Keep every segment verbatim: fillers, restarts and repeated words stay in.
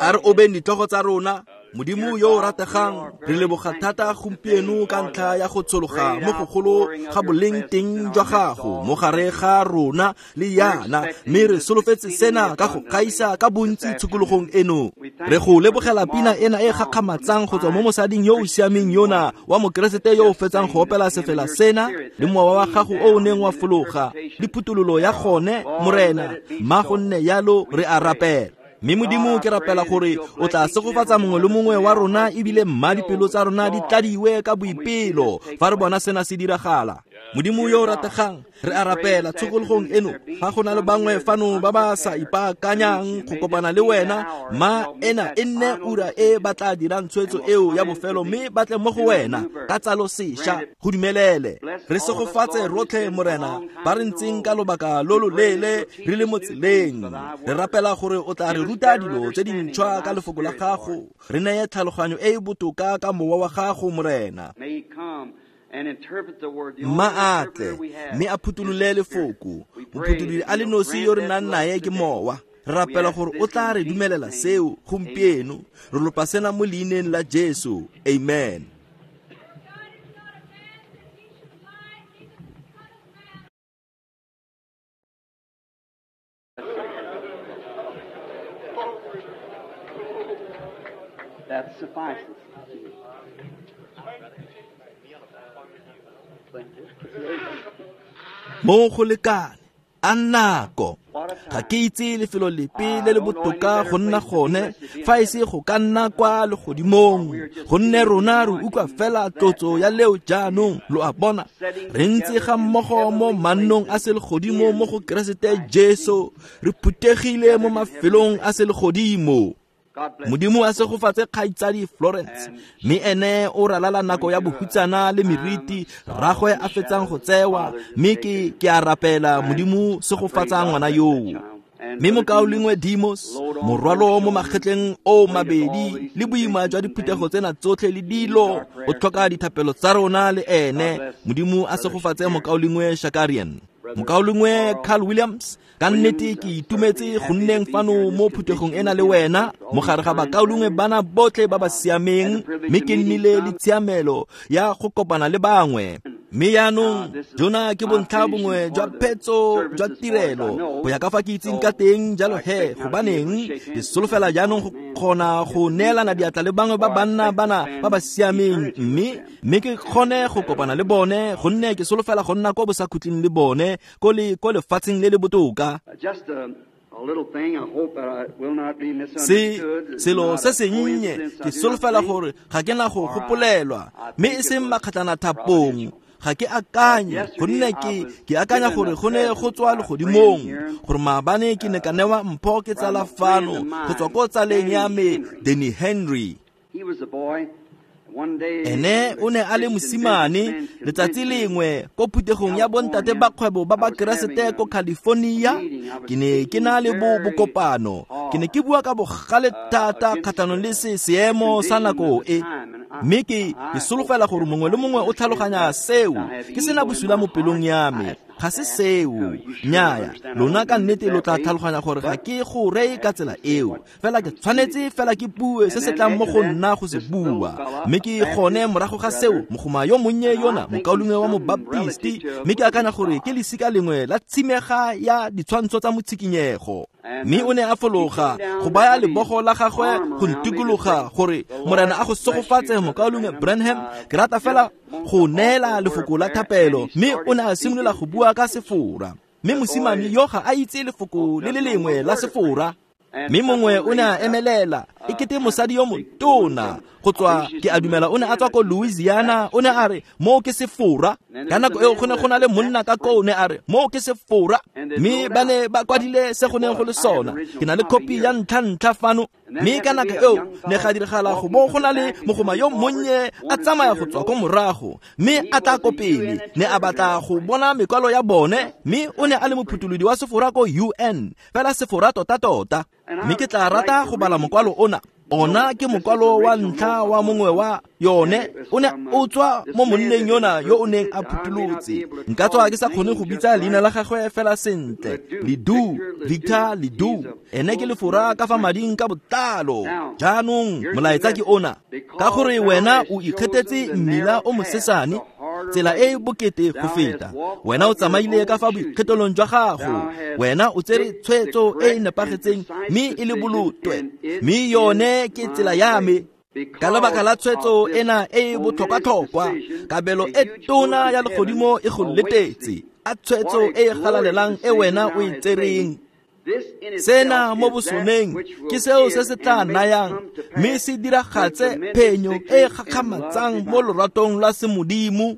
A re obeng ditlhogo tsa rona. Modimo yo o rategang, re leboga thata gompieno ka ntlha ya go tshologa mo gogolo ga boleng teng jwa gago mo gare ga rona le yana, mme re solofetse sena ka go gaisa ka bontsi tshokologong eno. Re go lebogela pina ena e gakgamatsang go tswa mo mosading yo o siameng yona wa mokeresete yo o fetsang go opela sefela sena, le mowa wa gago o o neng wa fologa le phuthololo ya gone, Morena. Mma go nne yalo, re a rapela. Mme Modimo, ke rapela gore o tla segofatsa mongwe le mongwe wa rona, ebile mma dipelo tsa rona di tladiwe ka boipelo fa re bona sena se diragala. Modimo yo o rategang, re a rapela tshokologong eno, fa go na le bangwe fano ba ba sa ipaakanyang go kopana le wena, ma ena e nne ura e ba tla dirang tshwetso eo ya bofelo mme ba tle mo go wena ka tsalo sešwa. Go dumelele. Re segofatse rotlhe, Morena, ba re ntseng ka lobaka lo lo leele re le mo tseleng. Re rapela gore o tla re ruta dilo tse dintšhwa ka lefoko la gago, re neye tlhaloganyo e e botoka ka mowa wa gago, Morena. Mma a tle mme a phutholole lefoko. Mophutholodi a le nosi yo re nang nae ke mowa. Re rapela gore o tla re dumelela seo gompieno. Re lopa sena mo leineng la Jesu. Amen. That suffices. Mo go lekane a nako. Ga ke itse lefelo lepe le le botoka go nna gone fa e se go ka nna kwa legodimong, gonne rona re utlwa fela tlotso ya leo jaanong. Lo a bona, re ntse ga mmogo mo mannong a selegodimo mo go Keresete Jesu, re phuthegile mo mafelong a selegodimo. Modimo a segofatse kgaitsadi Florence, mme ene o ralala nako ya bohutsana le meriti rragwe a fetsang go tsewa, mme ke ke a rapela Modimo segofatsa ngwana yoo. Mme mokaulengwe Demos, morwalo mo magetleng o mabedi le boima jwa diphuthego tsena tsotlhe le dilo, o tlhoka dithapelo tsa rona le ene. Modimo a segofatse mokaulengwe Shakarian. Mokaulengwe Carl Williams, ka nnete ke itumetse go nneng fano mo phuthegong ena le wena, mo gare ga bakaulengwe bana botlhe ba ba siameng, mme ke nnile le tshiamelo ya go kopana le bangwe. Mme jaanong jona ke bontlha bongwe jwa phetso jwa tirelo go ya ka fa ke itseng ka teng. Jalo he, gobaneng ke solofela jaanong go kgona go neelana diatla le bangwe ba banna bana ba ba siameng, mme mme ke kgone go kopana le bone, gonne ke solofela go nna ko bosakhutleng le bone ko le ko lefatsheng le le botoka. Se selo se sennye ke solofela gore ga ke na go gopolelwa, mme e seng makgatlana thapong. Ga ke akanye, gonne ke ke akanya gore go ne go tswa legodimong, gore maabane ke ne ka newa mpho ke tsala fano go tswa ko tsaleng ya me Danny Henry. Ene o ne a le mosimane letsatsi lengwe ko phuthegong ya bontate ba kgwebo ba ba Keresete ko California. Ke ne ke na le bo bokopano, ke ne ke bua ka bogale thata kgatlhanong le se seemo sa nako e, mme ke ke solofela gore mongwe le mongwe o tlhaloganya seo. Ke sena bosula mo pelong ya me, ga se seo. Nnyaya, lona ka nnete lo tla tlhaloganya gore ga ke go reye ka tsela eo, fela ke tshwanetse fela ke bue se se tlang mo go nna go se bua. Mme ke gone morago ga seo, mogoma yo monnye yona, mokaulengwe wa mobaptisti, mme ke akanya gore ke lesika lengwe la tshimega ya ditshwantsho tsa motshikinyego. Mme o ne a fologa go baya lebogo la gagwe go ntikologa gore Morena a go segofatse mokaulengwe Branham, ke rata fela go neela lefoko la thapelo. Mme o ne a simolola go bua ka Sefora, mme mosimane yo ga a itse lefoko le le lengwe la Sefora. Mme mongwe o ne a emelela, e kete mosadi yo motona go tswa, ke a dumela o ne a tswa ko Louisiana, o ne a re moo ke Sefora. Ka nako eo go ne go na le monna ka koo, o ne a re moo ke Sefora, mme ba ne ba kwadile se go neng go le sona. Ke na le kopi ya ntlha-ntlha fano. Mme ka nako eo ne ga diragala go bo go na le mogoma yo monnye a tsamaya go tswa ko morago, mme a tla ko pele, ne a batla go bona mekwalo ya bone, mme o ne a le mophutholodi wa Sefora ko U N, fela Sefora tota-tota. Mme ke tla rata go bala mokwalo ona. Ona ke mokwalo wa ntlha wa mongwe wa yone o ne o tswa mo monneng yona yo o neng a phutholotse. Nka tswa ke sa kgone go bitsa leina la gagwe fela sentle. Ledoux, Victor Ledoux. Ene ke lefora ka fa mading ka botlalo. Jaanong molaetsa ke ona. Ka gore wena o ikgethetse mmila o mosesane, tsela e e bokete go feta. Wena o tsamaile ka fa boikgetholong jwa gago. Wena o tsere tshwetso e e nepagetseng mme e le bolotwe. Mme yone ke tsela ya me. Ka lebaka la tshwetso ena e e botlhokwa-tlhokwa, kabelo e tona ya legodimo e go letetse. A tshwetso e e galalelang e wena o e tsereng. Sena mo bosoneng ke seo se se tla nayang mme se diragatse phenyo e e gakgamatsang mo loratong lwa semodimo.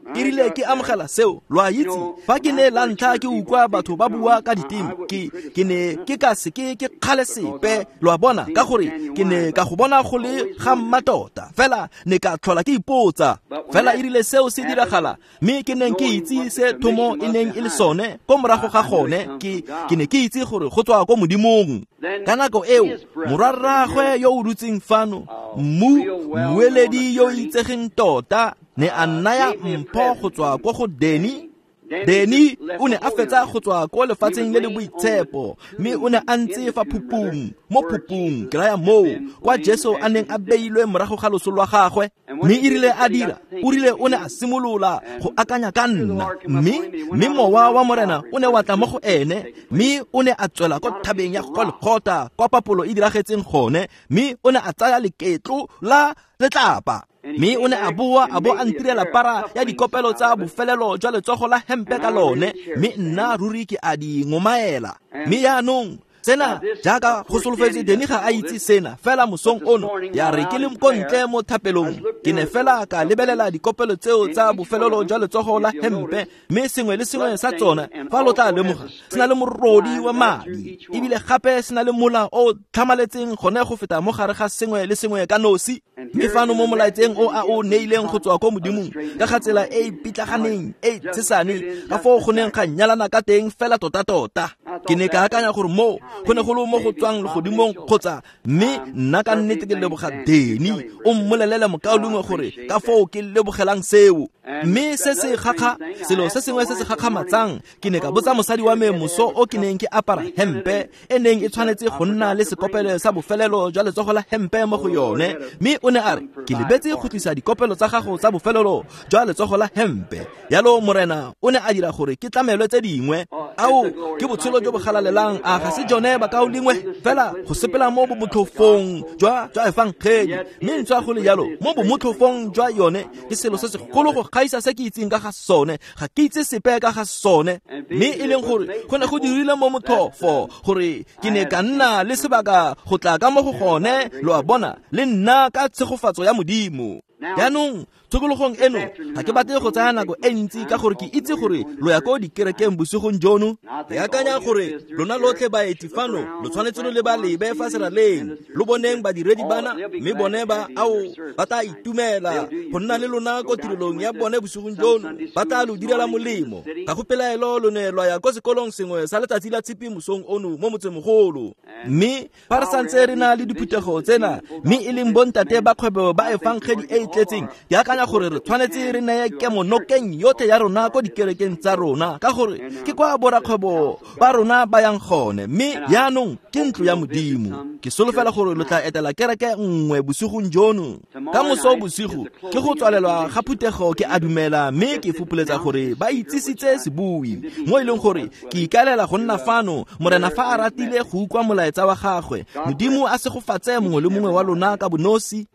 Ke rile ke amogela seo, lo a itse, fa ke ne la ntlha ke utlwa batho ba bua ka diteme, ke ke ne ke ka seke ke kgale sepe, lo a bona, ka gore ke ne ka go bona go le ga mmatota, fela ne ka tlhola ke ipotsa. Fela e rile seo se diragala, mme ke neng ke itse se thomo e neng e le sone, ko morago ga gone, ke ke ne ke itse gore go tswa ko Modimong. Ka nako eo, morwarraagwe yo o dutseng fano, mmu mmueledi yo o itsegeng tota, ne a nnaya mpho go tswa ko go Danny. Danny o ne a fetsa go tswa ko lefatsheng le le boitshepo, mme o ne a ntse fa phupung, mo phupung, ke raya moo, kwa Jesu a neng a beilwe morago ga loso lwa gagwe. Mme e rile a dira, o rile o ne a simolola go akanya ka nna, mme mme mowa wa Morena o ne wa tla mo go ene, mme o ne a tswela ko thabeng ya Golgotha kwa papolo e diragetseng gone, mme o ne a tsaya leketlo la letlapa. Mme o ne a boa a bo a ntirela para ya dikopelo tsa bofelelo jwa letsogo la hempe ka lone, mme nna ruri ke a di ngomaela. Mme jaanong sena jaaka go solofetse, Danny ga a itse sena, fela mosong ono ya re ke le ko ntle mo thapelong, ke ne fela ka lebelela dikopelo tseo tsa bofelelo jwa letsogo la hempe, mme sengwe le sengwe sa tsona, fa lo tla lemoga, se na le morodi wa madi, ebile gape se na le mola o tlhamaletseng gone go feta mo gare ga sengwe le sengwe ka nosi. Mme fano mo molaetseng o a o neileng go tswa ko Modimong, ka ga tsela e e pitlaganeng e tshesane, ka foo go neng ga nyalana ka teng fela tota-tota. Ke ne ka akanya gore moo go ne go le mo go tswang legodimong kgotsa, mme nna ka nnete ke leboga Danny, o mmolelele mokaulengwe gore ka foo ke lebogelang seo. Mme se se gakga, selo se sengwe se se gakgamatsang, ke ne ka botsa mosadi wa me moso o ke neng ke apara hempe e neng e tshwanetse go nna le sekopelo sa bofelelo jwa letsogo la hempe mo go yone, mme o ne a re, ke lebetse go tlisa dikopelo tsa gago tsa bofelelo jwa letsogo la hempe. Yalo Morena o ne a dira gore ke tlamelwe tse dingwe. Ao, ke botshelo jo bo galalelang, a ga se jone bakaulengwe? Fela go sepela mo bomotlhofong jwa jwa efangedi, mme ntswa go le jalo mo bomotlhofong jwa yone ke selo se segolo go gaisa se ke itseng ka ga sone. Ga ke itse sepe ka ga sone, mme e leng gore go ne go dirile mo motlhofo gore ke ne ka nna le sebaka go tla ka mo go gone, lo a bona, le nna ka tshegofatso ya Modimo. Jaanong tshokologong eno ga ke batle go tsaya nako e ntsi ka gore ke itse gore lo ya ko dikerekeng bosigong jono. Ke akanya gore lona lotlhe baeti fano lo tshwanetse lo leba lebe fa seraleng, lo boneng badiredi bana, mme bone ba ao ba tla itumela go nna le lona ko tirelong ya bone bosigong jono, ba tla lo direla molemo. Ga go pelaelo lo ne lwa ya ko sekolong sengwe sa letsatsi la tshipi mosong ono mo motsemogolo. Mme fa re santse re na le diphuthego tsena, mme e leng bontate ba kgwebo ba efangedi e e tletseng, ke akanya gore re tshwanetse re neye kemonokeng yotlhe ya rona ko dikerekeng tsa rona, ka gore ke kwa borakgwebo ba rona ba yang gone. Mme jaanong ke ntlo ya Modimo. Ke solofela gore lo tla etela kereke nngwe bosigong jono. Ka moso bosigo ke go tswalelwa ga phuthego, ke a dumela, mme ke fopoletsa gore ba itsisitse sebui, mo e leng gore ke ikaelela go nna fano Morena fa a ratile go utlwa molaetsa wa gagwe. Modimo a segofatse mongwe le mongwe wa lona ka bonosi.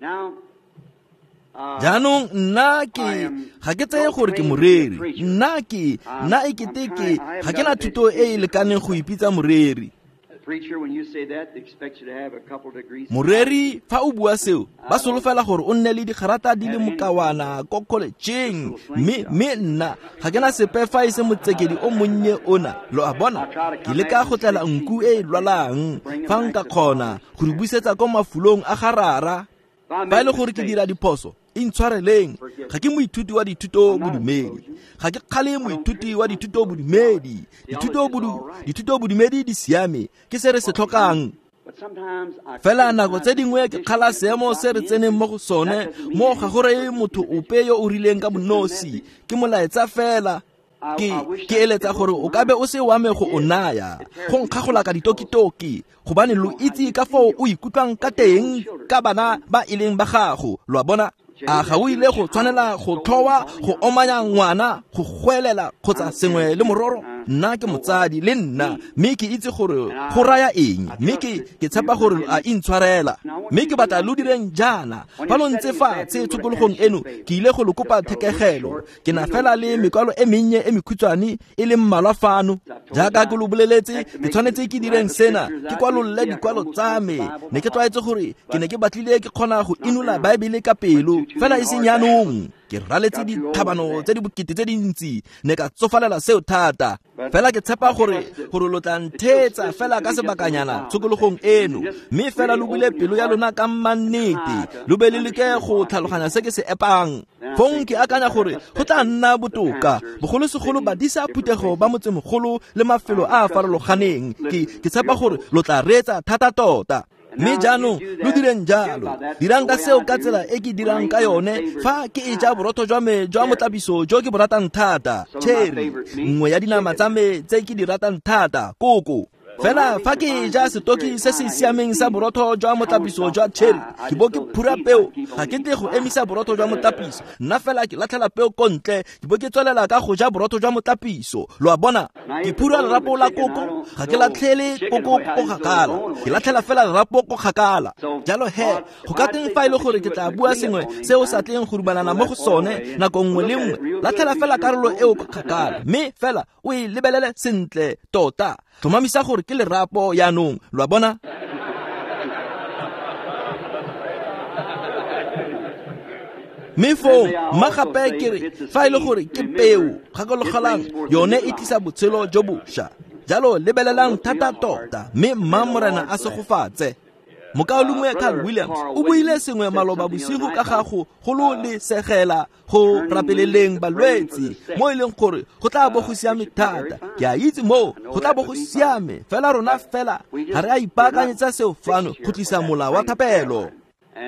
Jaanong nna ke ga ke tseye gore ke moreri, nna ke nna e kete ke ga ke na thuto e e lekaneng go ipitsa moreri. Moreri fa o bua seo, ba solofela gore o nne le digarata di le mokawana ko college-eng, mme mme nna ga ke na sepe fa e se motsekedi o monnye ona, lo a bona. Ke leka go tlela nku e e lwalang fa nka kgona go re busetsa ko mafulong a ga rara. Fa e le gore ke dira diphoso, intshwareleng. Ga ke moithuti wa dithuto bodumedi, ga ke kgale moithuti wa dithuto bodumedi. Dithuto bodu dithuto bodumedi di siame, ke se re se tlhokang. Fela nako tse dingwe ke kgala seemo se re tseneng mo go sone mo ga go reye motho ope yo o rileng ka bonosi, ke molaetsa fela. Ke ke eletsa gore o ka be o se wa me go o naya, go nkgagola ka ditokitoki, gobane lo itse ka foo o ikutlwang ka teng ka bana ba e leng ba gago, lo a bona. A ga o ile go tshwanela go tlhowa, go omanya ngwana, go goelela kgotsa sengwe le mororo? Nna ke motsadi le nna, mme ke itse gore go raya eng, mme ke ke tshepa gore a intshwarela. Mme ke batla lo direng jaana, fa lo ntse fatshe tshokologong eno, ke ile go lo kopa thekegelo. Ke na fela le mekwalo e mennye e mekhutshwane e le mmalwa fano. Jaaka ke lo boleletse, ke tshwanetse ke direng sena, ke kwalolle dikwalo tsa me. Ne ke tlwaetse gore ke ne ke batlile ke kgona go inola Baebele ka pelo, fela e seng jaanong. Ke raletse dithabano tse di bokete tse dintsi, ne ka tsofalela seo thata. Fela ke tshepa gore gore lo tla ntheetsa fela ka sebakanyana tshokologong eno, mme fela lo bule pelo ya lona ka mannete, lo be le leke go tlhaloganya se ke se epang. Fong ke akanya gore go tla nna botoka, bogolosegolo badisa phuthego ba motsemogolo le mafelo a a farologaneng. Ke ke tshepa gore lo tla reetsa thata tota. Mme jaanong lo direng jalo, dirang ka seo ka tsela e ke dirang ka yone fa ke e ja borotho jwa me jwa motlapiso jo ke bo ratang thata, cherry, nngwe ya dinama tsa me tse ke di ratang thata, koko. Fela fa ke e ja setoki se se siameng sa borotho jwa motlapiso jwa cherry, ke bo ke phura peo, ga ke tle go emisa borotho jwa motlapiso, nna fela ke latlhela peo ko ntle, ke bo ke tswelela ka go ja borotho jwa motlapiso. Lo a bona, ke phura lerapo la koko, ga ke latlhele koko ko kgakala, ke latlhela fela lerapo ko kgakala. Jalo he, go ka teng fa e le gore ke tla bua sengwe se o sa tleng go dumalana mo go sone nako nngwe le nngwe, latlhela fela karolo eo ko kgakala, mme fela o e lebelele sentle tota. Tlhomamisa gore ke lerapo jaanong, lo a bona. Mme foo mma gape ke re fa e le gore ke peo, gakologelang yone e tlisa botshelo jo bošwa. Jalo lebelelang thata tota, mme mma Morena a segofatse. Mokaulengwe Carl Williams o buile sengwe maloba bosigo ka ga go gololesegela go rapeleleng balwetse, mo e leng gore go tla bo go siame thata. Ke a itse moo go tla bo go siame, fela rona fela ga re a ipaakanyetsa seo fano go tlisa mola wa thapelo.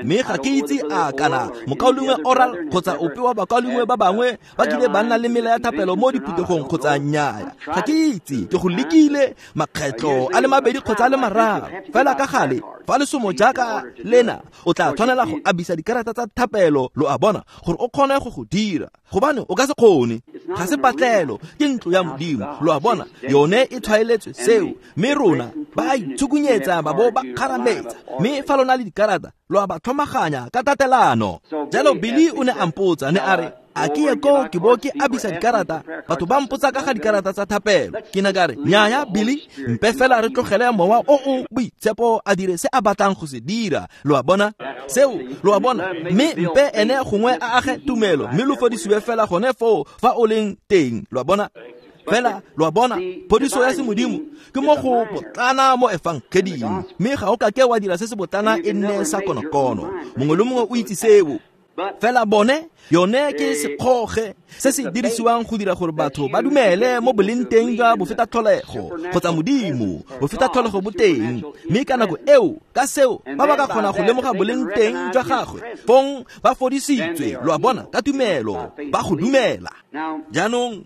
Mme ga ke itse a kana mokaulengwe Oral kgotsa ope wa bakaulengwe ba bangwe ba kile ba nna le mela ya thapelo mo diphuthegong kgotsa nnyaya. Ga ke itse, ke go lekile makgetlo a le mabedi kgotsa a le mararo. Fela ka gale, fa lesomo jaaka lena, o tla tshwanela go abisa dikarata tsa thapelo, lo a bona, gore o kgone go go dira, gobane o ka se kgone. Ga se patlelo, ke ntlo ya Modimo, lo a bona, yone e tshwaeletswe seo. Mme rona ba a itshukunyetsa ba bo ba kgarametsa, mme fa lona le dikarata lo a ba tlhomaganya ka tatelano. Jalo Billy o ne a mpotsa, ne a re, a ke ye koo ke bo ke abisa dikarata, batho ba mpotsa ka ga dikarata tsa thapelo. Ke ne ka re, nnyaya Billy, mpe fela re tlogele mowa o o boitshepo a dire se a batlang go se dira, lo a bona seo, lo a bona. Mme mpe ene gongwe a age tumelo, mme lo fodisiwe fela gone foo fa o leng teng, lo a bona. Fela lo a bona, phodiso ya semodimo ke mo go botlana mo efangeding, mme ga o ka ke wa dira se se botlana e nne sa konokono. Mongwe le mongwe o itse seo. Fela bone yone ke sekgoge se se dirisiwang go dira gore batho ba dumele mo boleng teng jwa bofetatlholego kgotsa Modimo, bofetatlholego bo teng. Mme ka nako eo, ka seo ba ba ka kgona go lemoga boleng teng jwa gagwe, fong ba fodisitswe, lo a bona, ka tumelo, ba go dumela. Jaanong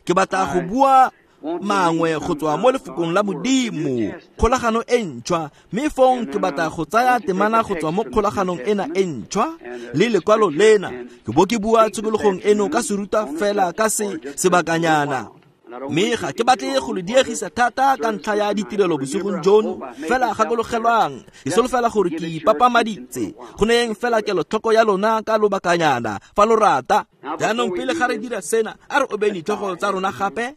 ke batla go bua mangwe go tswa mo lefokong la Modimo, kgolagano e ntšhwa, mme fong ke batla go tsaya temana go tswa mo kgolaganong ena e ntšhwa le lekwalo lena, ke bo ke bua tshokologong eno ka seruta fela ka se sebakanyana. Mme ga ke batle go le diegisa thata ka ntlha ya ditirelo bosigong jono, fela gakologelwang, ke solofela gore ke ipapamaditse go neyeng fela kelotlhoko ya lona ka lobakanyana fa lo rata. Jaanong pele ga re dira sena, a re obeng ditlhogo tsa rona gape.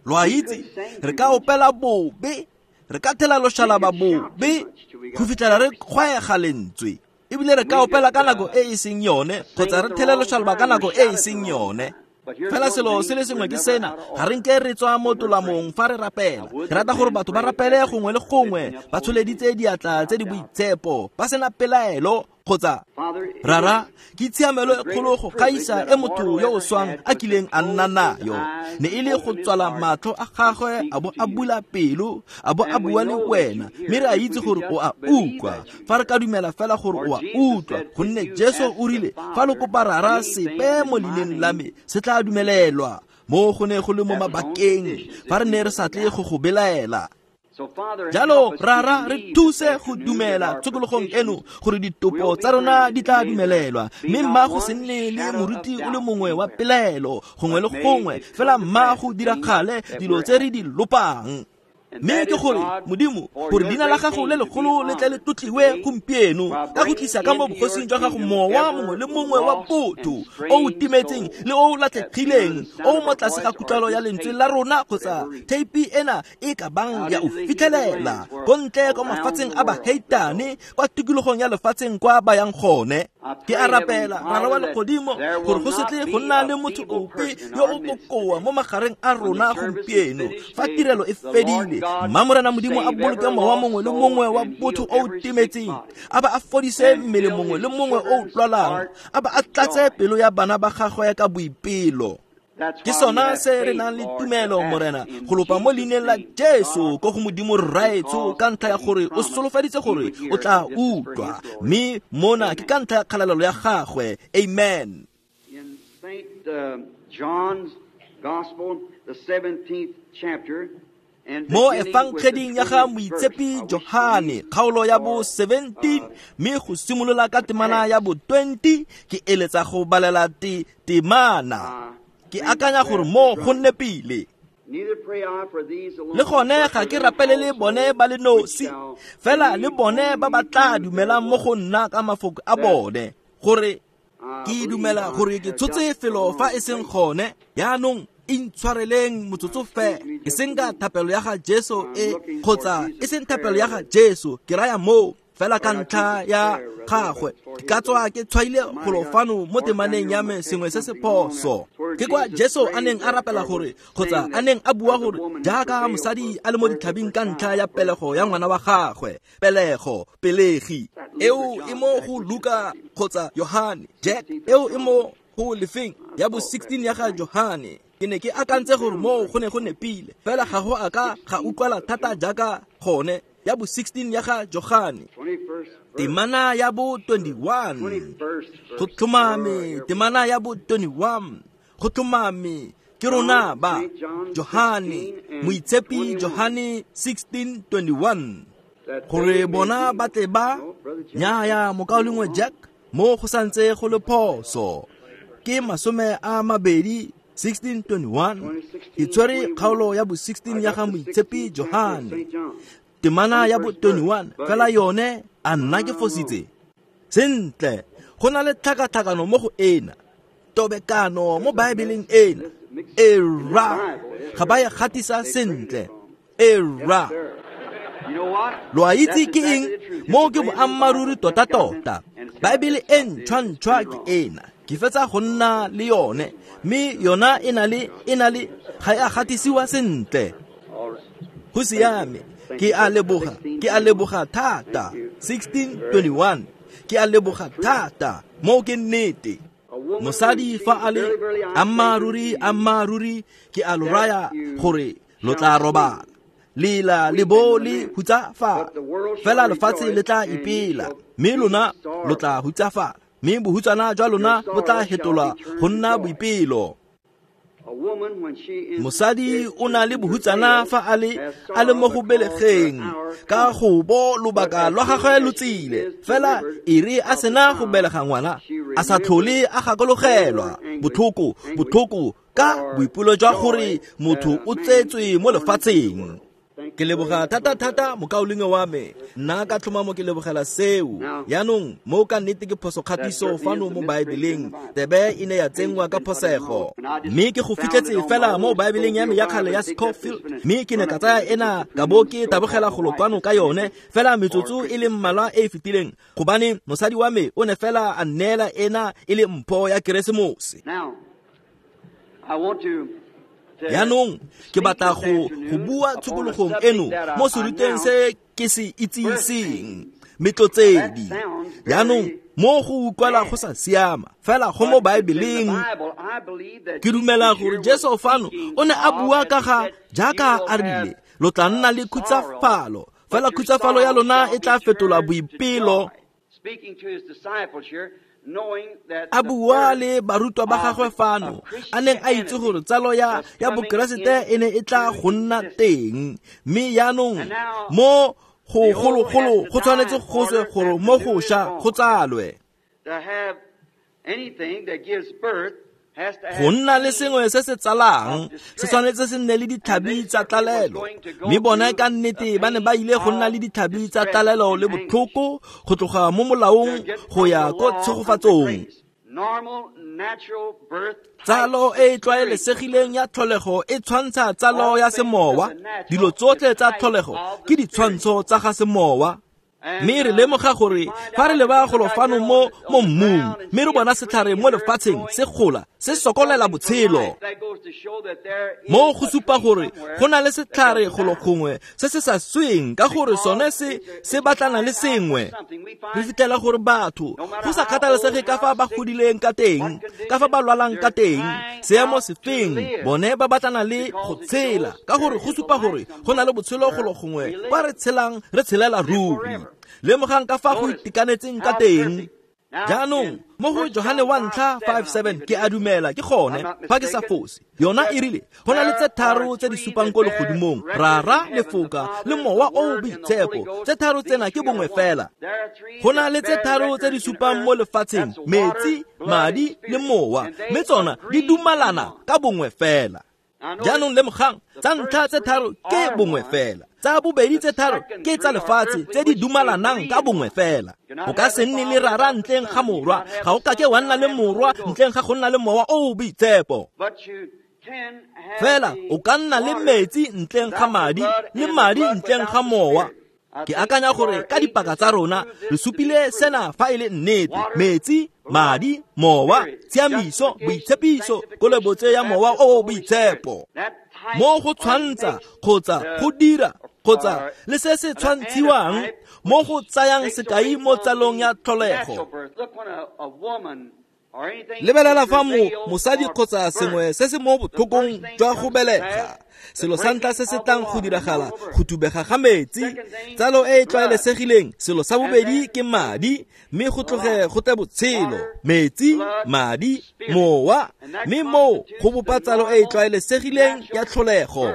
Lo a itse, re ka opela bobe, re ka thela loshalaba bobe go fitlhela re kgwaega lentswe, ebile re ka opela ka nako e e seng yone kgotsa re thele loshalaba ka nako e e seng yone. Fela selo se le sengwe ke sena, ga re nke re tswa mo tolamong fa re rapela. Ke rata gore batho ba rapele gongwe le gongwe, ba tsholeditse diatla tse di boitshepo, ba sena pelaelo Kgotsa Rara, ke tshiamelo e kgolo go gaisa e motho yo o swang a kileng a nna nayo. Ne e le go tswala matlho a gagwe a bo a bula pelo, a bo a bua le wena, mme re a itse gore o a utlwa. Fa re ka dumela fela gore o a utlwa, gonne Jesu o rile, fa lo kopa Rara sepe mo leineng la me, se tla dumelelwa. Mo go ne go le mo mabakeng, fa re ne re sa tle go go belaela. Jalo Rara, re thuse go dumela tshokologong eno gore ditopo tsa rona di tla dumelelwa, mme mma go se nne le moruti o le mongwe wa pelaelo gongwe le gongwe, fela mma go diragale dilo tse re di lopang. Mme ke gore Modimo, gore leina la gago le legolo le tle le tlotliwe gompieno ka go tlisa ka mo bogosing jwa gago mowa mongwe le mongwe wa botho o o timetseng le o o latlhegileng, o o mo tlase ga kutlwalo ya lentswe la rona kgotsa theipi ena e ka bang ya o fitlhelela ko ntle kwa mafatsheng a baheitane, kwa tikologong ya lefatsheng kwa ba yang gone. Ke a rapela Rara wa legodimo gore go se tle go nna le motho ope yo o bokoa mo magareng a rona gompieno fa tirelo e fedile. Mma Morena Modimo a boloke mowa mongwe le mongwe wa botho o o timetseng, a ba a fodise mmele mongwe le mongwe o o lwalang, a ba a tlatse pelo ya bana ba gagwe ka boipelo. Ke sona se re nang le tumelo, Morena, go lopa mo leineng la Jesu ko go Modimo Rraetsho, ka ntlha ya gore o solofeditse gore o tla utlwa, mme mona ke ka ntlha ya kgalalelo ya gagwe. Amen. In Saint John's Gospel, the seventeenth chapter, mo efangeding ya ga Moitshepi Johane, kgaolo ya bo seventeen, mme go simolola ka temana ya bo twenty, ke eletsa go balela te temana. Ke akanya gore mo go nepile. Le gone ga ke rapelele bone ba le nosi, fela le bone ba ba tla dumelang mo go nna ka mafoko a bone, gore ke dumela gore ke tshotse felo fa e seng gone. Jaanong intshwareleng motsotso fela, e seng ka thapelo ya ga Jesu e kgotsa e seng thapelo ya ga Jesu, ke raya moo fela ka ntlha ya gagwe. Ke ka tswa ke tshwaile golo fano mo temaneng ya me sengwe se se phoso. Ke kwa Jesu a neng a rapela gore, kgotsa a neng a bua gore jaaka mosadi a le mo ditlhabing ka ntlha ya pelego ya ngwana wa gagwe, pelego, pelegi eo e mo go Luka kgotsa Yohane, Jack eo e mo go lefeng ya bo sixteen ya ga Johane. Ke ne ke akantse gore moo go ne go nepile, fela ga go a ka ga utlwala thata jaaka gone. Ya bo sixteen ya ga Johane, temana ya bo twenty-one, go tlhomame, temana ya bo twenty-one, go tlhomame, ke rona ba Johane, Moitshepi Johane sixteen twenty-one, gore bona ba tle ba nyaya mokaulengwe Jack, mo go santse go le phoso. Ke masome a mabedi sixteen twenty-one, ke tshwere kgaolo ya bo sixteen ya ga Moitshepi Johane, temana ya bo twenty-one, fela yone a nna ke fositse. Sentle, go na le tlhakatlhakano mo go ena, tobekano mo Baebeleng ena. Era, ga ba e gatisa sentle. Era. Lo a itse ke eng? Mo ke boammaaruri tota-tota. Baebele e ntšhwa-ntšhwa ke ena. Ke fetsa go nna le yone, mme yona e na le e na le ga e a gatisiwa sentle. Go siame. Ke a leboga, ke a leboga thata. sixteen twenty-one, ke a leboga thata. Mo ke nnete. Mosadi fa a le ammaaruri, ammaaruri, ke a lo raya gore lo tla robala, lela le bo le hutsafala, fela lefatshe le tla ipela, mme lona lo tla hutsafala, mme bohutsana jwa lona bo tla hetolwa go nna boipelo. Mosadi o na le bohutsana fa a le a le mo go belegeng, ka go bo lobaka lwa gagwe lo tsile, fela e re a sena go belega ngwana, a sa tlhole a gakologelwa botlhoko botlhoko ka boipelo jwa gore motho o tsetswe mo lefatsheng. Ke leboga thata-thata mokaulengwe wa me, nna ka tlhomamo ke lebogela seo. Jaanong mo ka nnete ke phoso kgatiso fano mo Baebeleng, tebe e ne ya tsenngwa ka phosego, mme ke go fitlhetse fela mo Baebeleng ya me ya kgale ya Scofield, mme ke ne ka tsaya ena ka bo ke tabogela golo kwano ka yone fela metsotso e le mmalwa e e fetileng, gobane mosadi wa me o ne fela a nneela ena e le mpho ya Keresemose. Jaanong ke batla go go bua tshokologong eno mo seruteng se ke se itsiseng. Metlotsedi. Jaanong mo go utlwala go sa siama, fela go mo Baebeleng. Ke dumela gore Jesu fano o ne a bua ka ga jaaka a rile, lo tla nna le khutsafalo, fela khutsafalo ya lona e tla fetolwa boipelo. A bua le barutwa ba gagwe fano, a neng a itse gore tsalo ya ya Bokeresete e ne e tla go nna teng. Mme jaanong mo go gologolo go tshwanetse go tswe gore mo go ša go tsalwe. Go nna le sengwe se se tsalang se tshwanetse se nne le ditlhabi tsa tlalelo. Mme bone ka nnete ba ne ba ile go nna le ditlhabi tsa tlalelo le botlhoko go tloga mo molaong go ya ko tshegofatsong. Tsalo e e tlwaelesegileng ya tlholego e tshwantsha tsalo ya semowa. Dilo tsotlhe tsa tlholego ke ditshwantsho tsa ga semowa. Mme re lemoga gore fa re leba golo fano mo mo mmung, mme re bona setlhare mo lefatsheng se gola, se sokolela botshelo. Mo go supa gore go na le setlhare golo gongwe se se sa sweng, ka gore sone se se batlana le sengwe. Re fitlhela gore batho, go sa kgathalesege ka fa ba godileng ka teng, ka fa ba lwalang ka teng, seemo sefeng, bone ba batlana le go tshela, ka gore go supa gore go na le botshelo golo gongwe kwa re tshelang, re tshelela ruri. Lemogang ka fa go itekanetseng ka teng. Jaanong mo go Johane wa ntlha five seven ke a dumela ke gone fa ke sa fose. Yona e rile go na le tse tharo tse di supang ko legodimong, Rara, Lefoka le Mowa o o Boitshepo. Tse tharo tsena ke bongwe fela. Go na le tse tharo tse di supang mo lefatsheng, metsi, madi le mowa, mme tsona di dumalana ka bongwe fela. Jaanong lemogang, tsa ntlha tse tharo ke bongwe fela, tsa bobedi tse tharo ke tsa lefatshe tse di dumalanang ka bongwe fela. O ka se nne le Rara ntleng ga Morwa, ga o kake wa nna le Morwa ntleng ga go nna le Mowa o o Boitshepo. Fela o ka nna le metsi ntleng ga madi, le madi ntleng ga mowa. Ke akanya gore ka dipaka tsa rona re supile sena fa e le nnete: metsi, madi, mowa, tshiamiso, boitshepiso, kolobetso ya Mowa o o Boitshepo. Mo go tshwantsha kgotsa go dira kgotsa le se se tshwantshiwang mo go tsayang sekai mo tsalong ya tlholego. Lebelela fa mo mosadi kgotsa sengwe se se mo botlhokong jwa go belega, selo sa ntlha se se tlang go diragala, go thubega ga metsi, tsalo e e tlwaelesegileng. Selo sa bobedi ke madi, mme go tloge go tle botshelo, metsi, madi, mowa, mme moo go bopa tsalo e e tlwaelesegileng ya tlholego.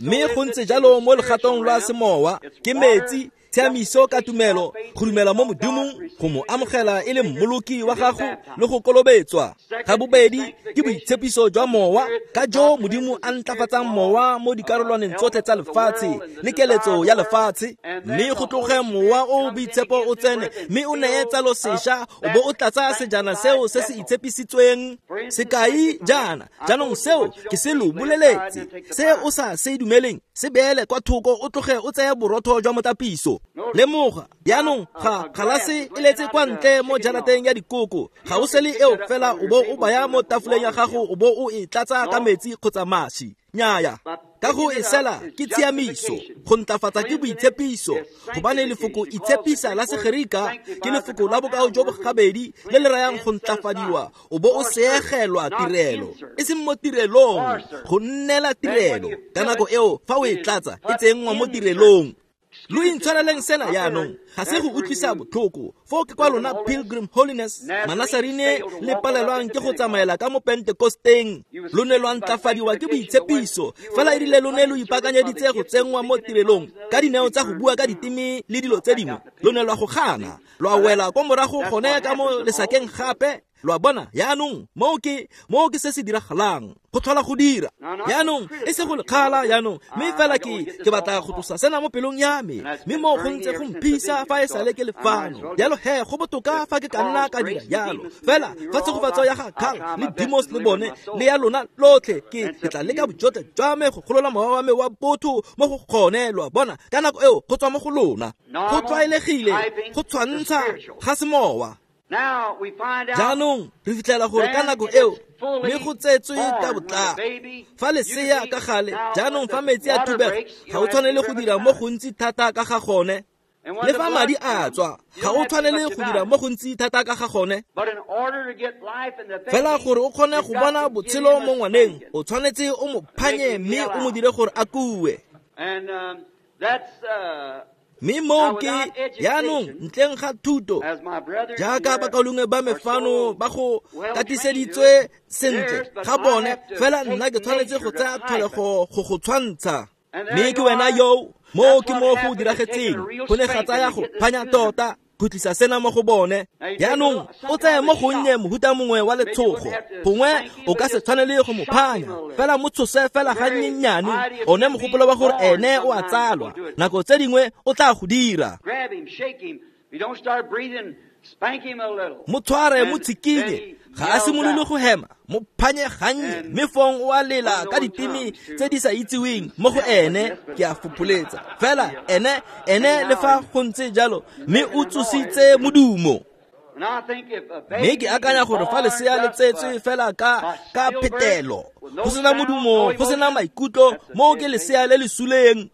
Mme go ntse jalo mo legatong lwa semowa, ke metsi, tshiamiso ka tumelo, go dumela mo Modimong, go mo amogela e le mmoloki wa gago le go kolobetswa. Ga bobedi ke boitshepiso jwa mowa, ka jo Modimo a ntlafatsang mowa mo dikarolwaneng tsotlhe tsa lefatshe le keletso ya lefatshe. Mme go tloge Mowa o o Boitshepo o tsene, mme o neye tsalo sešwa, o bo o tlatsa sejana seo se se itshepisitsweng. Sekai jaana, jaanong seo ke se lo boleletse, se o sa se dumeleng se beele kwa thoko, o tloge o tseye borotho jwa motapiso. Lemoga, jaanong ga galase e letse kwa ntle mo jarateng ya dikoko, ga o sele eo fela o bo o baya mo tafoleng ya gago, o bo o e tlatsa ka metsi kgotsa maši. Nnyaya, ka go e sela ke tshiamiso, go ntlafatsa ke boitshepiso, gobane lefoko itshepisa la Segerika ke lefoko la bokao jo bo gabedi le le rayang go ntlafadiwa, o bo o seegelwa tirelo, e seng mo tirelong, go nnela tirelo. Ka nako eo fa o e tlatsa e tsenngwa mo tirelong. Lo intshwareleng sena jaanong, ga se go utlwisa botlhoko. Foo ke kwa lona Pilgrim Holiness, Manasarine le palelwang ke go tsamaela ka mo Pentekosteng. Lo ne lwa ntlafadiwa ke boitshepiso, fela e rile lo ne lo ipaakanyeditse go tsenngwa mo tirelong ka dineo tsa go bua ka diteme le dilo tse dingwe. Lo ne lwa go gana, lwa wela kwa morago gone ka mo lesakeng gape. Lo a bona jaanong, moo ke moo ke se se diragalang, go tlhola go dira. Jaanong e se go lekgala jaanong, mme fela ke ke batla go tlosa sena mo pelong ya me, mme moo go ntse go mphisa fa e sale ke le fano. Jalo he, go botoka fa ke ka nna ka dira jalo. Fela fa tshegofatso ya ga Carl le Demos le bone le ya lona lotlhe, ke ke tla leka bojotlhe jwa me go golola mowa wa me wa botho mo go gone. Lo a bona, ka nako eo go tswa mo go lona. Go tlwaelegile go tshwantsha ga semowa. Jaanong re fitlhela gore ka nako eo mme go tsetswe ka botlalo. Fa lesea ka gale, jaanong fa metsi a thubega, ga o tshwanele go dira mo gontsi thata ka ga gone. Le fa madi a tswa, ga o tshwanele go dira mo gontsi thata ka ga gone. Fela gore o kgone go bona botshelo mo ngwaneng, o tshwanetse o mo phanye mme o mo dire gore a kue. Mme moo ke jaanong ntleng ga thuto, jaaka bakaulengwe ba me fano ba go katiseditswe sentle ga bone, fela nna ke tshwanetse go tsaya tlholego go go tshwantsha. Mme ke wena yo, moo ke mo go diragetseng, go ne ga tsaya go phanya tota go tlisa sena mo go bone. Jaanong o tseye mo gonnye mohuta mongwe wa letshogo, gongwe o ka se tshwanele go mo phanya, fela mo tshose fela gannyenyane, one mogopolo wa gore ene o a tsalwa, nako tse dingwe o tla go dira. Mo tshware, mo tshikinye, ga a simolole go hema, mo phanye gannye, mme fong o a lela ka diteme tse di sa itseweng mo go ene, ke a fopholetsa. Fela ene, ene le fa go ntse jalo, mme o tsositse modumo. Mme ke akanya gore fa lesea le tsetswe fela ka ka phetelo, go sena modumo, go sena maikutlo, moo ke lesea le le suleng.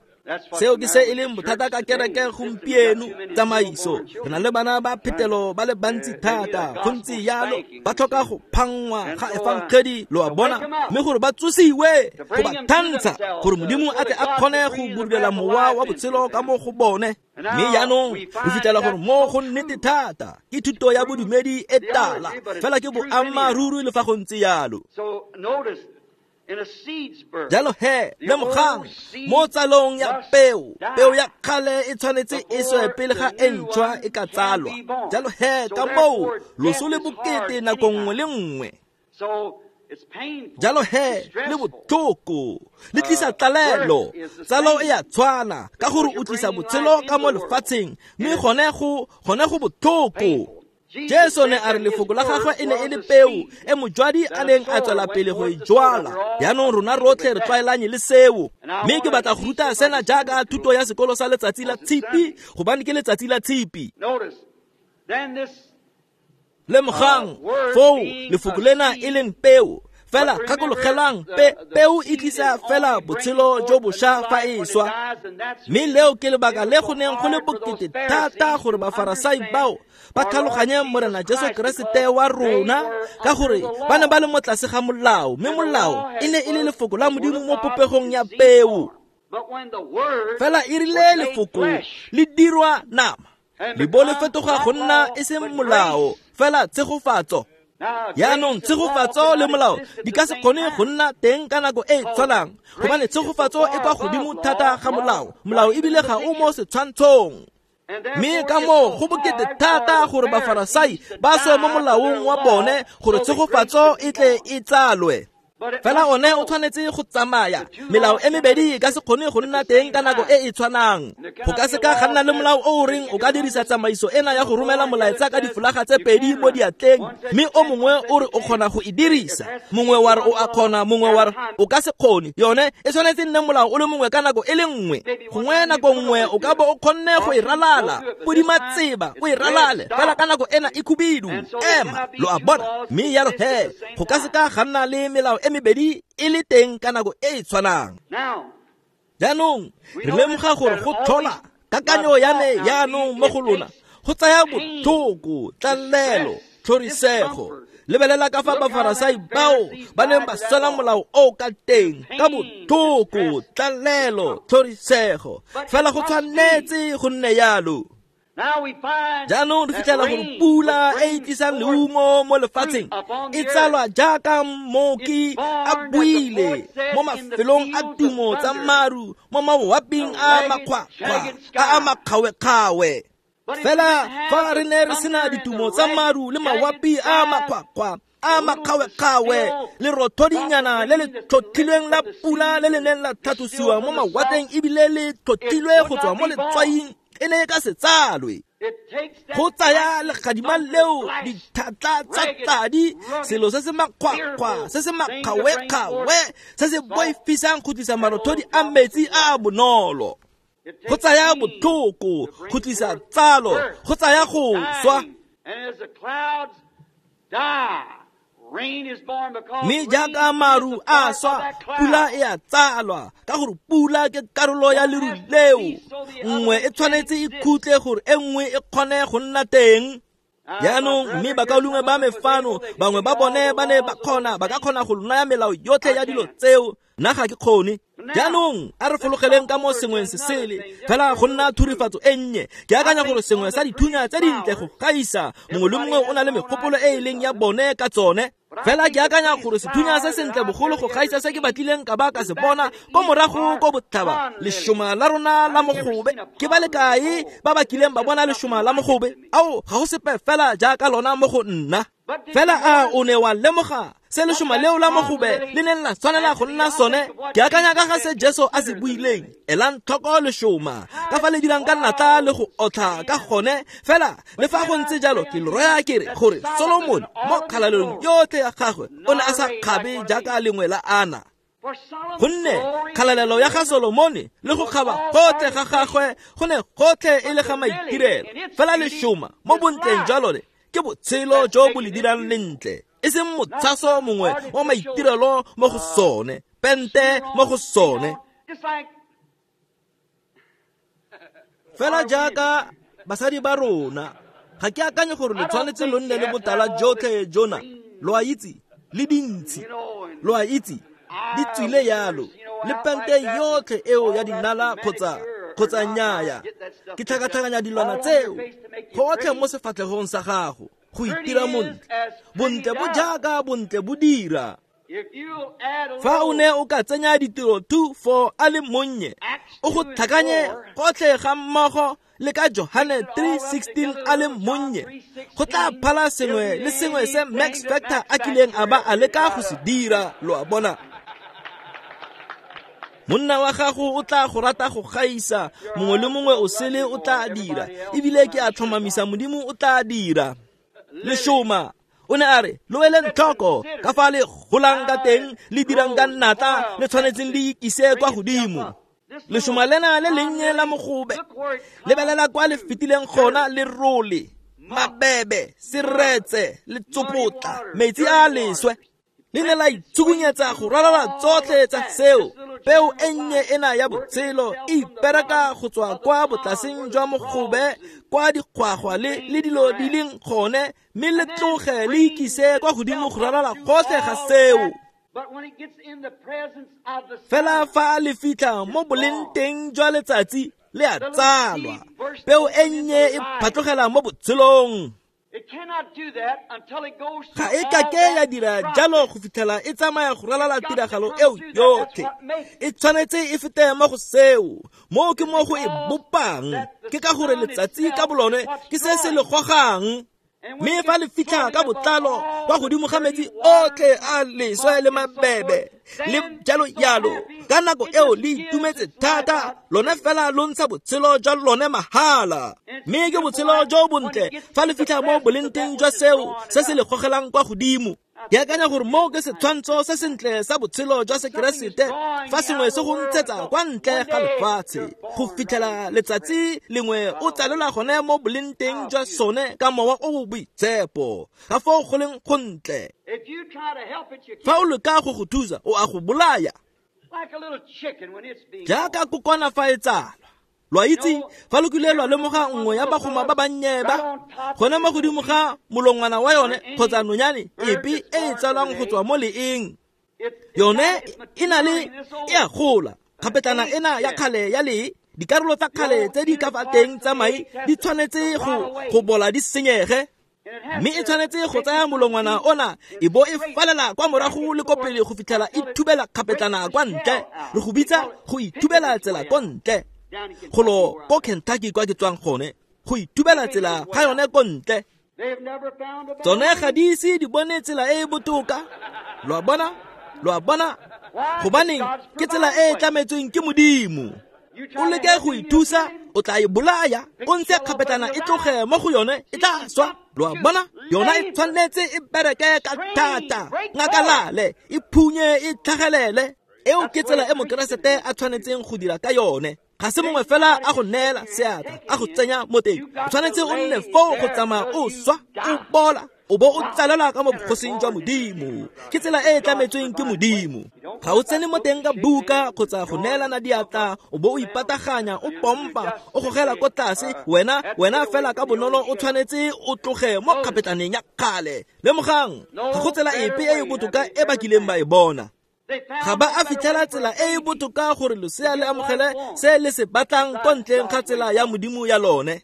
Seo ke se e leng bothata ka kereke gompieno, tsamaiso. Re na le bana ba phetelo ba le bantsi thata, go ntse jalo, ba tlhoka go phangwa ga efangedi, lo a bona, mme gore ba tsosiwe, go ba thantsha, gore Modimo a tle a kgone go budulela mowa wa botshelo ka mo go bone. Mme jaanong re fitlhela gore mo go nnete thata ke thuto ya bodumedi e tala, fela ke boammaaruri le fa go ntse jalo. Jalo he, lemogang, mo tsalong ya peo, peo ya kgale e tshwanetse e swe pele ga e ntšhwa e ka tsalwa. Jalo he, ka moo, loso le bokete nako nngwe le nngwe. Jalo he, le botlhoko, le tlisa tlalelo. Tsalo e a tshwana, ka gore o tlisa botshelo ka mo lefatsheng, mme gone go, gone go botlhoko. Jesu ne a re lefoko la gagwe e ne e le peo e mojwadi a neng a tswela pele go e jwala. Jaanong rona rotlhe re tlwaelanye le seo. Mme ke batla go ruta sena jaaka thuto ya sekolo sa letsatsi la tshipi, gobane ke letsatsi la tshipi. Lemogang, foo lefoko lena e leng peo. Fela gakologelang, pe peo e tlisa fela botshelo jo bošwa fa e swa. Mme leo ke lebaka le go neng go le bokete thata gore Bafarasai bao ba tlhaloganye Morena Jesu Keresete wa rona, ka gore ba ne ba le mo tlase ga molao, mme molao e ne e le lefoko la Modimo mo popegong ya peo. Fela e rile lefoko le dirwa nama, le bo le fetoga go nna e seng molao, fela tshegofatso. Jaanong tshegofatso le molao di ka se kgone go nna teng ka nako e e tshwanang, gobane tshegofatso e kwa godimo thata ga molao, molao ebile ga o mo setshwantshong. Mme ka moo go bokete thata gore Bafarasai ba swe mo molaong wa bone gore tshegofatso e tle e tsalwe. Fela one o tshwanetse go tsamaya, melao e mebedi e ka se kgone go nna teng ka nako e e tshwanang. Go ka se ka ga nna le molao o o reng o ka dirisa tsamaiso ena ya go romela molaetsa ka difolaga tse pedi mo diatleng, mme o mongwe o re o kgona go e dirisa, mongwe wa re o a kgona, mongwe wa re o ka se kgone. Yone e tshwanetse nne molao o le mongwe ka nako e le nngwe. Gongwe nako nngwe o ka bo o kgonne go e ralala, podima tseba o e ralale, fela ka nako ena e khubidu, ema, lo a bona. Mme jalo he, go ka se ka ga nna le melao e mebedi e le teng ka nako e e tshwanang. Jaanong re lemoga gore go tlhola kakanyo ya me jaanong mo go lona go tsaya botlhoko, tlalelo, tlhorisego. Lebelela ka fa Bafarasai bao ba neng ba swela molao o ka teng, ka botlhoko, tlalelo, tlhorisego. Fela go tshwanetse go nne jalo. Jaanong re fitlhela gore pula e e tlisang leungo mo lefatsheng e tsalwa jaaka mmoki a buile mo mafelong a tumo tsa maru, mo mawaping a makgwakgwa a a makgawekgawe. Fela fa re ne re sena ditumo tsa maru le mawapi a makgwakgwa a makgawekgawe, lerothodinyana le le tlhotlhilweng la pula le le neng la tlhatlosiwa mo mawatleng ebile le tlhotlhilwe go tswa mo letswaing, e ne e ka se tsalwe. Go tsaya legadima leo dithatla tsa tladi, selo se se makgwakgwa, se se makgawekgawe, se se boifisang go tlisa marothodi a metsi a a bonolo. Go tsaya botlhoko go tlisa tsalo, go tsaya go swa. Mme jaaka maru a swa, pula e a tsalwa, ka gore pula ke karolo ya leru leo. Nngwe e tshwanetse e khutle gore e nngwe e kgone go nna teng. Jaanong mme bakaulengwe ba me fano, bangwe ba bone ba ne ba kgona, ba ka kgona go naya melao yotlhe ya dilo tseo, nna ga ke kgone. Jaanong a re fologeleng ka mo sengweng se sele, fela go nna thurifatso e nnye. Ke akanya gore sengwe sa dithunya tse dintle go gaisa, mongwe le mongwe o na le megopolo e e leng ya bone ka tsone. Fela ke akanya gore sethunya se sentle bogolo go gaisa se ke batlileng ka ba ka se bona ko morago ko botlhaba, lešoma la rona la mogobe. Ke ba le kae ba ba kileng ba bona lešoma la mogobe? Ao, ga go sepe fela jaaka lona mo go nna. Fela a o ne wa lemoga se lešoma leo la mogobe le neng la tshwanela go nna sone? Ke akanya ka ga se Jesu a se buileng, elang tlhoko lešoma, ka fa le dirang ka natla le go otlha ka gone. Fela le fa go ntse jalo, ke lo raya ke re gore Solomon mo kgalalelong yotlhe ya gagwe o ne a sa kgabe jaaka lengwe la ana. Gonne kgalalelo ya ga Solomone le go kgaba gotlhe ga gagwe go ne gotlhe e le ga maitirelo. Fela lešoma mo bontleng jwa lone ke botshelo jo bo le dirang lentle, e seng motshaso mongwe wa maitirelo mo go sone, pente mo go sone. Fela jaaka basadi ba rona, ga ke akanye gore le tshwanetse lo nne le botala jotlhe jona, lo a itse, le dintshi, lo a itse, di tswile yalo, le pente yotlhe eo ya dinala kgotsa kgotsa nnyaya. Ke tlhakatlhakanya dilwana tseo gotlhe mo sefatlhegong sa gago go itira montle. Bontle bo jaaka bontle bo dira. Fa o ne o ka tsenya ditiro two four a le monnye, o go tlhakanye gotlhe ga mmogo le ka Johane three sixteen a le monnye, go tla phala sengwe le sengwe se Max Factor a kileng a ba a leka go se dira, lo a bona. Monna wa gago o tla go rata go gaisa, mongwe le mongwe o sele o tla dira, ebile ke a tlhomamisa Modimo o tla dira. Lešoma o ne a re, lo eleng tlhoko ka fa le golang ka teng, le dirang ka natla, le tshwanetseng le ikise kwa godimo. Lešoma lena le lennye la mogobe, lebelela kwa le fetileng gona, le role, mabebe, seretse, le tsopotla, metsi a leswe. Le ne la itsukunyetsa go ralala tsotlhe tsa seo. Peo e nnye ena ya botshelo e ipereka go tswa kwa botlaseng jwa mogobe, kwa dikgwagwa le le dilo di leng gone, mme le tloge le ikise kwa godimo go ralala gotlhe ga seo. Fela fa le fitlha mo boleng teng jwa letsatsi, le a tsalwa. Peo e nnye e phatlogela mo botshelong. Ga e kake ya dira jalo go fitlhela e tsamaya go ralala tiragalo eo yotlhe. E tshwanetse e fete mo go seo, moo ke mo go e bopang. Ke ka gore letsatsi ka bolone ke se se le gogang. Mme fa le fitlha ka botlalo kwa godimo ga metsi otlhe a leswe le mabebe le jalo jalo, ka nako eo le itumetse thata, lone fela lo ntsha botshelo jwa lone mahala. Mme ke botshelo jo bontle fa le fitlha mo boleng teng jwa seo se se le gogelang kwa godimo. Ke akanya gore moo ke setshwantsho se sentle sa botshelo jwa Sekeresete, fa sengwe se go ntshetsa kwa ntle ga lefatshe go fitlhela letsatsi lengwe o tsalelwa gone mo boleng teng jwa sone ka mowa o o boitshepo, ka foo go leng gontle. Fa o leka go go thusa, o a go bolaya jaaka kokwana fa e tsalwa. Lo a itse, fa lo kile lwa lemoga nngwe ya bagoma ba bannye ba, gone mo godimo ga molongwana wa yone kgotsa nonyane epe e e tsalwang go tswa mo leeng, yone e na le e a gola. Kgapetlana ena ya kgale ya lee, dikarolo tsa kgale tse di ka fa teng tsa mai di tshwanetse go go bola di senyege, mme e tshwanetse go tsaya molongwana ona e bo e falela kwa morago le ko pele go fitlhela e thubela kgapetlana kwa ntle, re go bitsa go ithubela tsela ko ntle. Golo ko Kentucky kwa ke tswang gone, go ithubela tsela ga yone ko ntle. Tsone ga di ise di bone tsela e e botoka. Lo a bona? Lo a bona? Gobaneng ke tsela e e tlametsweng ke Modimo. O leke go ithusa, o tla e bolaya, o ntshe kgapetlana e tloge mo go yone, e tla swa. Lo a bona? Yona e tshwanetse e bereke ka thata, ngakalale, e phunye, e tlhagelele. Eo ke tsela e Mokeresete a tshwanetseng go dira ka yone. Ga se mongwe fela a go neela seatla, a go tsenya mo teng. O tshwanetse o nne foo go tsamaya o swa, o bola, O bo o tsalelwa ka mo bogosing jwa Modimo. Ke tsela e e tlametsweng ke Modimo. Ga o tsene mo teng ka buka kgotsa go neelana diatla, o bo o ipataganya, o pompa, o gogela ko tlase, wena wena fela ka bonolo o tshwanetse o tloge mo kgapetlaneng ya kgale. Lemogang, ga go tsela epe e e botoka e ba kileng ba e bona. Ga ba a fitlhela tsela e e botoka gore losea le amogele se le se batlang ko ntleng ga tsela ya Modimo ya lone.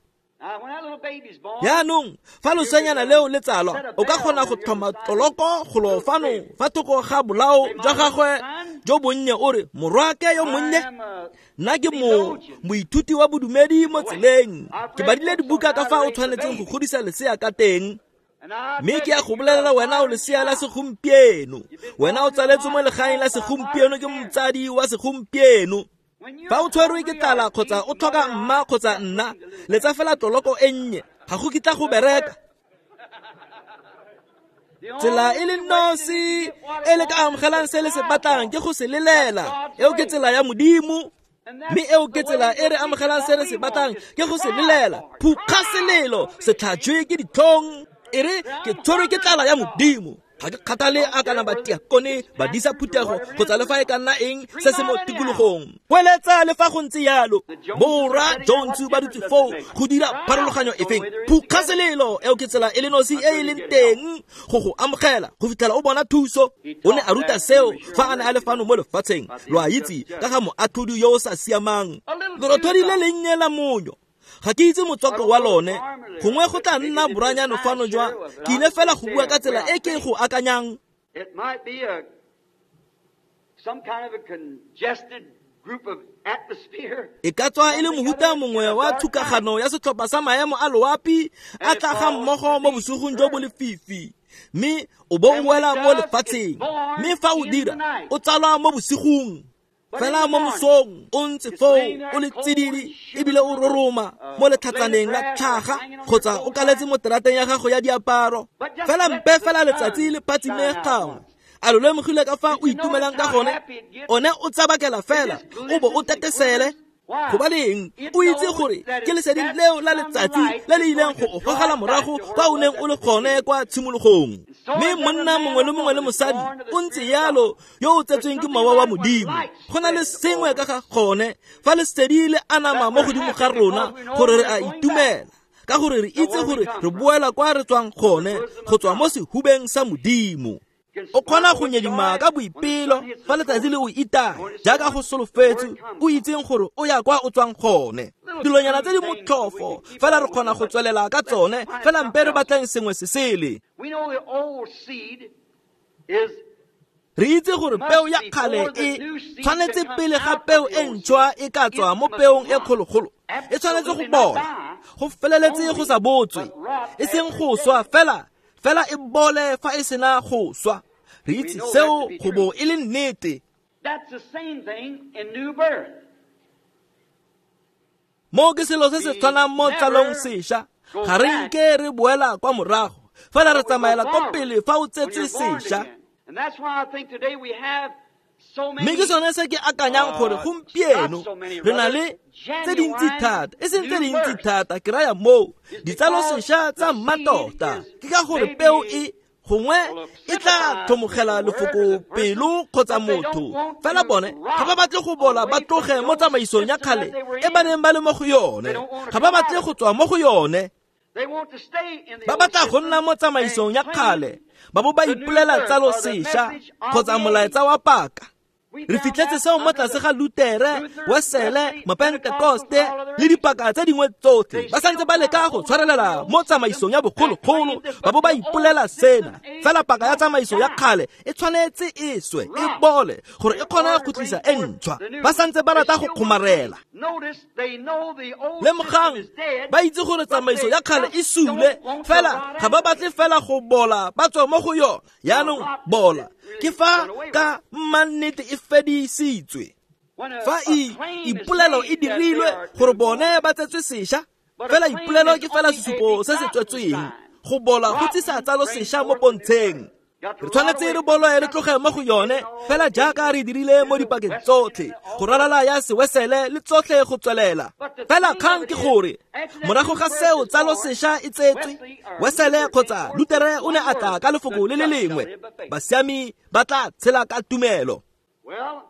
Jaanong, fa loseanyana leo le tsalwa, o ka kgona go tlhoma tloloko golo fano fa thoko ga bolao jwa gagwe jo bonnye o re, morwake yo monnye, nna ke mo moithuti wa bodumedi mo tseleng. Ke badile dibuka ka fa o tshwanetseng go godisa lesea ka teng. Mme ke ya go bolelela wena o lesea la segompieno. Wena o tsaletswe mo legaeng la segompieno ke motsadi wa segompieno. Fa o tshwerwe ke tlala kgotsa o tlhoka mma kgotsa nna, letsa fela tloloko e nnye, ga go kitla go bereka. Tsela e le nosi e le ka amogelang se le se batlang ke go se lelela. Eo ke tsela ya Modimo. Mme eo ke tsela e re amogelang se re se batlang ke go se lelela. Phukga selelo, se tlhajwe ke ditlhong. E re ke tshwerwe ke tlala ya Modimo. Ga ke kgathale a kana ba tiakone, ba disa phuthego, kgotsa le fa e ka nna eng se se mo tikologong. Weletsa le fa go ntse yalo. Borra Jones ba dutse foo go dira pharologanyo efeng. Phukga selelo, eo ke tsela e le nosi e e leng teng go go amogela go fitlhela o bona thuso. O ne a ruta seo fa a ne a le fano mo lefatsheng. Lo a itse ka ga moatlhodi yo o sa siamang. Lerothodi le lennye la monyo. Ga ke itse motswako wa lone, gongwe go tla nna boranyano fano jwa, ke ile fela go bua ka tsela e ke go akanyang. It might be a some kind of a congested group of atmosphere. E ka tswa e le mohuta mongwe wa thukagano ya setlhopha sa maemo a loapi a tla ga mmogo mo bosigong jo bo lefifi. Mme o bo o wela mo lefatsheng. Mme fa o dira, o tsalwa mo bosigong. Fela mo mosong o ntse foo o le tsididi ebile o roroma mo letlhatsaneng la tlhaga kgotsa o kaletse mo terateng ya gago ya diaparo. Fela mpe fela letsatsi le phatsime gangwe. A lo lemogile ka fa o itumelang ka gone? One o tsabakela fela o bo o tetesele. Gobaneng o itse gore ke lesedi leo la letsatsi le le ileng go o gogela morago kwa o neng o le gone kwa tshimologong. Mme monna mongwe le mongwe le mosadi o ntse yalo yo o tsetsweng ke mowa wa Modimo. Go na le sengwe ka ga gone fa lesedi le anama mo godimo ga rona gore re a itumela, ka gore re itse gore re boela kwa re tswang gone, go tswa mo sehubeng sa Modimo. O kgona go nyedima ka boipelo fa letsatsi le o itaya jaaka go solofetswe, o itseng gore o ya kwa o tswang gone. Dilonyana tse di motlhofo fela re kgona go tswelela ka tsone, fela mpe re batlang sengwe se sele. Re itse gore peo ya kgale e tshwanetse pele ga peo e ntšhwa e ka tswa mo peong e kgologolo, e tshwanetse go bola, go feleletse go sa botswe, e seng go swa fela. Fela e bole fa e sena go swa. Re itse seo go bo e le nnete. That's the same thing in new birth. Mo ke selo se se tshwanang mo tsalong sešwa. Ga re nke re boela kwa morago, fela re tsamaela ko pele fa o tsetswe sešwa. And that's why I think today we have Mme ke sone se ke akanyang gore gompieno re na le tse dintsi thata, e seng tse dintsi thata, ke raya moo ditsalo sešwa tsa mmatota. Ke ka gore peo e gongwe e tla tlhomogela lefoko pelo kgotsa motho, fela bone ga ba batle go bola ba tloge mo tsamaisong ya kgale e ba neng ba le mo go yone. Ga ba batle go tswa mo go yone. Ba batla go nna mo tsamaisong ya kgale, ba bo ba ipolela tsalo sešwa kgotsa molaetsa wa paka. Re fitlhetse seo mo tlase ga Lutere, Wesele, Mapentekoste le dipaka tse dingwe tsotlhe. Ba santse ba leka go tshwarelela mo tsamaisong ya bogologolo, ba bo ba ipolela sena. Fela paka ya tsamaiso ya kgale e tshwanetse e swe, e bole, gore e kgone go tlisa e ntšhwa. Ba santse ba rata go kgomarela. Lemogang, ba itse gore tsamaiso ya kgale e sule, fela ga ba batle fela go bola ba tswa mo go yona. Jaanong bola ke fa ka mannete e fedisitswe. Fa e ipolelo e dirilwe gore bone ba tsetswe sešwa, fela ipolelo ke fela sesupo se se tswetsweng. Go bola go tsisa tsalo sešwa mo pontsheng. Re tshwanetse re boloe re tloge mo go yone fela jaaka re dirile mo dipakeng tsotlhe go ralala ya sewesele le tsotlhe go tswelela. Fela kgang ke gore morago ga seo tsalo sešwa e tsetswe, Wesele kgotsa Lutere o ne a tla ka lefoko le le lengwe, basiami ba tla tshela ka tumelo.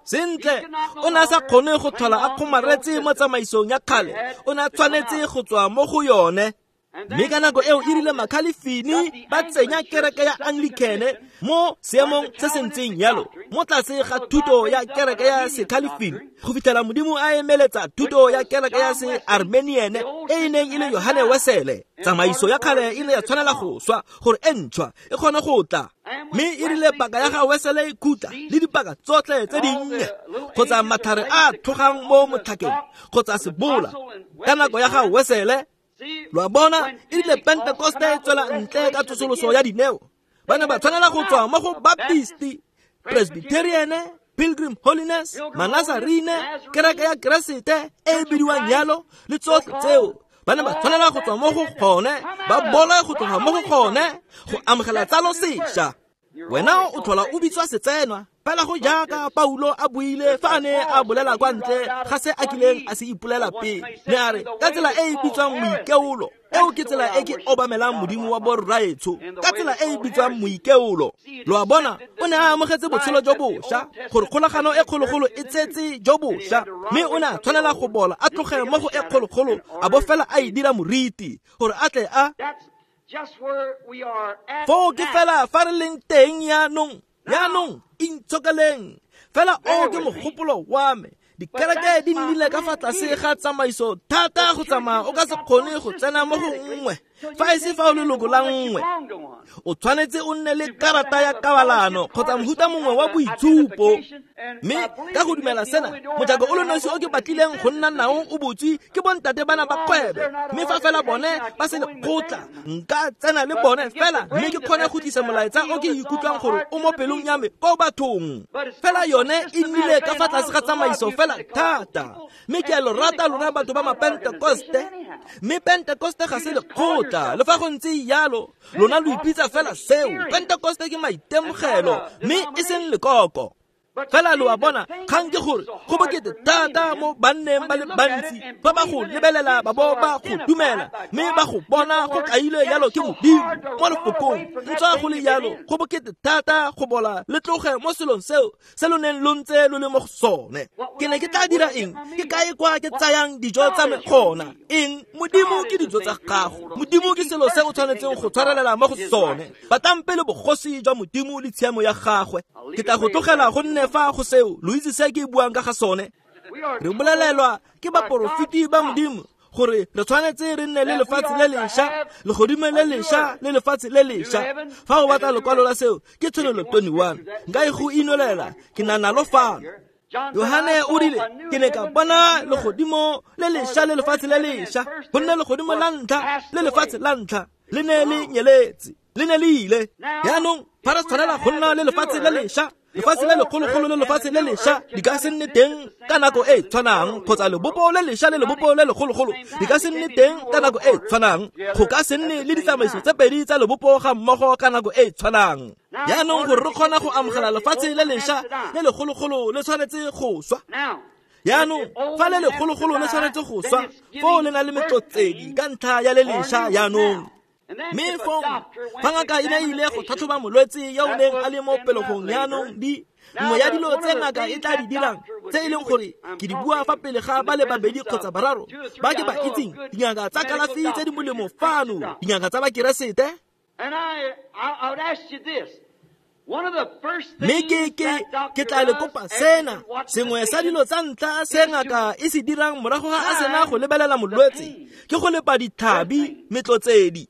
Sentle, o ne a sa kgone go tlhola a kgomaretse mo tsamaisong ya kgale, o ne a tshwanetse go tswa mo go yone. Mme ka nako eo e rile Makhalifini ba tsenya kereke ya Anglicane mo seemong se se ntseng yalo, mo tlase ga thuto ya kereke ya Sekhalifini, go fitlhela Modimo a emeletsa thuto ya kereke ya Se-Armenian e e neng e le Yohane Wesele. Tsamaiso ya kgale e ne ya tshwanela go swa gore e ntšhwa e kgone go tla. Mme e rile paka ya ga Wesele e khutla le dipaka tsotlhe tse dinnye kgotsa matlhare a tlhogang mo motlhakeng kgotsa sebola ka nako ya ga Wesele. Lo a bona, e rile Pentekoste e tswela ntle ka tsosoloso ya dineo, ba ne ba tshwanela go tswa mo go Baptisti, Presbyterian, Pilgrim Holiness, Manazarene, kereke ya Keresete e e bidiwang yalo le tsotlhe tseo. Ba ne ba tshwanela go tswa mo go gone, ba boloe go tloga mo go gone go amogela tsalo sešwa. Wena o tlhola o bitswa setsenwa fela go jaaka Paulo a buile fa a ne a bolela kwa ntle ga se a kileng a se ipolela pele. Ne a re ka tsela e e bitswang moikeolo, eo ke tsela e ke obamelang Modimo wa borraetsho, ka tsela e e bitswang moikeolo. Lo a bona, o ne a amogetse botshelo jo bošwa, gore kgolagano e kgologolo e tsetse jo bošwa, mme o ne a tshwanela go bola a tloge mo go e kgologolo a bo fela a e dira moriti gore a tle a. Foo ke fela fa re leng teng yaanong, yaanong intshokeleng. Fela o ke mogopolo wa me. Dikereke di nnile ka fa tlase ga tsamaiso thata go tsamaya o ka se kgone go tsena mo go nngwe fa e se fa o leloko la nngwe. O tshwanetse o nne le karata ya kabalano kgotsa mohuta mongwe wa boitshupo. Mme ka go dumela sena, mojako o le nosi o ke batlileng go nna nao o botswe ke bontate bana ba kgwebo. Mme fa fela bone ba se lekgotla, nka tsena le bone fela mme ke kgone go tlisa molaetsa o ke ikutlwang gore o mo pelong ya me ko bathong. Fela yone e nnile ka fa tlase ga tsamaiso fela thata. Mme ke a lo rata lona batho ba Mapentekoste. Mme Pentekoste ga se lekgotla, le fa go ntse yalo, lona lo ipitsa fela seo. Pentekoste ke maitemogelo, mme e seng lekoko. Fela lo a bona, kgang ke gore go bokete thata mo banneng ba le bantsi fa ba go lebelela ba bo ba go dumela, mme ba go bona go kailwe yalo ke Modimo mo lefokong. Ntswa go le yalo, go bokete thata go bola le tloge mo selong seo se lo neng lo ntse lo le mo go sone. Ke ne ke tla dira eng? Ke kae kwa ke tsayang dijo tsa me gona? Eng? Modimo ke dijo tsa gago. Modimo ke selo se o tshwanetseng go tshwarelela mo go sone. Batlang pele bogosi jwa Modimo le tshiamo ya gagwe. Ke tla go tlogela go nne fa go seo, lo itse se ke buang ka ga sone. Re bolelelwa ke baporofeti ba Modimo gore re tshwanetse re nne le lefatshe le lešwa, legodimo le lešwa le lefatshe le lešwa. Fa o batla lekwalo la seo ke Tshenolo twenty-one. Nka e go inolela, ke na nalo fano. Yohane o rile, ke ne ka bona legodimo le lešwa le lefatshe le lešwa, gonne legodimo la ntlha le lefatshe la ntlha le ne le nyeletse, le ne le ile. Yaanong fa re tshwanela go nna le lefatshe le lešwa, lefatshe le lekgologolo le lefatshe le lešwa di ka se nne teng ka nako e tshwanang, kgotsa lebopo le lešwa le lebopo le lekgologolo di ka se nne teng ka nako e tshwanang. Go ka se nne le ditsamaiso tse pedi tsa lebopo ga mmogo ka nako e tshwanang. Yaanong gore re kgona go amogela lefatshe le lešwa le lekgologolo le tshwanetse go swa. Yaanong fa le lekgologolo le tshwanetse go swa, foo le na le metlotsedi ka ntlha ya le lešwa yaanong. Mme fong fa ngaka e ne ile go tlhatlhoba molwetse yo o neng a le mo pelegong yaanong, di nngwe ya dilo tse ngaka e tla di dirang tse e leng gore ke di bua fa pele ga ba le babedi kgotsa bararo ba ke ba itseng, dingaka tsa kalafi tse di molemo fano, dingaka tsa Bakeresete. Mme ke ke ke tla le kopa sena, sengwe sa dilo tsa ntlha se ngaka e se dirang morago ga a sena go lebelela molwetse ke go lepa ditlhabi metlotsedi.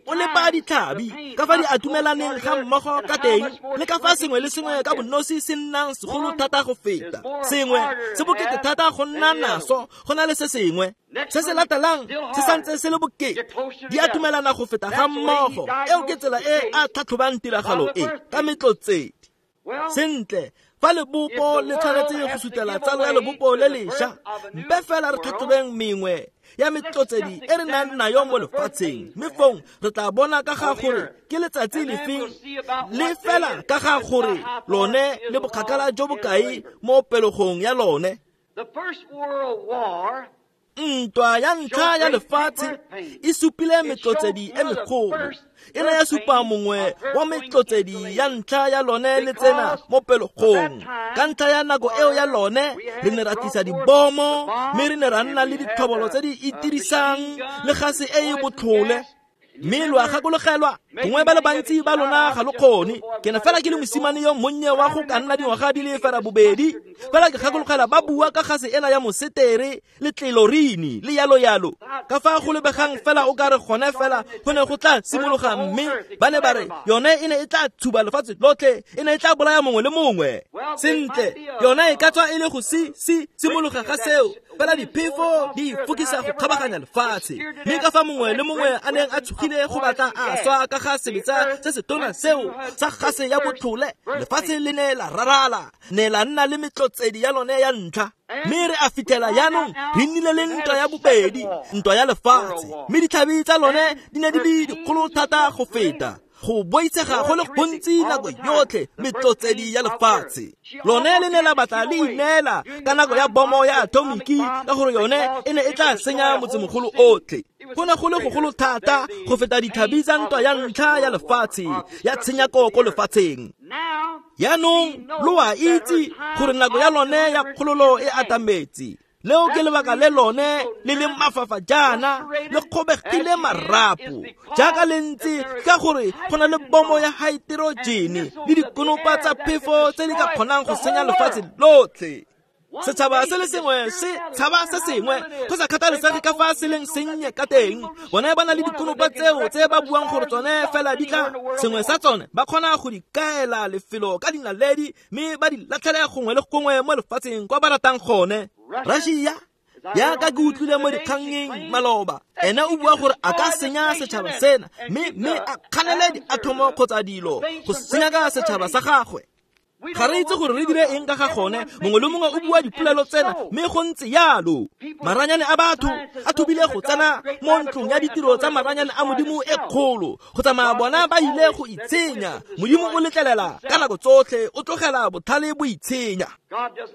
O lepa ditlhabi ka fa di atumelaneng ga mmogo ka teng, le ka fa sengwe le sengwe ka bonosi se nnang segolo thata go feta sengwe, se bokete thata go nna naso go na le se sengwe. Se se latelang se santse se le bokete, di atumelana go feta ga mmogo. Eo ke tsela e a tlhatlhobang tiragalo e ka metlotsedi. Sentle, Fa lebopo le tshwanetse go sutela tsalo ya lebopo le lešwa, mpe fela re tlhatlhobeng mengwe ya metlotsedi e re nang nayo mo lefatsheng, mme fong re tla bona ka ga gore ke letsatsi lefeng le fela ka ga gore lone le bokgakala jo bokae mo pelegong ya lone. Ntwa ya ntlha ya lefatshe e supile metlotsedi e megolo, e ne ya supa mongwe wa metlotsedi ya ntlha ya lone le tsena mo pelegong. Ka ntlha ya nako eo ya lone re ne ra tlisa dibomo, mme re ne ra nna le ditlhobolo tse di itirisang le gase e e botlhole. Mme lo a gakologelwa, gongwe ba le bantsi ba lona ga lo kgone. Ke ne fela ke le mosimane yo monnye wa go ka nna dingwaga di le fela bobedi, fela ke gakologela ba bua ka gase ena ya mosetere le tlelorini le yalo yalo. Ka fa go lebegang fela o ka re gone fela go ne go tla simologa, mme ba ne ba re yone e ne e tla tshuba lefatshe lotlhe, e ne e tla bolaya mongwe le mongwe. Sentle, yone e ka tswa e le go si si simologa ga seo, fela diphefo di fokisa go kgabaganya lefatshe. Mme ka fa mongwe le mongwe a neng a tshogile go batla a swa ka ga sebetsa se se tona seo sa gase ya botlhole, lefatshe le ne la rarala, ne la nna le metlotsedi ya lone ya ntlha. Mme re a fitlhela jaanong re nnile le ntwa ya bobedi, ntwa ya lefatshe, mme ditlhabi tsa lone di ne di le dikgolo thata go feta, go boitshega go le gontsi nako yotlhe metlotsedi ya lefatshe. Lone le ne la batla le ineela ka nako ya bomo ya atomiki, ka gore yone e ne e tla senya motsemogolo otlhe. Go ne go le gogolo thata go feta ditlhabi tsa ntwa ya ntlha ya lefatshe ya tshenyako ko lefatsheng. Jaanong lo a itse gore nako ya lone ya kgololo e atametse. Leo ke lebaka le lone le leng mafafa jaana, le kgobegile marapo jaaka le ntse, ka gore go na le bomo ya haeterojene le dikonopa tsa phefo tse di ka kgonang go senya lefatshe lotlhe. Setšhaba se le sengwe se tshaba se sengwe, go sa kgathalesege ka fa se leng sennye ka teng. Bone ba na le dikonopa tseo tse ba buang gore tsone fela di tla, sengwe sa tsone ba kgona go di kaela lefelo ka dinaledi, mme ba di latlhele gongwe le gongwe mo lefatsheng kwa ba ratang gone. Russia, jaaka ke utlwile mo dikgangeng maloba, ene o bua gore a ka senya setšhaba sena, mme mme a kganele diathomo kgotsa dilo go senya ka setšhaba sa gagwe. Ga re itse gore re dire eng ka ga gone, mongwe le mongwe o bua dipolelo tsena, mme go ntse yalo. Maranyane a batho a thobile go tsena mo ntlong ya ditiro tsa maranyane a Modimo e kgolo, go tsamaya bona ba ile go itshenya. Modimo o letlelela ka nako tsotlhe, o tlogela botlhale bo itshenya.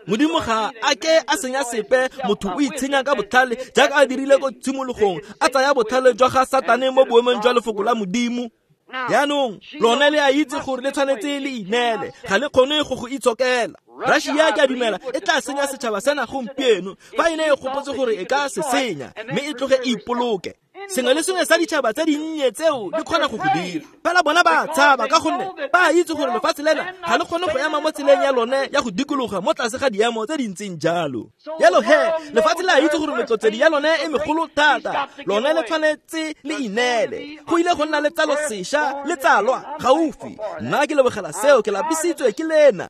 Modimo ga a ke a senya sepe, motho o itshenya ka botlhale jaaka a dirile ko tshimologong, a tsaya botlhale jwa ga Satane mo boemong jwa lefoko la Modimo. Jaanong lone le a itse gore le tshwanetse le ineele, ga le kgone go go itshokela. Russia ke a dumela e tla senya setšhaba sena gompieno, fa e ne e gopotse gore e ka se senya, mme e tloge e ipoloke. Sengwe le sengwe sa ditšhaba tse dinnye tseo di kgona go go dira, fela bona ba tshaba ka gonne ba itse gore lefatshe lena ga le kgone go ema mo tseleng ya lone ya go dikologa mo tlase ga diemo tse di ntseng jalo. Jalo he, lefatshe le a itse gore metlotsedi ya lone e megolo thata, lone le tshwanetse le ineele. Go ile go nna le tsalo sešwa le tsalwa gaufi. Nna ke lebogela seo, ke lapisitswe ke lena.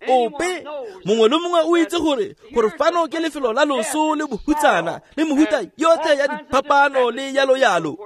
Ope mongwe le mongwe o itse gore gore fano ke lefelo la loso le bohutsana le mehuta yotlhe ya diphapano le yalo yalo.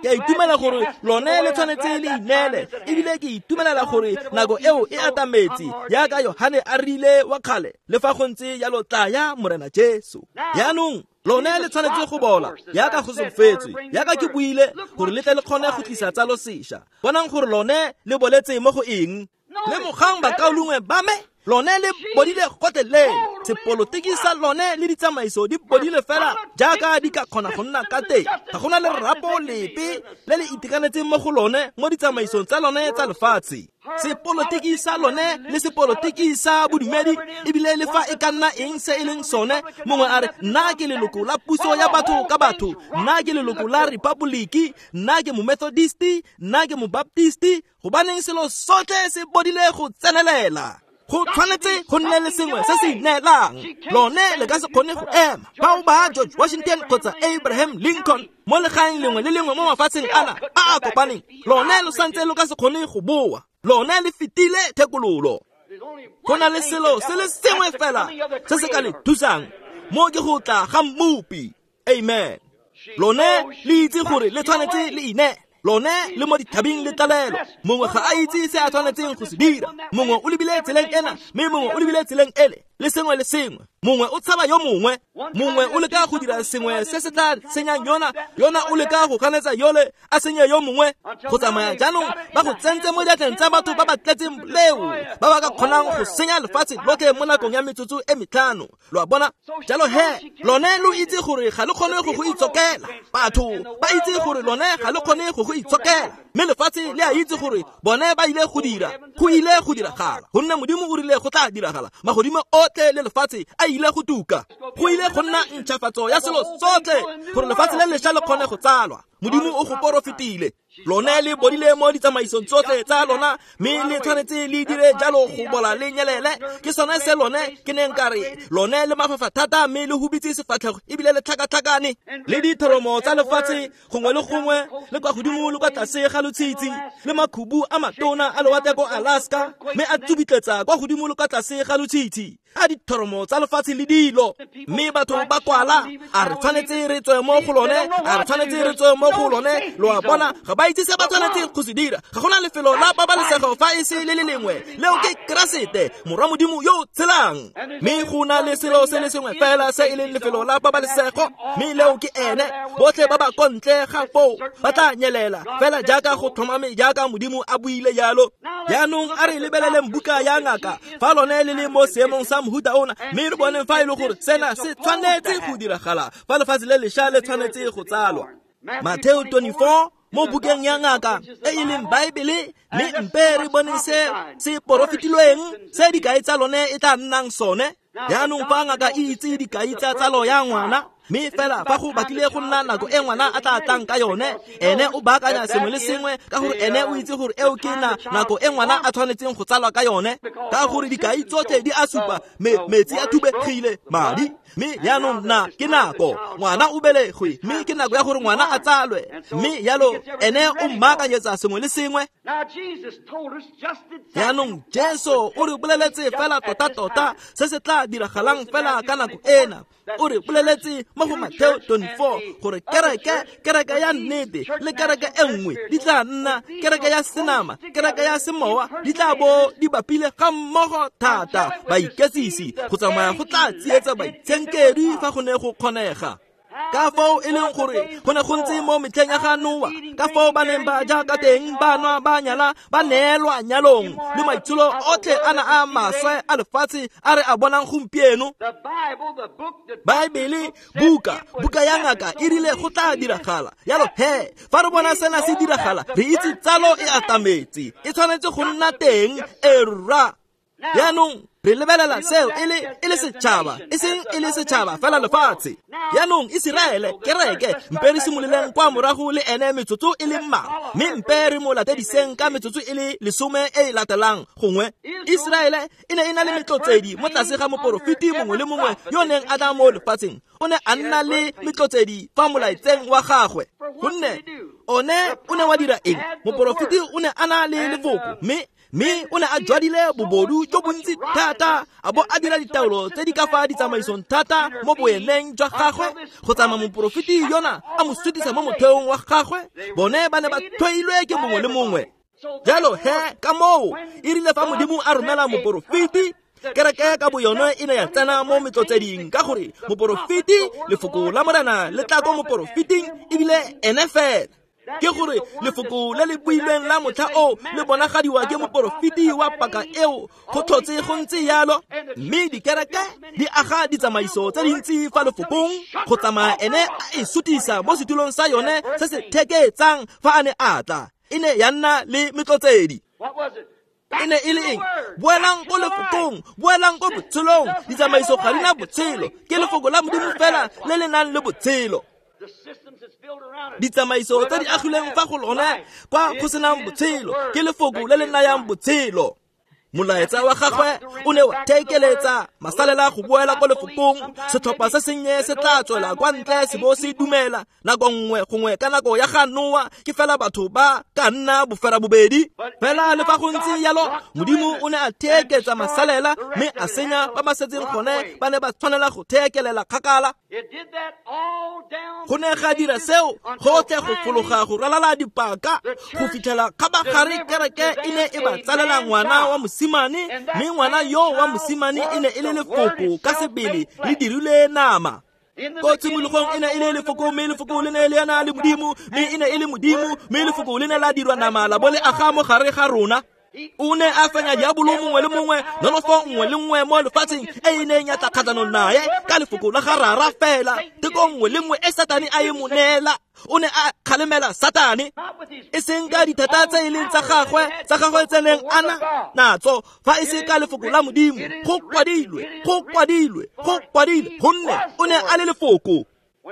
Ke a itumela gore lone le tshwanetse le ineele, ebile ke itumelela gore nako eo e atametse, jaaka Yohane a rile wa kgale, le fa go ntse jalo tlaya Morena Jesu. Jaanong lone le tshwanetse go bola jaaka go solofetswe, jaaka ke buile gore le tle le kgone go tlisa tsalo sešwa. Bonang gore lone le boletse mo go eng. Lemogang bakaulengwe ba me, lone le bodile gotlhelele. Sepolotiki sa lone le ditsamaiso di bodile fela jaaka di ka kgona go nna ka teng. Ga gona lerapo lepe le le itekanetseng mo go lone mo ditsamaisong tsa lone tsa lefatshe. Sepolotiki sa lone le sepolotiki sa bodumedi, ebile le fa e ka nna eng se e leng sone, mongwe a re nna ke leloko la puso ya batho ka batho, nna ke leloko la Republiki, nna ke Momethodisti, nna ke Mobaptisti, gobaneng selo sotlhe se bodile go tsenelela. Go tshwanetse go nne le sengwe se se ineelang. Lone le ka se kgone go ema. Bao ba George Washington kgotsa Abraham Lincoln mo legaeng lengwe le lengwe mo mafatsheng ana a a kopaneng, lone lo santse lo ka se kgone go boa. Lone le fetile thekololo. Go na le selo se le sengwe fela se se ka le thusang, mo ke go tla ga Mmopi. Amen. Lone le itse gore le tshwanetse le ineele. Lone le mo dithabeng le tlalelo. Mongwe ga a itse se a tshwanetseng go se dira. Mongwe o lebile tseleng ena, mme mongwe o lebile tseleng ele, le sengwe le sengwe. Mongwe o tshaba yo mongwe, mongwe o leka go dira sengwe se se tla senyang yona, yona o leka go ganetsa yole a senye yo mongwe. Go tsamaya jaanong ba go tsentse mo diatleng tsa batho ba ba tletseng leo, ba ba ka kgonang go senya lefatshe lotlhe mo nakong ya metsotso e metlhano. Lo a bona? Jalo he, lone lo itse gore ga le kgone go go itshokela. Batho ba itse gore lone ga le kgone go go itshokela, mme lefatshe le a itse gore bone ba ile go dira, go ile go diragala, gonne Modimo o rile go tla diragala. Magodimo otlhe le lefatshe a ile go tuka, go ile go nna ntšhafatso ya selo sotlhe gore lefatshe le lešwa le kgone go tsalwa. Modimo o go porofetile. Lone le bodile mo ditsamaisong tsotlhe tsa lona, mme le tshwanetse le dire jalo go bola le nyelele. Ke sone se lone ke neng ka re lone le mafafa thata, mme le hubitse sefatlhego ebile le tlhakatlhakane. Le dithoromo tsa lefatshe gongwe le gongwe, le kwa godimo le kwa tlase ga lotshitshi, le makhubu a matona a lewatle ko Alaska, mme a tsubitletsa kwa godimo le kwa tlase ga lotshitshi, a dithoromo tsa lefatshe le dilo. Mme batho ba kwala, a re tshwanetse re tswe mo go lone, a re tshwanetse re tswe mo go lone. Lo a bona, ga ba itse se ba tshwanetseng go se dira. Ga gona lefelo la pabalesego fa e se le le lengwe, leo ke Keresete, Morwa Modimo yo o tshelang. Mme go na le selo se le sengwe fela se e leng lefelo la pabalesego, mme leo ke ene. Botlhe ba ba ko ntle ga foo ba tla nyelela, fela jaaka go tlhomame jaaka Modimo a buile jalo. Jaanong a re lebeleleng buka ya ngaka fa lone le le mo seemong sa mohuta ona, mme re boneng fa e le gore sena se tshwanetse go diragala, fa lefatshe le lešwa le tshwanetse go tsalwa. Matthew twenty-four mo bukeng ya ngaka e e leng Baebele, mme mpe re bone se se porofetilweng se dikai tsa lone e tla nnang sone. Jaanong fa ngaka e itse dikai tsa tsalo ya ngwana, mme fela fa go batlile go nna nako e ngwana a tla tlang ka yone, ene o baakanya sengwe le sengwe ka gore ene o itse gore eo ke na nako e ngwana a tshwanetseng go tsalwa ka yone, ka gore dikai tsotlhe di a supa me metsi a thubegile madi. Mme jaanong na ke nako ngwana o belegwe, mme ke nako ya gore ngwana a tsalwe, mme jalo ene o mmaakanyetsa sengwe le sengwe. Jaanong Jesu o re boleletse fela tota-tota se se tla diragalang fela ka nako ena. O re boleletse mo go Matthew twenty-four gore kereke, kereke ya nnete le kereke e nngwe di tla nna kereke ya senama, kereke ya semowa, di tla bo di bapile ga mmogo thata. Baiketsisi go tsamaya go tla tsietsa baitshenkedwi fa go ne go kgonega. Ka foo e leng gore go ne go ntse mo metlheng ya ga Noa, ka foo ba neng ba ja ka teng, ba nwa, ba nyala, ba neelwa nyalong, le maitsholo otlhe a na a maswe a lefatshe a re a bonang gompieno. Baebele, buka, buka ya ngaka e rile go tla diragala. Jalo he, fa re bona sena se diragala, re itse tsalo e atametse, e tshwanetse go nna teng. Erra. Jaanong re lebelela seo e le e le setšhaba, e seng e le setšhaba fela lefatshe. Jaanong Iseraele, kereke, mpe re simololeng kwa morago le ene metsotso e le mmalwa, mme mpe re mo latediseng ka metsotso e le lesome e e latelang gongwe. Iseraele e ne e na le metlotsedi mo tlase ga moporofeti mongwe le mongwe yo neng a tla mo lefatsheng. O ne a nna le metlotsedi fa molaetseng wa gagwe, gonne one o ne wa dira eng? Moporofeti o ne a na le lefoko, mme mme o ne a jwadile bobodu jo bontsi thata, a bo a dira ditaolo tse di ka fa ditsamaisong thata mo boeneng jwa gagwe, go tsamaya moporofeti yona a mo sutisa mo motheong wa gagwe. Bone ba ne ba tlhoilwe ke mongwe le mongwe. Jalo he, ka moo e rile fa Modimo a romela moporofeti, kereke ka boyone e ne ya tsena mo metlotseding, ka gore moporofeti, lefoko la Morena le tla ko moporofeting ebile ene fela. Ke gore lefoko le le builweng la motlha o le bonagadiwa ke moporofeti wa paka eo, go tlhotse go ntse jalo. Mme dikereke di aga ditsamaiso tse dintsi fa lefokong, go tsamaya ene a e sutisa mo setulong sa yone se se theketsang fa a ne a tla. E ne ya nna le metlotsedi. E ne e le eng? Boelang ko lefokong, boelang ko botshelong. Ditsamaiso ga di na botshelo, ke lefoko la Modimo fela le le nang le botshelo. Ditsamaiso tse di agilweng fa go lone kwa go senang botshelo, ke lefoko le le nayang botshelo. Molaetsa wa gagwe o ne wa thekeletsa masalela go boela ko lefokong. Setlhopha se sennye se tla tswela kwa ntle se bo se dumela nako nngwe gongwe ka nako ya ga Noa ke fela batho ba ka nna bofera bobedi. Fela le fa go ntse jalo, Modimo o ne a theeketsa masalela mme a senya ba ba setseng gone ba ne ba tshwanela go theekelela kgakala. Go ne ga dira seo gotlhe go fologa go ralala dipaka go fitlhela kgabagare kereke e ne e ba tsalela ngwana wa mosimane, mme ngwana yo wa mosimane e ne e le lefoko ka sebele le dirilwe nama. Ko tshimologong e ne e le lefoko, mme lefoko le ne le ena le Modimo, mme e ne e le Modimo, mme lefoko le ne la dirwa nama la bo le aga mo gare ga rona. O ne a fenya diabolo mongwe le mongwe, nonofo nngwe le nngwe mo lefatsheng e e neng ya tla kgatlhanong nae ka lefoko la ga Rara fela. Teko nngwe le nngwe e Satane a e mo neela, o ne a kgalemela Satane, e seng ka dithata tse e leng tsa gagwe tsa gagwe tse neng a na natso, fa e se ka lefoko la Modimo. Go kwadilwe, go kwadilwe, go kwadilwe, gonne o ne a le lefoko.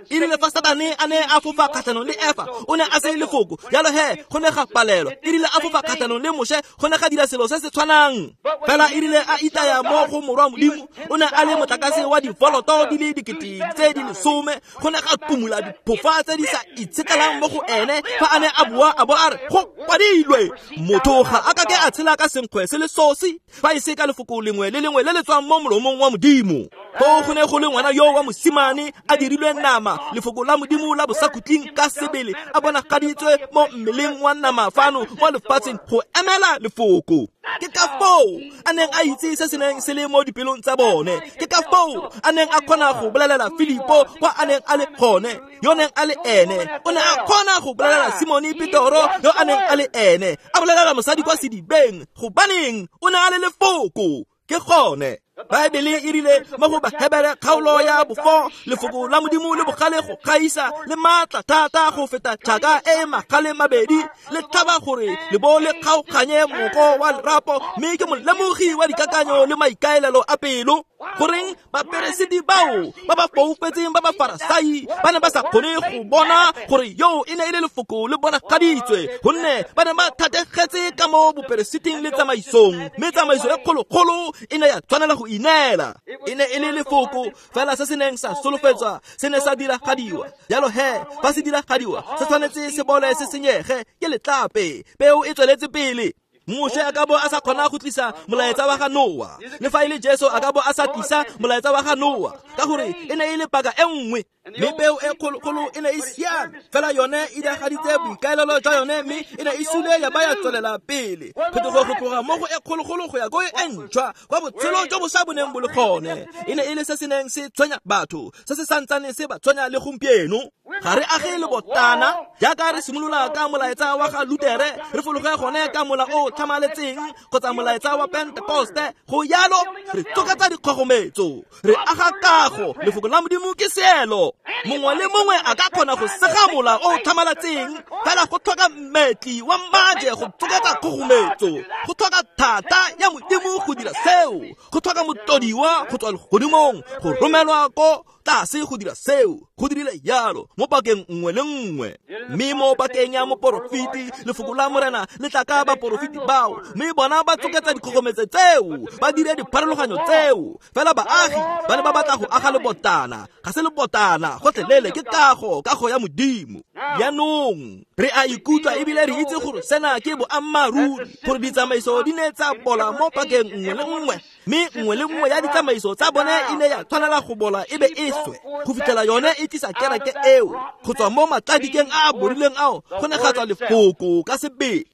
E rile fa Satane a ne a fofa kgatlhanong le Efa, o ne a se lefoko, jalo he go ne ga palelwa. E rile a fofa kgatlhanong le Moshe, go ne ga dira selo se se tshwanang. Fela e rile a itaya mo go morwa Modimo, o ne a le motlakase wa divoloto di le dikete tse di lesome, go ne ga kumula diphofa tse di sa itshetlelang mo go ene fa a ne a bua a bo a re go kwadilwe, motho ga a ka ke a tshela ka senkgwe se le sosi fa e se ka lefoko lengwe le lengwe le le tswang mo molomong wa Modimo. Foo go ne go le ngwana yo wa mosimane a dirilwe nama, lefoko la Modimo la bosakhutleng ka sebele a bonagaditswe mo mmeleng wa nama fano mo lefatsheng go emela lefoko. Ke ka foo a neng a itse se se neng se le mo dipelong tsa bone. Ke ka foo a neng a kgona go bolelela Filipo kwa a neng a le gone, yo neng a le ene. O ne a kgona go bolelela Simone Petoro yo a neng a le ene, a bolelela mosadi kwa sedibeng, gobaneng o ne a le lefoko. Ke gone Baebele e rile mo go Bahebere kgaolo ya bofo, lefoko la Modimo le bogale go gaisa le maatla thata go feta tšhaka e e magale mabedi, le tlhaba gore le bo le kgaoganye moko wa lerapo, mme ke molemogi wa dikakanyo le maikaelelo a pelo. Goreng baperesiti bao ba ba foufetseng ba ba Farasai ba ne ba sa kgone go bona gore yo e ne e le lefoko le bonagaditswe, gonne ba ne ba thategetse ka mo boperesiting le tsamaisong, mme tsamaiso e kgolokgolo e ne ya tshwanela go ineela. E ne e le lefoko fela se se neng sa solofetswa se ne sa diragadiwa. Jalo he fa se diragadiwa se tshwanetse se bole se senyege ke letlape, peo e tsweletse pele. Moshe a ka bo a sa kgona go tlisa molaetsa wa ga Noa, le fa e le Jesu a ka bo a sa tlisa molaetsa wa ga Noa, ka gore e ne e le paka e nngwe, mme peo e kgolokgolo e ne e siame fela yone e diragaditse boikaelelo jwa yone, mme e ne e sule ya ba ya tswelela pele. Phetogo go tloga mo go e kgologolo go ya ko e ntšhwa, kwa botshelo jo bo sa boneng bo le gone, e ne e le se se neng se tshwenya batho, se se santsaneng se ba tshwenya le gompieno. Ga re age lebotana jaaka re simolola ka molaetsa wa ga Lutere, re fologe gone ka mola o tlhamaletseng kgotsa molaetsa wa Pentekoste. Go yalo re tsoketsa dikgogometso, re aga kago. Lefoko la Modimo ke seelo. Mongwe le mongwe a ka kgona go sega mola o tlhamaletseng, fela go tlhoka mmetli wa maje go tsoketsa kgogometso, go tlhoka thata ya Modimo go dira seo, go tlhoka motodiwa go tswa legodimong go romelwa ko tlase go dira seo. Go dirile jalo mo pakeng nngwe le nngwe, mme mo pakeng ya moporofeti lefoko la Morena le tla ka baporofeti bao, mme bona ba tsoketsa dikgogometso tseo, ba dire dipharologanyo tseo. Fela baagi ba ne ba batla go aga lebotana, ga se lebotana gotlhelele, ke kago, kago ya Modimo. Jaanong re a ikutlwa ebile re itse gore sena ke boammaaruri, gore ditsamaiso di ne tsa bola mo pakeng nngwe le nngwe, mme nngwe le nngwe ya ditsamaiso tsa bone e ne ya tshwanela go bola e be e swe go fitlhela yone e tlisa kereke eo go tswa mo matladikeng a a borileng ao. Go ne ga tswa lefoko ka sebele.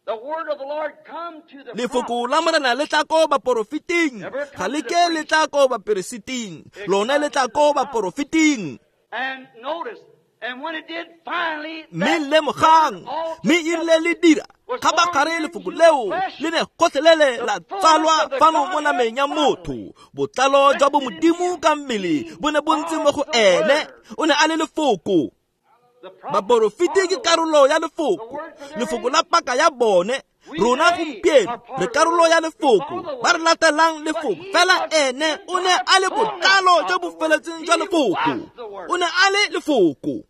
Lefoko la Morena le tla ko baporofeting, ga le ke le tla ko baperesiting, lone le tla ko baporofeting. Mme lemogang, mme e rile le dira kgabagare lefoko leo le ne gotlhelele la tsalwa fano mo nameng ya motho. Botlalo jwa bo Modimo ka mmele bo ne bo ntse mo go ene, o ne a le lefoko. Baporofeti ke karolo ya lefoko, lefoko la paka ya bone. Rona gompieno re karolo ya lefoko, ba re latelang lefoko. Fela ene o ne a le botlalo jo bo feletseng jwa lefoko, o ne a le lefoko.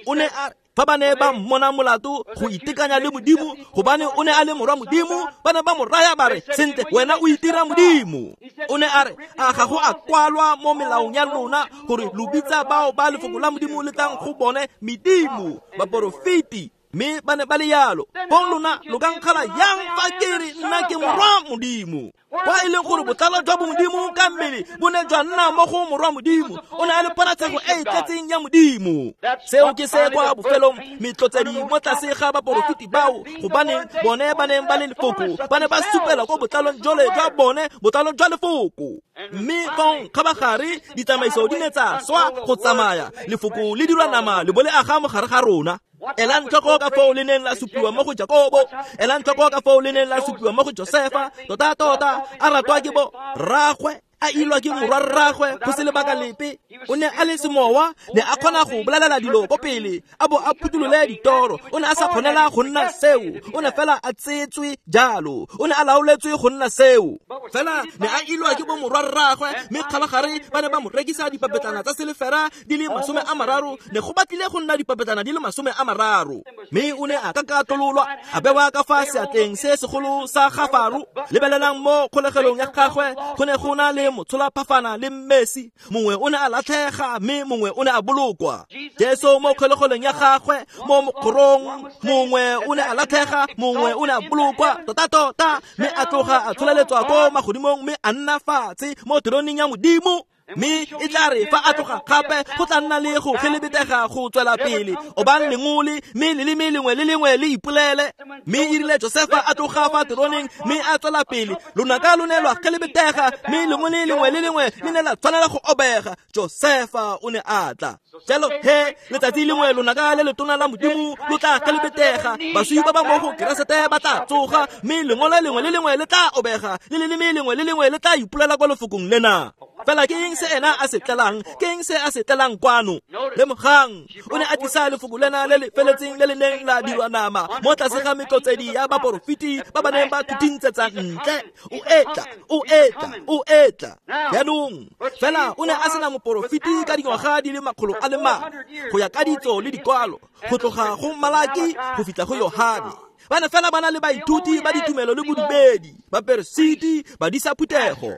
O ne a Fa ba ne ba mmona molato go itekanya le Modimo, gobane o ne a le morwa Modimo, ba ne ba mo raya ba re, sentle, wena o itira Modimo. O ne a re, a ga go a kwalwa mo melaong ya lona gore lo bitsa bao ba lefoko la Modimo le tlang go bone medimo, baporofeti, mme ba ne ba le yalo. Fong lona lo ka nkgala yang fa ke re nna ke morwa Modimo? Kwa e leng gore botlalo jwa bomodimo ka mmele bo ne jwa nna mo go morwa Modimo, o ne a le ponatshego e e tletseng ya Modimo. Seo ke se kwa bofelong metlotsedi mo tlase ga baporofeti bao, gobaneng bone ba neng ba le lefoko, ba ne ba supela ko botlalong jole jwa bone, botlalo jwa lefoko. Mme fong kgabagare ditsamaiso di ne tsa swa go tsamaya, lefoko le dirwa nama le bo le aga mo gare ga rona. Elang tlhoko ka foo le neng la supiwa mo go Jakobo, elang tlhoko ka foo le neng la supiwa mo go Josefa, tota tota a ratwa ke bo rragwe, a ilwa ke morwa rragwe go se lebaka lepe. O ne a le semowa, ne a kgona go bolelela dilo ko pele, a bo a phutholole ditoro. O ne a sa kgonela go nna seo, o ne fela a tsetswe jalo, o ne a laoletswe go nna seo. Fela ne a ilwa ke bo morwa rragwe, mme kgabagare ba ne ba mo rekisa dipapetlana tsa selefera di le masome a mararo, ne go batlile go nna dipapetlana di le masome a mararo. Mme o ne a kakatololwa, a bewa ka fa seatleng se segolo sa ga Faro. Lebelelang mo kgolegelong ya gagwe, go ne go na le motshola phafana le mmesi, mongwe o ne a latlhega mme mongwe o ne a bolokwa. Jesu mo kgolegelong ya gagwe mo mokgorong, mongwe o ne a latlhega, mongwe o ne a bolokwa, tota tota, mme a tloga a tsholeletswa ko magodimong mme a nna fatshe mo teroneng ya Modimo. Mme e tla re fa a tloga gape go tla nna le go gelebetega go tswela pele, obang lengole mme leleme lengwe le lengwe le ipolele. Mme e rile Josefa a tloga fa teroneng mme a tswela pele, lonaka lo ne lwa gelebetega mme lengwe le lengwe le lengwe le ne la tshwanela go obega. Josefa o ne a tla. Jalo he letsatsi lengwe lonaka le letona la Modimo lo tla gelebetega, baswi ba ba mo go Keresete ba tla tsoga, mme lengwe le lengwe le lengwe le tla obega, le leleme lengwe le lengwe le tla ipolela kwa lefokong lena. Fela ke eng se ena a se tlelang? Ke eng se a se tlelang kwano? Lemogang, o ne a tlisa lefoko lena le le feletseng le le neng la dirwa nama mo tlase ga metlotsedi ya baporofeti ba ba neng ba thutintsetsa ntle. O etla, o etla, o etla. Jaanong fela o ne a sena moporofeti ka dingwaga di le makgolo a le mane, go ya ka ditso le dikwalo, go tloga go Malaki go fitlha go Yohane. Ba ne fela ba na le baithuti ba ditumelo le bodumedi, baperesiti, badisa phuthego.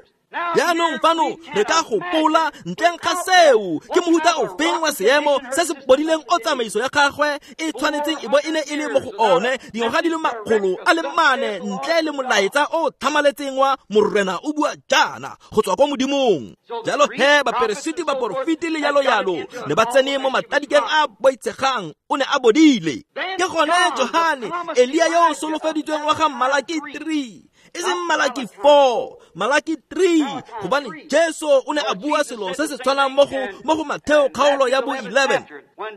Jaanong fano re ka gopola ntleng ga seo ke mohuta ofeng wa seemo se se bodileng o tsamaiso ya gagwe e tshwanetseng e bo e ne e le mo go one dingwaga di le makgolo a le mane ntle le molaetsa o tlhamaletseng wa Morena o bua jaana go tswa kwa Modimong. Jalo he baperesiti, baporofeti le yalo yalo ne ba tsene mo matadikeng a boitshegang, o ne a bodile. Ke gone Johane, Elia yo o solofeditsweng wa ga Malaki three, e seng Malaki four, Malaki three, gobane Jesu o ne a bua selo se se tshwanang mo go mo go Matheo kgaolo ya bo eleven.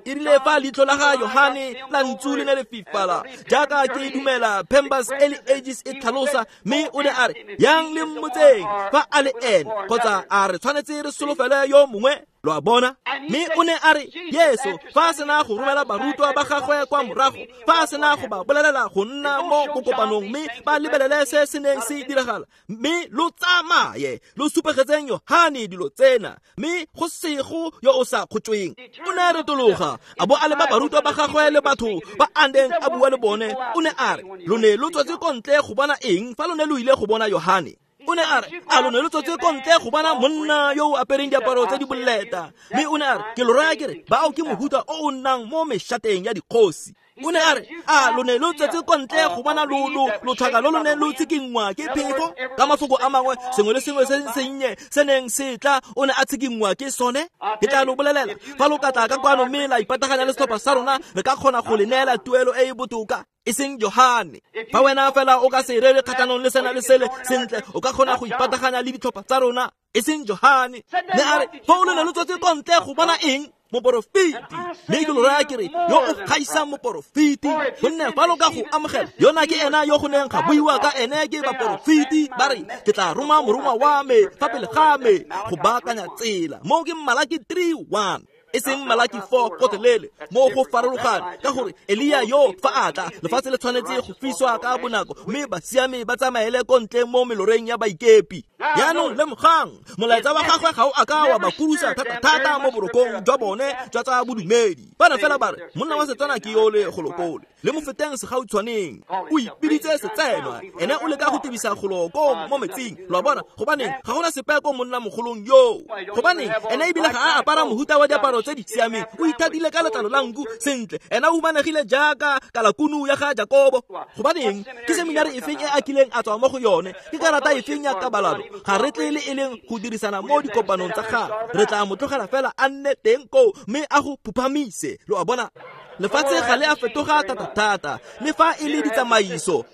E rile fa leitlho la ga Yohane la ntsu le ne le fifala, jaaka ke dumela Pembers Early Ages e tlhalosa, mme o ne a re, yang le mmotseng fa a le ene, kgotsa a re tshwanetse re solofele yo mongwe. Lo a bona? Mme o ne a re, Jesu fa a sena go romela barutwa ba gagwe kwa morago, fa a sena go ba bolelela go nna mo bokopanong mme ba lebelele se se neng se diragala, mme lo tsamaye lo supegetseng Yohane dilo tsena, mme go sego yo o sa kgotsweng. O ne a retologa a bo a leba barutwa ba gagwe le batho ba a neng a bua le bone. O ne a re, lo ne lo tswetse ko ntle go bona eng fa lo ne lo ile go bona Yohane? O ne a re, a lo ne lo tswetse ko ntle go bona monna yo o apereng diaparo tse di boleta? Mme o ne a re, ke lo raya ke re, bao ke mohuta o o nnang mo meshateng ya dikgosi. O ne a re, a lo ne lo tswetse ko ntle go bona lo lo lotlhaka lo lo neng lo tshikinngwa ke phefo? Ka mafoko a mangwe, sengwe le sengwe se sennye se neng se tla o ne a tshikinngwa ke sone. Ke tla lo bolelela, fa lo ka tla ka kwano mme la ipataganya le setlhopha sa rona, re ka kgona go le neela tuelo e e botoka, e seng Johane. Fa wena fela o ka se rere kgatlhanong le sena le sele, sentle, o ka kgona go ipataganya le ditlhopha tsa rona, e seng Johane. Ne a re, fa o le ne lo tswetse ko ntle go bona eng? Moporofeti. Mme ke lo raya ke re, yo o gaisang moporofeti, gonne fa lo ka go amogela, yona ke ena yo go neng ga buiwa ka ene ke baporofeti, ba re, ke tla roma morongwa wa me fa pele ga me go baakanya tsela. Moo ke Malaki three one, e seng Malaki four gotlhelele. Mo go farologane, ka gore Elia yo fa a tla, lefatshe le tshwanetse go fiswa ka bonako, mme basiami ba tsamaele ko ntle mo meloreng ya baikepi. Jaanong lemogang, molaetsa wa gagwe ga o a ka wa ba kurusa thata-thata mo borokong jwa bone jwa tsa bodumedi. Ba ne fela ba re, monna wa Setswana ke yole golokole, le mo feteng segautshwaneng, o ipiditse setsenwa, ene o leka go tebisa golo ko mo metsing. Lo a bona, gobaneng ga gona sepe ko monna mogolong yoo. Gobaneng ene ebile ga a apara mohuta wa diaparo tse di siameng, o ithatile ka letlalo la nku sentle, ena o humanegile jaaka kalakunu ya ga Jakobo. Gobaneng ke seminari efeng e a kileng a tswa mo go yone? Ke karata efeng ya kabalano? Ga re tle le e leng go dirisana mo dikopanong tsa gagwe. Re tla mo tlogela fela a nne teng koo mme a go phuphamise. Lo a bona, lefatshe ga le a fetoga thata-thata, le fa e le ditsamaiso.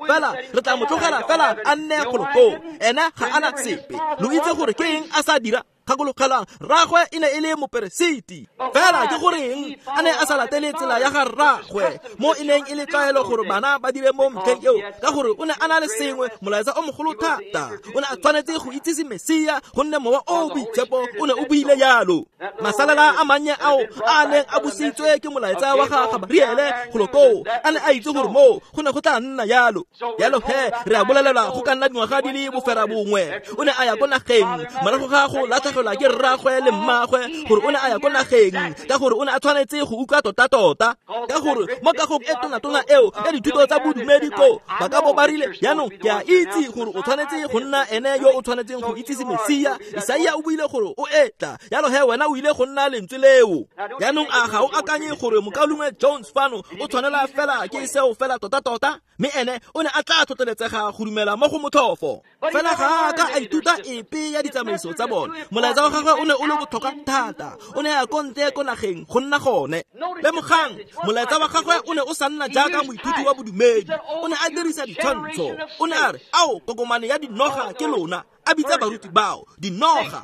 Fela re tla mo tlogela fela a nne golo koo, ena ga ana sepe. Lo itse gore ke eng a sa dira? Gakologelang, rraagwe e ne e le moperesiti. Fela ke goreng a ne a sa latele tsela ya ga rraagwe, mo e neng e le tlwaelo gore bana ba dire mo metlheng eo, ka gore o ne a na le sengwe, molaetsa o mogolo thata. O ne a tshwanetse go itsise Mesia, gonne Mowa o o Boitshepo o ne o buile jalo. Masalela a mannye ao a neng a busitswe ke molaetsa wa ga Gabariele golo koo, a ne a itse gore moo go ne go tla nna jalo. Jalo he, re a bolelelwa go ka nna dingwaga di le bofera bongwe, o ne a ya ko nageng morago ga go latlhegelwa ke rraagwe le mmagwe, gore o ne a ya ko nageng ka gore o ne a tshwanetse go utlwa tota-tota, ka gore mo kagong e tona-tona eo ya dithuto tsa bodumedi koo ba ka bo ba rile, jaanong ke a itse gore o tshwanetse go nna ene yo o tshwanetseng go itsise Mesia. Isaia o buile gore o etla, jalo he wena o ile go nna lentswe leo. Jaanong a ga o akanye gore mokaulengwe Jones fano o tshwanela fela ke seo fela tota-tota? Mme ene o ne a tla tlhotlheletsega go dumela mo go motlhofo. Fela ga a ka a ithuta epe ya ditsamaiso tsa bone. Molaetsa wa gagwe o ne o le botlhokwa thata, o ne a ko ntle ko nageng go nna gone. Lemogang, molaetsa wa gagwe o ne o sa nna jaaka moithuti wa bodumedi, o ne a dirisa ditshwantsho. O ne a re, ao, kokomane ya dinoga ke lona, a bitsa baruti bao dinoga.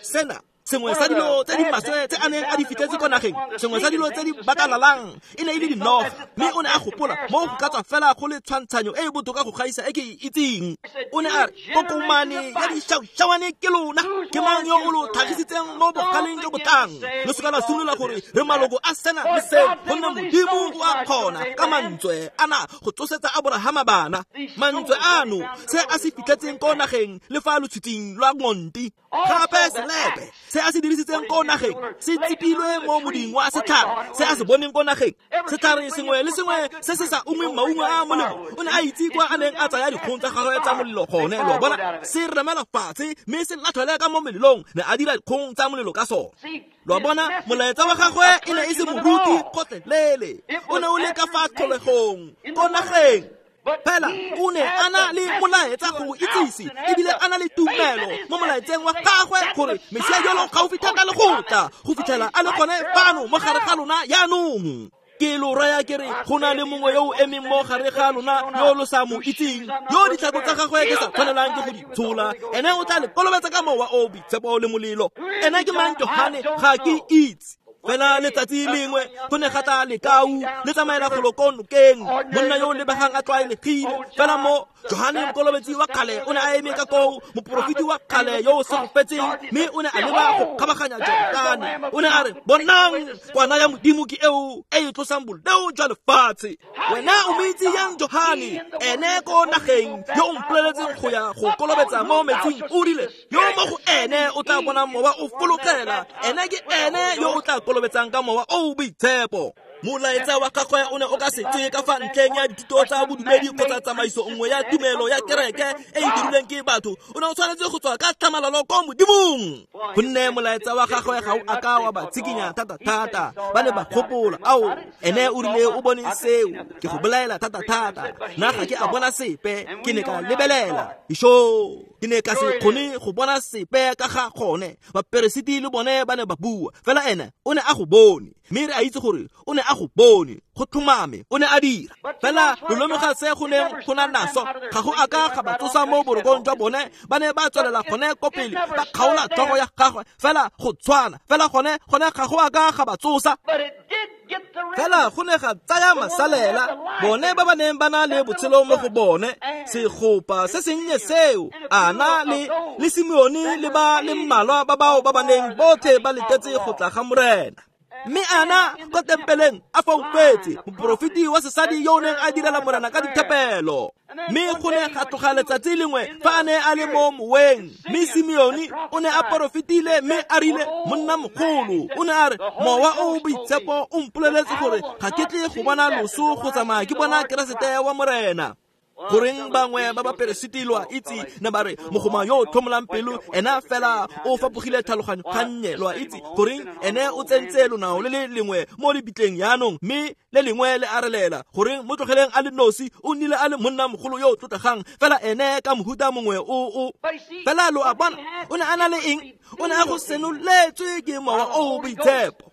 Sena sengwe sa dilo tse di maswe tse a neng a di fitlhetse ko nageng, sengwe sa dilo tse di bakalalang e ne e le dinoga. Mme o ne a gopola mo go ka tswa fela go le tshwantshanyo e e botoka go gaisa e ke e itseng. O ne a re, kokomane ya dišaušawane ke lona, ke mang yo o lo tlhagisitseng mo bogaleng jo bo tlang? Lo seka la simolola gore re maloko a sena le seo, gonne Modimo o a kgona ka mantswe ana go tsosetsa Aborahama bana. Mantswe ano se a se fitlhetseng ko nageng le fa lotshwiting lwa ngonti. Gape selepe se a se dirisitseng ko nageng se tsipilwe mo moding wa setlhare se a se boneng ko nageng. Setlhare sengwe le sengwe se se sa ungweng maungo a molemo, o ne a itse kwa a neng a tsaya dikgong tsa gagwe tsa molelo gone. Lo a bona, se remela fatshe mme se latlhele ka mo melelong, ne a dira dikgong tsa molelo ka sone. Lo a bona, molaetsa wa gagwe e ne e se moruti kgotlelele, o ne o le ka fa tlholegong ko nageng. Fela o ne a na le molaetsa go itsise, ebile a na le tumelo mo molaetseng wa gagwe gore Mesia yolo gaufi thata le go tla, go fitlhela a le gone fano mo gare ga lona jaanong. Ke lo raya ke re, go na le mongwe yo o emeng mo gare ga lona yo lo sa mo itseng, yo ditlhako tsa gagwe ke sa tshwanelang ke go di tshola. Ene o tla le kolobetsa ka Mowa o Boitshepo le molelo. Ene ke mang Johane? Ga ke itse. Fela letsatsi lengwe go ne ga tla lekau le tsamaela golo ko nokeng, monna yo o lebegang a tlwaelegile. Fela mo Johane mokolobetsi wa kgale o ne a eme ka koo, moporofeti wa kgale yo o segofetseng, mme o ne a leba go kgabaganya Jordane. O ne a re, bonang, kwana ya Modimo ke eo e e tlosang boleo jwa lefatshe. Wena o mo itse yang Johane? Ene ko nageng yo o mpoleletseng go ya go kolobetsa mo metsing o rile, yo mo go ene o tla bona Mowa o fologela, ene ke ene yo o tla kolobetsang ka Mowa o o Boitshepo. Molaetsa wa gagwe o ne o ka se tswe ka fa ntleng ya dithuto tsa bodumedi kgotsa tsamaiso nngwe ya tumelo ya kereke e e dirilweng ke batho. O ne o tshwanetse go tswa ka tlhamalalo ko Modimong, gonne molaetsa wa gagwe ga o a ka wa ba tshikinya thata-thata. Ba ne ba gopola, ao, ene o rile o bone seo, ke go bolaela thata-thata. Nna ga ke a bona sepe, ke ne ka lebelela. Isho, ke ne ka se kgone go bona sepe ka ga gone. Baperesiti le bone ba ne ba bua, fela ene o ne a go bone. Mme re a itse gore o ne a go bone, go tlhomame, o ne a dira. Fela lo lemoga se go neng go na naso, ga go a ka ga ba tsosa mo borokong jwa bone. Ba ne ba tswelela gone ko pele, ba kgaola tlhogo ya gagwe, fela go tshwana. Fela gone gone ga go a ka ga ba tsosa. Fela go ne ga tsaya masalela, bone ba ba neng ba na le botshelo mo go bone, segopa se sennye seo, Ana le le Simeone le ba le mmalwa ba bao ba ba neng botlhe ba letetse go tla ga Morena. Mme Ana ko tempeleng a foufetse, moporofeti wa sesadi yo o neng a direla Morena ka dithapelo. Mme go ne ga tloga letsatsi lengwe fa a ne a le mo moweng, mme Simeone o ne a porofetile mme a rile monna mogolo o ne a re, Mowa o o Boitshepo o mpoleletse gore ga ke tle go bona loso go tsamaya ke bona Keresete wa Morena. Goreng bangwe ba baperesiti lo a itse ne ba re mogoma yo o tlhomolang pelo ena fela o fapogile tlhaloganyo gannye, lo a itse goreng ene o tsentse lonao le le lengwe mo lebitleng jaanong mme le lengwe le a relela. Goreng mo tlogeleng a le nosi, o nnile a le monna mogolo yo o tlotlegang fela ene ka mohuta mongwe o o fela lo a bona o ne a na le eng, o ne a go senoletswe ke Mowa o o Boitshepo.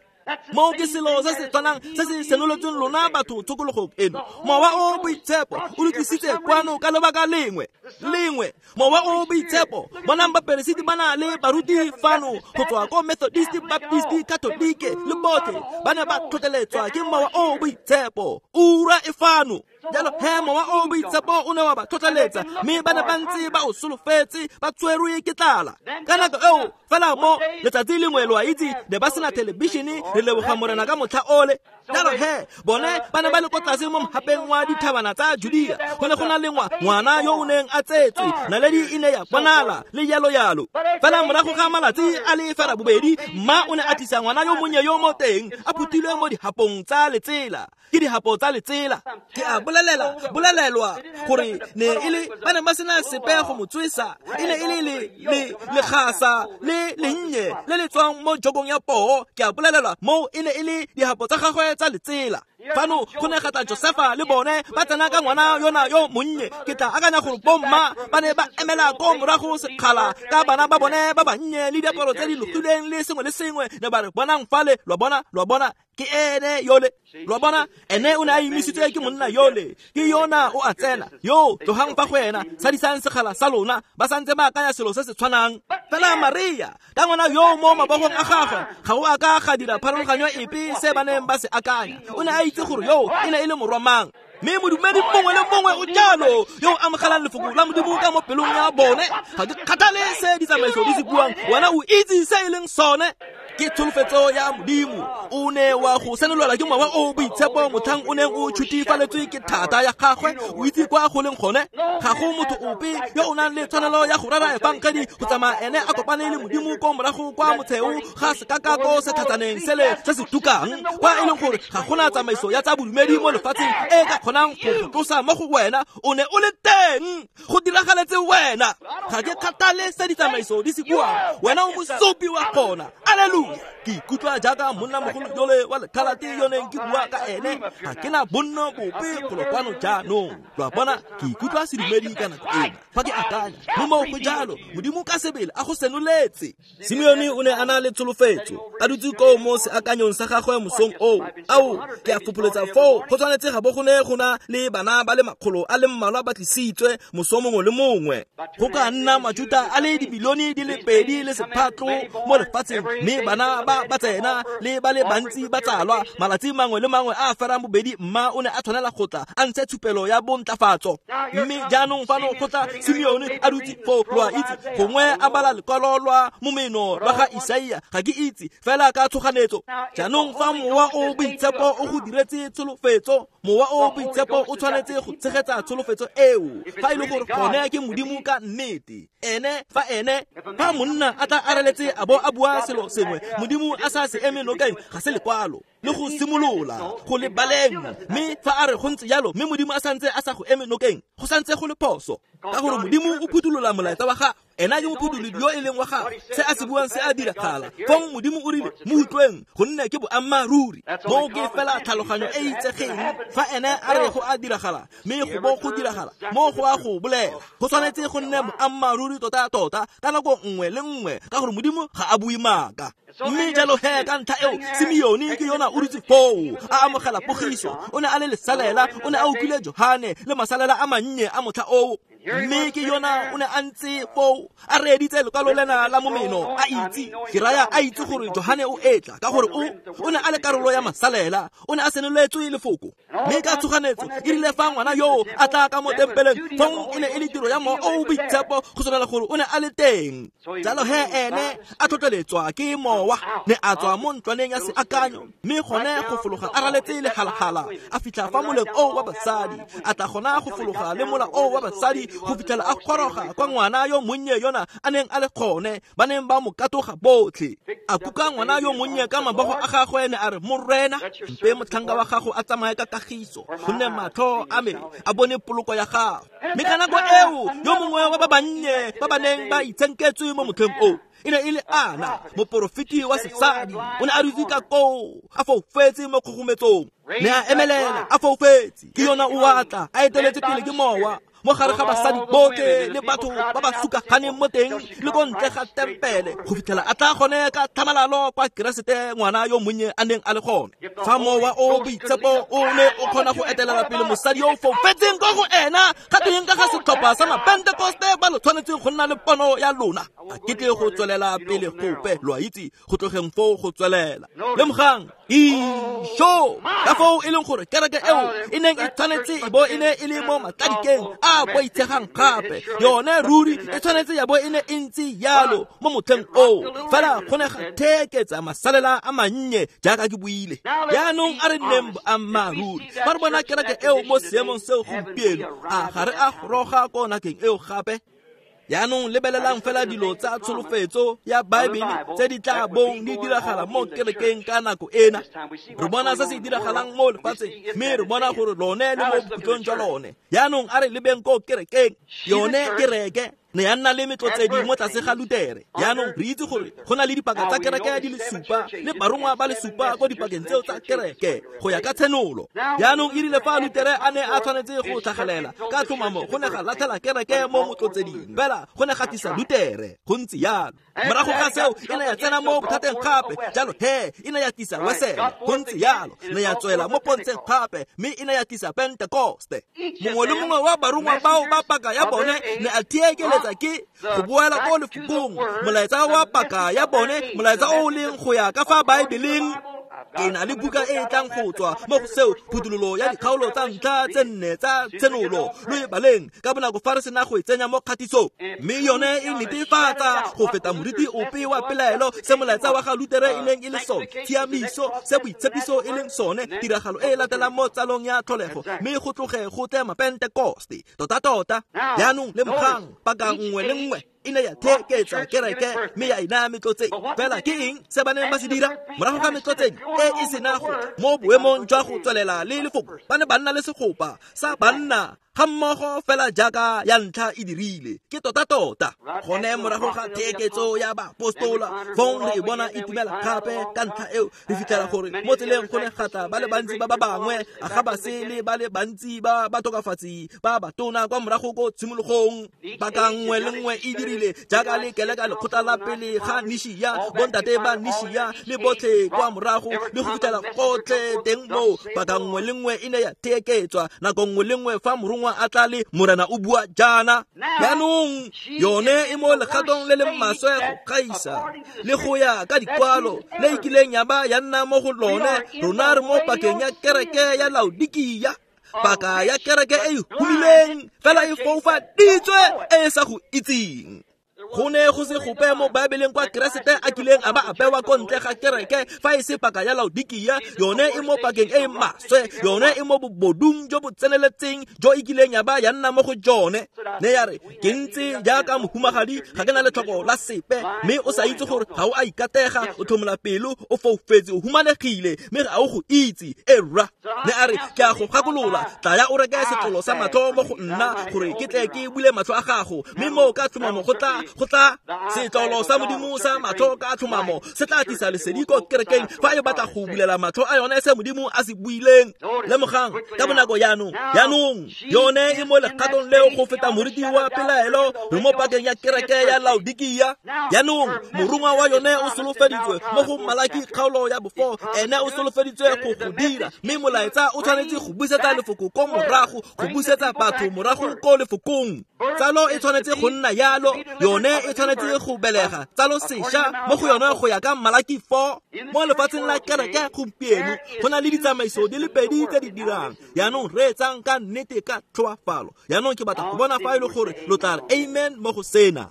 Moo ke selo se se tshwanang se se senoletsweng lona batho tshokologong eno. Mowa o o Boitshepo o le tlisitse kwano ka lebaka lengwe lengwe. Mowa o o Boitshepo, bonang baperesiti ba na le baruti fano go tswa ko Methodist, Baptist, Catholic le botlhe ba ne ba tlhotlheletswa ke Mowa o o Boitshepo. Ura e fano. Jalo he Mowa o o Boitshepo o ne wa ba tlhotlheletsa mme ba ne ba ntse ba o solofetse, ba tshwerwe ke tlala. Ka nako eo fela mo letsatsi lengwe lo a itse ne ba sena thelebišene, re leboga Morena ka motlha ole. Jalo he bone ba ne ba le ko tlase mo mogapeng wa dithabana tsa Judea, go ne go na le ngwana yo o neng a tsetswe, naledi e ne ya bonala le yalo yalo. Fela morago ga malatsi a le fera bobedi, mma o ne a tlisa ngwana yo monnye yo mo teng a phuthilwe mo dihapong tsa letsela. Ke dihapo tsa letsela. Ke a bolelela bolelelwa gore ne e le ba ne ba sena sepe go mo tswesa, e ne e le le le legasa le lennye le le tswang mo jokong ya poo. Ke a bolelelwa moo e ne e le dihapo tsa gagwe tsa letsela. Fano go ne ga tla Josefa le bone ba tsena ka ngwana yona yo monnye. Ke tla akanya gore bomma ba ne ba emela ko morago sekgala ka bana ba bone ba bannye le diaparo tse di logilweng le sengwe le sengwe, ne ba re bonang fale, lo bona, lo bona ke ene yole, lo bona ene o ne a emisitswe ke monna yole, ke yona o a tsena yo tlogang fa go ena, sadisang sekgala sa lona, ba santse ba akanya selo se se tshwanang. Fela Maria ka ngwana yo mo mabogong a gagwe ga o a ka ga dira pharologanyo epe se ba neng ba se akanya. O ne a itse gore yo e ne e le morwa mang. Mme modumedi mongwe le mongwe o jalo yo o amogelang lefoko la Modimo ka mo pelong ya bone. Ga ke kgathale se ditsamaiso di se buang, wena o itse se e leng sone. Ke tsholofetso ya Modimo. O ne wa go senolelwa ke Mowa o o Boitshepo motlhang o neng o tshutifaletswe ke thata ya gagwe. O itse kwa go leng gone. Ga go motho ope yo o nang le tshwanelo ya go rera efangedi go tsamaya ene a kopane le Modimo ko morago kwa motsheo ga sekakako se tlhatsaneng sele se se tukang, kwa e leng gore ga gona tsamaiso ya tsa bodumedi mo lefatsheng e ka kgonang go tlosa mo go wena. O ne o le teng, go diragaletse wena. Ga ke kgathale se ditsamaiso di se buang, wena o mosupi wa gona. Alleluia. Ke ikutlwa jaaka monna mogolo yole wa lekhalate yo neng ke bua ka ene. Ga ke na bonno bope golo kwano jaanong. Lo a bona, ke ikutlwa sedumedi ka nako ena fa ke akanya mo moo go jalo. Modimo ka sebele a go senoletse. Simeone o ne a na le tsholofetso, a dutse koo mo seakanyong sa gagwe mosong oo. Ao, ke a fopholetsa foo go tshwanetse ga bo go ne go na le bana ba le makgolo a le mmalwa ba tlisitswe moso mongwe le mongwe. Go ka nna Majuta a le dibilione di le pedi le sephatlo mo lefatsheng, mme bana ba ba tsena le ba le bantsi ba tsalwa malatsi mangwe le mangwe a ferang bobedi. Mma o ne a tshwanela go tla a ntshe tshupelo ya bontlafatso. Mme jaanong fano go tla Simeone a dutse foo, lo a itse, gongwe a bala lekwalo lwa momeno lwa ga Isaia, ga ke itse, fela ka tshoganetso. Jaanong fa Mowa o Boitshepo o go diretse tsholofetso, Mowa o Boitshepo o tshwanetse go tshegetsa tsholofetso eo. Fa e le gore gone ke Modimo ka nnete, ene fa ene fa monna a tla areletse a bo a bua selo sengwe Modimo a sa se eme nokeng, ga se lekwalo le go simolola go le baleng. Mme fa a re go ntse jalo, mme Modimo a santse a sa go eme nokeng, go santse go le phoso, ka gore Modimo o phuthulola molaetsa wa gagwe. Ena ke mophutholodi yo e leng wa gagwe, se a se buang se a diragala. Fong Modimo o rile mo utlweng, gonne ke boammaaruri. Moo ke fela tlhaloganyo e itsegeng. Fa ene a re go a diragala, mme go bo go diragala, moo go a go bolela. Go tshwanetse go nne boammaaruri tota-tota ka nako nngwe le nngwe, ka gore Modimo ga a bue maaka. Mme jalo he ka ntlha eo Simeone ke yona o dutse foo a amogela pogiso. O ne a le lesalela, o ne a utlwile Johane le masalela a mannye a motlha oo. Mme ke yona o ne a ntse foo a reeditse lekwalo lena la momeno, a itse, ke raya a itse gore Johane o etla, ka gore o o ne a le karolo ya masalela, o ne a senoletswe lefoko. Mme ka tshoganetso e rile fa ngwana yo a tla ka mo tempeleng, fong e ne e le tiro ya Mowa o o Boitshepo go senola gore o ne a le teng. Jalo he ene a tlhotlheletswa ke Mowa, ne a tswa mo ntlwaneng ya seakanyo, mme gone go fologa a raletse lehalhala, a fitlha fa moleng o wa basadi, a tla gona go fologa le mola o wa basadi go fitlhela a goroga kwa ngwana yo monnye yona a neng a le gone, ba neng ba mo katoga botlhe. A kuka ngwana yo monnye ka mabogo a gagwe, ne a re, Morena, mpe motlhanka wa gago a tsamaye ka kagiso, gonne matlho a me a bone poloko ya gago. Mme ka nako eo yo mongwe wa ba bannye ba ba neng ba itshenketswe mo motlheng o e ne e le Ana, moporofeti wa sesadi, o ne a dutse ka koo a foufetse mo kgogometsong. Ne a emelela a foufetse, ke yona o atla a eteletse pele ke Mowa mo gare ga basadi botlhe le batho ba ba sukaganeng mo teng le ko ntle ga tempele, go fitlhela a tla gone ka tlhamalalo kwa Keresete ngwana yo monnye a neng a le gone. Fa Mowa o Boitshepo o ne o kgona go etelela pele mosadi yo o foufetseng ko go ena, ga teng ka ga setlhopha sa Mapentekoste ba lo tshwanetseng go nna le pono ya lona. Ga ke tle go tswelela pele gope, lo a itse, go tlogeng foo go tswelela. Lemogang, isho, ka foo e leng gore kereke eo e neng e tshwanetse e bo e ne e le mo matladikeng a boitshegang gape, yone ruri e tshwanetse ya bo e ne e ntse yalo mo motlheng oo, fela go ne ga theeketsa masalela a mannye jaaka ke buile. Jaanong a re nneng boammaaruri, fa re bona kereke eo mo seemong seo gompieno, a ga re a goroga ko nakeng eo gape? Jaanong lebelelang fela dilo tsa tsholofetso ya Baebele tse di tla bong di diragala mo kerekeng ka nako ena. Re bona se se diragalang mo lefatsheng, mme re bona gore lone le mo bokhutlong jwa lone. Jaanong a re lebeng ko kerekeng, yone kereke ne ya nna le metlotsedi mo tlase ga Lutere. Jaanong re itse gore go na le dipaka tsa kereke di le supa le barongwa ba le supa ko dipakeng tseo tsa kereke go ya ka tshenolo. Jaanong e rile fa Lutere a ne a tshwanetse go tlhagelela ka tlhomamo, go ne ga latlhela kereke mo motlotseding, fela go ne ga tlisa Lutere. Go ntse yalo. Morago ga seo e ne ya tsena mo bothateng gape, jalo he e ne ya tlisa Wesele. Go ntse yalo. Ne ya tswela mo pontsheng gape, mme e ne ya tlisa Pentekoste. Mongwe le mongwe wa barongwa bao ba paka ya bone ne a theekeletsa ke go boela ko lefokong, molaetsa wa paka ya bone, molaetsa o o leng go ya ka fa Baebeleng. Ke na le buka e e tlang go tswa mo go seo, phuthololo ya dikgaolo tsa ntlha tse nne tsa tshenolo, lo e baleng ka bonako fa re sena go e tsenya mo kgatisong. Mme yone e netefatsa go feta moriti ope wa pelaelo se molaetsa wa ga Lutere e neng e le sone, tshiamiso se boitshepiso e leng sone, tiragalo e e latelang mo tsalong ya tlholego, mme go tloge go tle Mapentekoste. Tota-tota, jaanong lemogang paka nngwe le nngwe e ne ya theeketsa kereke mme ya e naya metlotsedi. Fela ke eng se ba neng ba se dira morago ga metlotsedi e e sena go mo boemong jwa go tswelela le lefoko? Ba ne ba nna le segopa sa banna ga mmogo fela jaaka ya ntlha e dirile. Ke tota-tota gone morago ga theeketso ya baapostola, fong re e bona e tumela gape. Ka ntlha eo re fitlhela gore mo tseleng go ne ga tla ba le bantsi ba ba bangwe, a ga ba se le ba le bantsi ba batokafatsi ba batona kwa morago ko tshimologong. Paka nngwe le nngwe e dirile jaaka le keleka lekgotla la pele ga Nishia, bontate ba Nishia le botlhe kwa morago le go fitlhela gotlhe teng moo. Paka nngwe le nngwe e ne ya theeketswa nako nngwe le nngwe fa morongwa a tla le Morena o bua jaana. Jaanong yone e mo legatong le le maswe go gaisa le go ya ka dikwalo le e kileng ya ba ya nna mo go lone. Rona re mo pakeng ya kereke ya Laodikia, paka ya kereke e e humileng fela e foufaditswe e e sa go itseng. Go ne go se gope mo Baebeleng kwa Keresete a kileng a ba a bewa ko ntle ga kereke fa e se paka ya Laodikia. Yone e mo pakeng e e maswe, yone e mo bobodung jo bo tseneletseng jo e kileng ya ba ya nna mo go jone. Ne ya re, ke ntse jaaka mohumagadi, ga ke na letlhoko la sepe, mme o sa itse gore ga o a ikatega, o tlhomola pelo, o foufetse, o humanegile, mme ga o go itse. E rra, ne a re, ke a go gakolola, tlaya o reke setlolo sa matlho mo go nna gore ke tle ke bule matlho a gago, mme moo ka tlhomamo go tla Go tla setlolo sa Modimo sa matlho ka tlhomamo se tla tlisa lesedi ko kerekeng fa e batla go bulela matlho a yone se Modimo a se buileng. Lemogang ka bonako jaanong, jaanong yone e mo legatong leo go feta moriti wa pelaelo re mo pakeng ya kereke ya Laodikia. Jaanong morongwa wa yone o solofeditswe mo go Malaki kgaolo ya bofo, ene o solofeditswe go go dira, mme molaetsa o tshwanetse go busetsa lefoko ko morago, go busetsa batho morago ko lefokong. Tsalo e tshwanetse go nna yalo, yone e tshwanetse go belega tsalo sešwa mo go yone go ya ka Malaki four. Mo lefatsheng la kereke gompieno go na le ditsamaiso di le pedi tse di dirang. Jaanong reetsang ka nnete ka tlhoafalo. Jaanong ke batla go bona fa e le gore lo tla re amen mo go sena.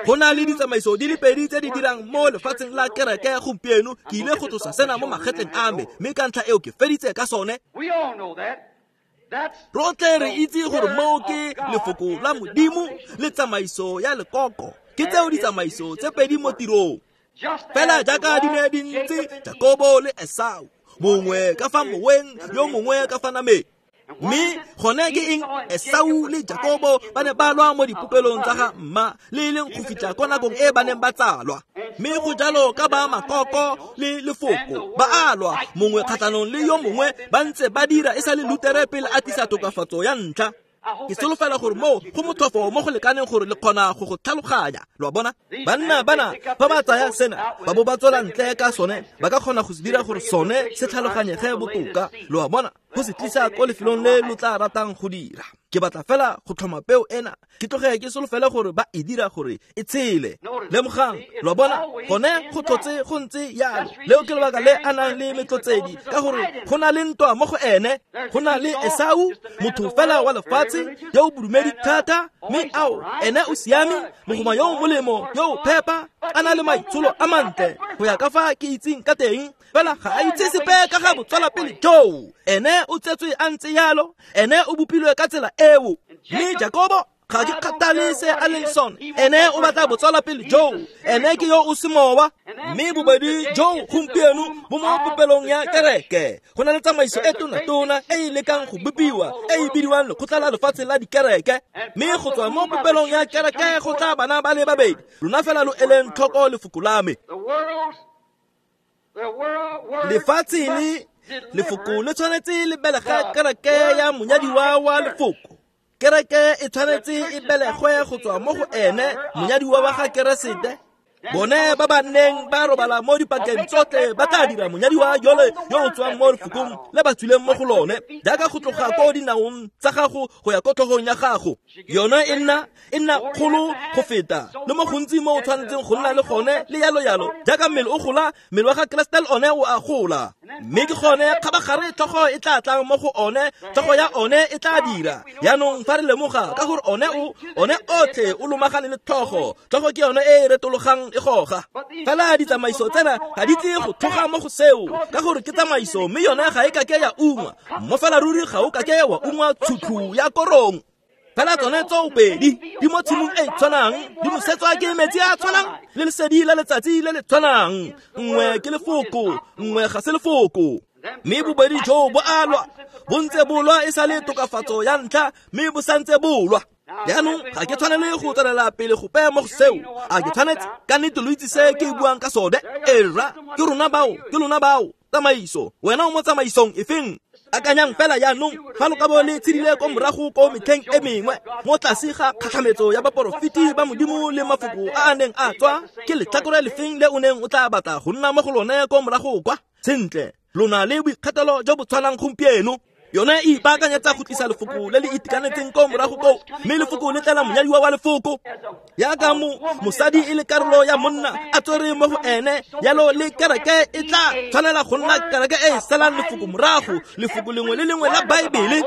Go na le ditsamaiso di le pedi tse di dirang mo lefatsheng la kereke gompieno. Ke ile go tlosa sena mo magetleng a me, mme ka ntlha eo ke feditse ka sone. Rotlhe re itse gore moo ke lefoko la Modimo le tsamaiso ya lekoko. Ke tseo ditsamaiso tse pedi mo tirong. Fela jaaka di ne di ntse Jakobo le Esau, mongwe ka fa moweng, yo mongwe ka fa nameng. Mme gone ke eng? Esau le Jakobo ba ne ba lwa mo dipopelong tsa ga mma, le e leng go fitlha ko nakong e ba neng ba tsalwa. Mme go jalo ka ba makoko le lefoko ba a lwa mongwe kgatlhanong le yo mongwe, ba ntse ba dira e sa le Lutere pele a tlisa tokafatso ya ntlha. Ke solofela gore moo go motlhofo mo go lekaneng gore le kgona go go tlhaloganya. Lo a bona? Banna bana fa ba tsaya sena ba bo ba tswela ntle ka sone, ba ka kgona go se dira gore sone se tlhaloganyege botoka. Lo a bona? Go se tlisa ko lefelong le lo tla ratang go dira. Ke batla fela go tlhoma peo ena, ke tloge ke solofele gore ba e dira gore e tshele. Lemogang, lo a bona? Gone go tlotse go ntse yalo. Leo ke lebaka le a nang le metlotsedi, ka gore go na le ntwa mo go ene. Go na le Esau, motho fela wa lefatshe yo o bodumedi thata, mme ao ene o siame, mogoma yo o molemo, yo o phepa, a na le maitsholo a mantle go ya ka fa ke itseng ka teng, fela ga a itse sepe ka ga botswelapele joo. Ene o tsetswe a ntse yalo, ene o bopilwe ka tsela eo. Mme Jakobo ga ke kgathale se a leng sone, ene o batla botswelapele joo, ene ke yo o semowa. Mme bobedi joo gompieno bo mo popelong ya kereke. Go na le tsamaiso e tona-tona e e lekang go bopiwa, e e bidiwang lekgotla la lefatshe la dikereke. Mme go tswa mo popelong ya kereke go tla bana ba le babedi. Lona fela lo eleng tlhoko lefoko la me. Lefatshe le lefoko le tshwanetse le belega kereke ya monyadiwa wa lefoko. Kereke e tshwanetse e belegwe go tswa mo go ene monyadiwa wa ga Keresete. Bone ba ba neng ba robala mo dipakeng tsotlhe ba tla dira monyadiwa yole yo o tswang mo lefokong le ba tswileng mo go lone, jaaka go tloga ko dinaong tsa gago go ya ko tlhogong ya gago. Yone e nna e nna kgolo go feta le mo gontsi mo o tshwanetseng go nna le gone, le yalo yalo. Jaaka mmele o gola, mmele wa ga Keresete le one o a gola. Mme ke gone kgabagare tlhogo e tla tlang mo go one, tlhogo ya one e tla dira. Jaanong fa re lemoga ka gore one o one otlhe o lomagane le tlhogo, tlhogo ke yone e e retologang e goga. Fela ditsamaiso tsena ga di tle go tlhoga mo go seo, ka gore ke tsamaiso, mme yone ga e kake ya ungwa. Mo fela ruri ga o kake wa ungwa tshutlhu ya korong. Fela tsone tsoopedi di mo tshimong e tshwanang, di nosetswa ke metsi a tshwanang le lesedi la letsatsi le le tshwanang. Nngwe ke lefoko, nngwe ga se lefoko. Mme bobedi joo bo a lwa, bo ntse bo lwa e sa le tokafatso ya ntlha, mme bo santse bo lwa. Jaanong ga ke tshwanele go tswelela pele gope mo go seo. A ke tshwanetse? Ka nnete lo itse se ke buang ka sone. Ee rra, ke rona bao, ke lona bao. Tsamaiso, wena o mo tsamaisong efeng? Akanyang fela jaanong fa lo ka bo le tshedile ko morago ko metlheng e mengwe, mo tlase ga kgatlhametso ya baporofeti ba Modimo le mafoko a a neng a tswa, ke letlhakore lefeng le o neng o tla batla go nna mo go lone ko morago kwa? Sentle, lona le boikgethelo jo bo tshwanang gompieno. Yone e ipaakanyetsa go tlisa lefoko le le itekanetseng ko morago koo, mme lefoko le tlela monyadiwa wa lefoko. Jaaka mo mosadi e le karolo ya monna a tswere mo go ene, yalo le kereke e tla tshwanela go nna kereke e e salang lefoko morago, lefoko lengwe le lengwe la Baebele.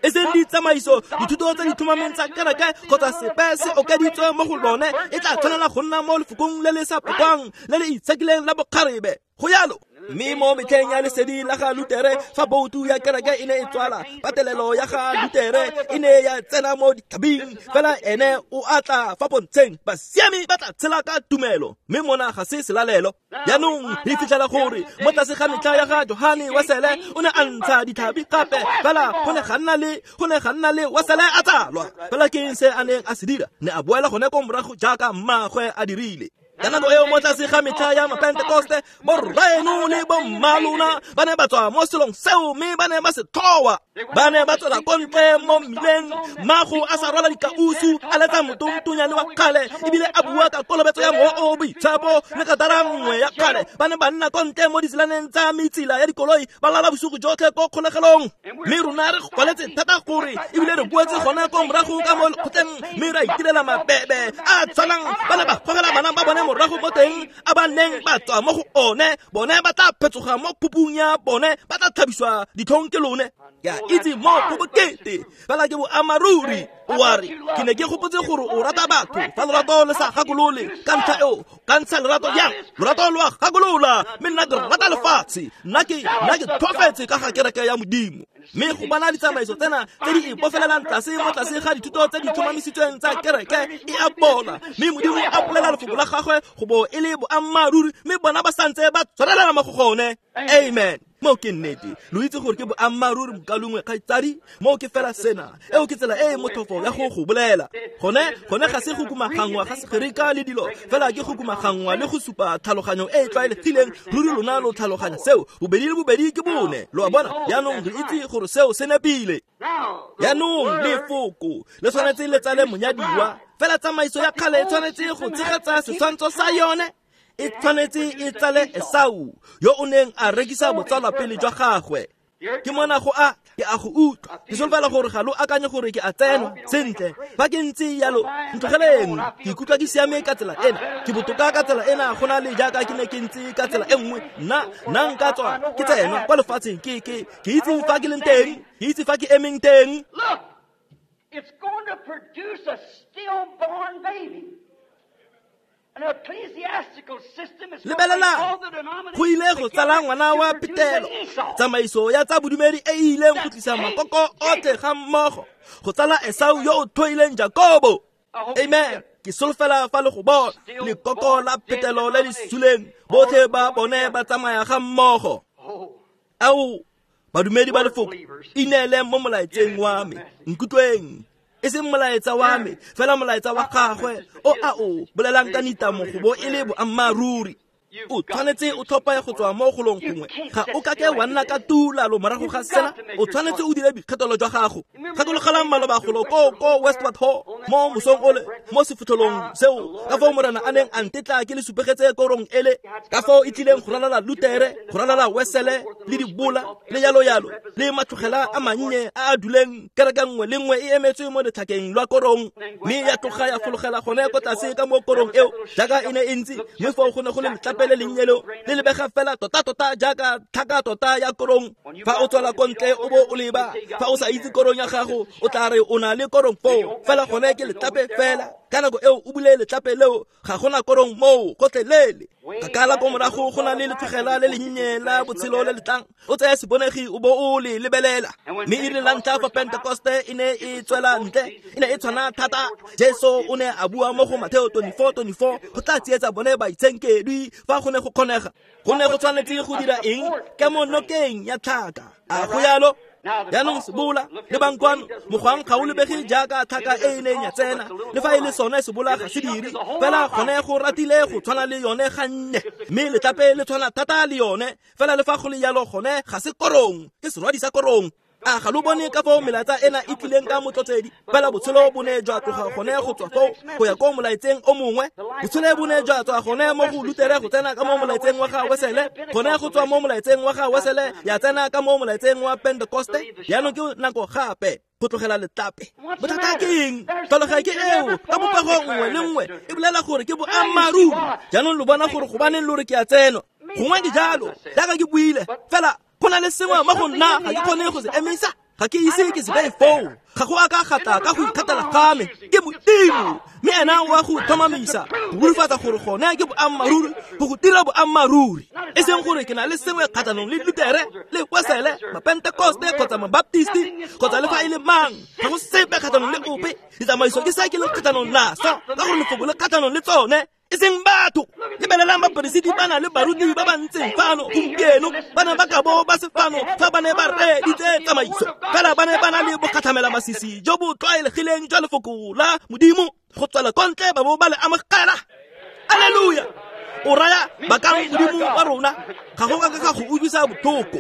E seng ditsamaiso, dithuto tse di tlhomameng tsa kereke kgotsa sepe se okeditswe mo go lone, e tla tshwanela go nna mo lefokong le le sa pokwang le le itshekileng la bokgarebe. Go yalo. Mme mo metlheng ya lesedi la ga Lutere, fa boutu ya kereke e ne e tswala, patelelo ya ga Lutere e ne ya tsena mo ditlhabing, fela ene o a tla fa pontsheng, basiami ba tla tshela ka tumelo, mme mona ga se selalelo. Jaanong re fitlhela gore mo tlase ga metlha ya ga Johane Wesele o ne a ntsha ditlhabi gape, fela go ne ga nna le go ne ga nna le Wesele a tsalwa. Fela ke eng se a neng a se dira? Ne a boela gone ko morago jaaka mmaagwe a dirile. Ka nako eo mo tlase ga metlha ya Mapentekoste, borraeno le bommalona ba ne ba tswa mo selong seo mme ba ne ba se tlhoa. Ba ne ba tswela ko ntle mo mmileng, mmago a sa rwala dikausu, a letsa motontonyane wa kgale, ebile a bua ka kolobetso ya Mowa o o Boitshepo le katara nngwe ya kgale. Ba ne ba nna ko ntle mo ditselaneng tsa metsela ya dikoloi, ba lala bosigo jotlhe ko kgolegelong. Mme rona re kwaletse thata gore ebile re boetse gone ko morago ka mo lekgotleng, mme ra itirela mabebe a tshwanang. Ba ne ba gogela bana ba bone morago mo teng a ba neng ba tswa mo go one, bone ba tla phetsoga mo phupung ya bone, ba tla tlhabiswa ditlhong ke lone. Ke a itse mo go bokete, fela ke boammaaruri. O a re, ke ne ke gopotse gore o rata batho, fa lorato le sa gakolole ka ntlha eo, ka ntsha lerato jang? Lorato lo a gakolola, mme nna ke rata lefatshe, nna ke nna ke tlhoafetse ka ga kereke ya Modimo. Mme go bona ditsamaiso tsena tse di ipofelelang tlase mo tlase ga dithuto tse di tlhomamisitsweng tsa kereke e a bola, mme Modimo a bolela lefoko la gagwe go bo e le boammaaruri, mme bona ba santse ba tshwarelela mo go gone. Amen. Mo ke nnete, lo itse gore ke boammaaruri mokalongwe kgaitsadi, mo ke fela sena. Eo ke tsela e e motlhofo ya go go bolela. Gone gone ga se go kumagangwa ga Segerika le dilo, fela ke go kumagangwa le go supa tlhaloganyo e e tlwaelegileng. Ruri lona lo tlhaloganya seo, bobedi le bobedi ke bone. Lo a bona? Jaanong re itse gore seo se nepile. Jaanong lefoko le tshwanetse le tsale monyadiwa, fela tsamaiso ya kgale e tshwanetse go tshegetsa setshwantsho sa yone. E tshwanetse e tsale Esau yo o neng a rekisa botsalwapele jwa gagwe. Ke mona go a ke a go utlwa, ke solofela gore ga lo akanye gore ke a tsenwa. Sentle, fa ke ntse yalo, ntlogeleng, ke ikutlwa ke siame ka tsela ena, ke botoka ka tsela ena go na le jaaka ke ne ke ntse ka tsela e nngwe. Nna nna nka tswa ke tsenwa kwa lefatsheng, ke ke ke itse fa ke leng teng, ke itse fa ke emeng teng. Look, it's going to produce a stillborn baby. Lebelelang, go ile go tsala ngwana wa petelo, tsamaiso ya tsa bodumedi e e ileng go tlisa makoko otlhe ga mmogo, go tsala Esau yo o tlhoileng Jakobo. Amen. Ke solofela fa le go bona lekoko la petelo le le suleng, botlhe ba bone ba tsamaya ga mmogo. Ao, badumedi ba lefoko, ineele mo molaetseng wa me, nkutlweng. E seng molaetsa wa me, fela molaetsa wa gagwe o a o bolelang ka nitamo go bo e le boammaaruri. O tshwanetse o tlhophe go tswa mo golong gongwe, ga o kake wa nna ka tuulalo morago ga sena. O tshwanetse o dire boikgethelo jwa gago. Gakologelang maloba golo ko ko Westward Ho mo mosong ole, mo sefotlholong seo, ka foo Morena a neng a ntetla ke le supegetse korong ele, ka foo e tlileng go ralala Lutere, go ralala Wesele le dibola le yalo yalo, le matlogela a mannye a a duleng kereke nngwe le nngwe e emetswe mo letlhakeng lwa korong, mme ya tloga ya fologela gone ko tlase ka mo korong eo jaaka e ne e ntse. Mme foo go ne go le letlape le lennye leo le lebega fela tota-tota jaaka tlhaka tota ya korong. Fa o tswela ko ntle o bo o leba, fa o sa itse korong ya gago, o tla re o na le korong foo, fela gone ke letlape fela. Ka nako eo o bule letlape leo, ga gona korong moo gotlhelele. Kakala ko morago go na le letlogela le lennye la botshelo le letlang, o tseye sebonegi o bo o le lebelela. Mme e rile la ntlha fa Pentekoste e ne e tswela ntle, e ne e tshwana thata. Jesu o ne a bua mo go Mateo twenty-four twenty-four, go tla tsietsa bone baitshenkedwi fa go ne go kgonega. Go ne go tshwanetse go dira eng? Ke mo nokeng ya tlhaka. A go yalo? Jaanong sebola le bankwano, mogwang ga o lebege jaaka tlhaka e e neng ya tsena, le fa e le sone sebola ga se dire, fela gone go ratile go tshwana le yone gannye, mme letlape le tshwana thata le yone, fela le fa go le yalo gone ga se korong, ke serwadi sa korong. A ga lo bone ka foo melaetsa ena e tlileng ka motlotsedi, fela botshelo bo ne jwa tloga gone go tswa foo go ya ko molaetseng o mongwe. Botshelo bo ne jwa tswa gone mo go Lutere go tsena ka mo molaetseng wa ga Wesele, gone go tswa mo molaetseng wa ga Wesele ya tsena ka mo molaetseng wa Pentekoste. Jaanong ke nako gape go tlogela letlape. Bothata ke eng? Tlhaloganyo ke eo ka popego nngwe le nngwe e bolela gore ke boammaaruri. Jaanong lo bona gore gobaneng lo re ke a tsenwa. Gongwe ke jalo, jaaka ke buile, fela go na le sengwe mo go nna ga ke kgone go se emisa. Ga ke ise ke se beye foo, ga go a ka gata ka go ikgethela ga me. Ke Modimo, mme ena o a go tlhomamisa Go rurifatsa gore gone ke boammaaruri, go go dira boammaaruri. E seng gore ke na le sengwe kgatlhanong le Lutere, le Wesele, Mapentekoste kgotsa Mabaptisti, kgotsa le fa e le mang. Ga go sepe kgatlhanong le ope. Ditsamaiso ke se ke leng kgatlhanong naso, ka gore lefoko le kgatlhanong le tsone. E seng batho. Lebelelang baperesiti ba na le baruti ba ba ntseng fano gompieno, ba ne ba ka bo ba se fano fa ba ne ba reeditse tsamaiso. Fela ba ne ba na le bogatlhamela masisi jo bo tlwaelegileng jwa lefoko la Modimo go tswela kwa ntle ba bo ba le amogela. Alleluia! O raya bakang Modimo wa rona, ga go ka ka go utlwisa botlhoko.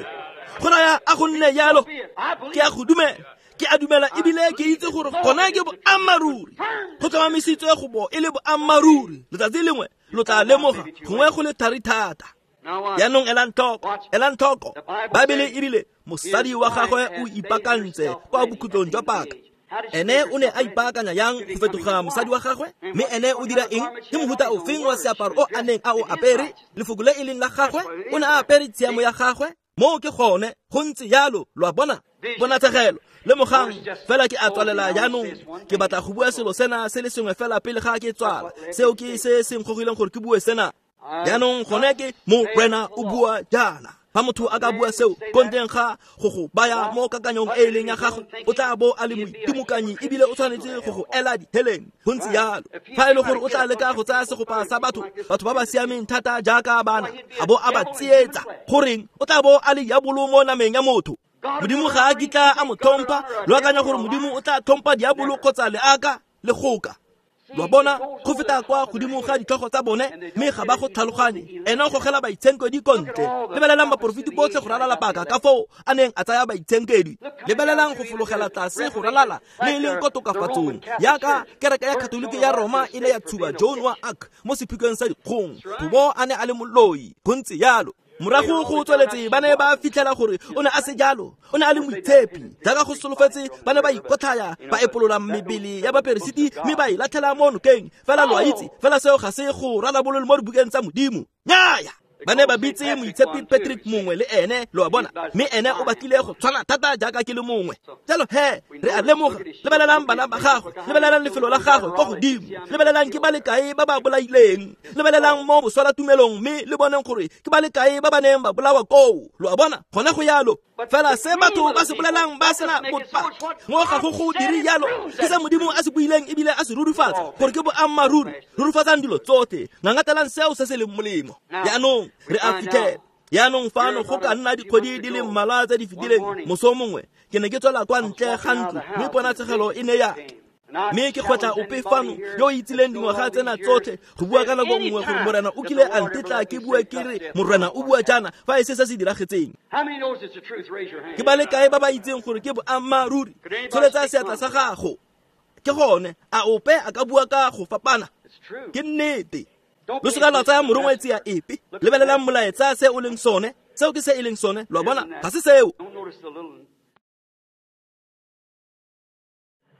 Go raya a go nne jalo, ke a go dumela. Ke a dumela ebile ke itse gore gone ke boammaaruri. Go tlhomamisitswe go bo e le boammaaruri. Letsatsi lengwe lo tla lemoga gongwe go le thari thata. Jaanong elang tlhoko, elang tlhoko. Baebele e rile mosadi wa gagwe o ipaakantse kwa bokhutlong jwa paka. Ene o ne a ipaakanya yang go fetoga mosadi wa gagwe? Mme ene o dira eng? Ke mofuta ofeng wa seaparo o a neng a o apere? Lefoko le e leng la gagwe? O ne a apere tshiamo ya gagwe? Moo ke gone, go ntse jalo, lo a bona? Ponatshegelo. Lemogang, fela ke a tswalela jaanong. Ke batla go bua selo sena se le sengwe fela pele ga ke tswala. Seo ke se se nkgogileng gore ke bue sena. Jaanong gone ke Morena o bua jaana. Fa motho a ka bua seo ko ntleng ga go go baya mo kakanyong e e leng ya gagwe, o tla bo a le moitimokanyi ebile o tshwanetse go go ela diheleng. Go ntse jalo. Fa e le gore o tla leka go tsaya segopa sa batho, batho ba ba siameng thata jaaka bana, a bo a ba tsietsa, goreng o tla bo a le diabolo mo nameng ya motho. Modimo ga a kitla a mo tlhompha. Lo akanya gore Modimo o tla tlhompha diabolo kgotsa leaka le goka? Lo bona, go feta kwa godimo ga ditlhogo tsa bone, mme ga ba go tlhaloganye. Ene o gogela baitshenkedwi ko ntle. Lebelelang baporofeti botlhe go ralala paka ka foo a neng a tsaya baitshenkedwi. Lebelelang go fologela tlase go ralala le e leng ko tokafatsong, yaka kereke ya Katoliki ya Roma e ne ya tshuba Joan wa Arc mo sephikong sa dikgong, go bo a ne a le moloi. Go ntse jalo. Morago go tsweletse ba ne ba fitlhela gore o ne a se jalo, o ne a le moitshepi. Jaaka go solofetse, ba ne ba ikotlhaya, ba epolola mebele ya baperesiti mme ba e latlhela mo nokeng. Fela lo a itse, fela seo ga se go rarabololwe mo dibukeng tsa Modimo. Nnyaya! Ba ne ba bitse moitshepi Patrick mongwe le ene, lo a bona, mme ene o batlile go tshwana thata jaaka ke le mongwe. Jalo he, re a lemoga. Lebelelang bana ba gagwe, lebelelang lefelo la gagwe kwa godimo, lebelelang ke ba le kae ba ba bolaileng, lebelelang mo boswalatumelong mme le boneng gore ke ba le kae ba ba neng ba bolawa koo. Lo a bona, gone go yalo. Fela se batho ba se bolelang ba sena bopaki, mo ga go go dire jalo. Ke se Modimo a se buileng ebile a se rurifatsa gore ke boammaaruri. Rurifatsang dilo tsotlhe, ngangatelang seo se se leng molemo. Jaanong re a fitlhela. Jaanong fano go ka nna dikgwedi di le mmalwa tse di fetileng, moso mongwe ke ne ke tswela kwa ntle ga ntlo, mme ponatshegelo e ne ya mme ke kgotla ope fano yo o itsileng dingwaga tsena tsotlhe go bua ka nako nngwe gore Morena o kile a ntetla ke bue ke re Morena o bua jaana fa e se se se diragetseng. Ke ba le kae ba ba itseng gore ke boammaaruri? Tsholetsa seatla sa gago. Ke gone, a ope a ka bua ka go fapana? Ke nnete. Lo seka lwa tsaya morongwa tsia epe. Lebelelang molaetsa se o leng sone. Seo ke se e leng sone. Lo a bona, ga se seo.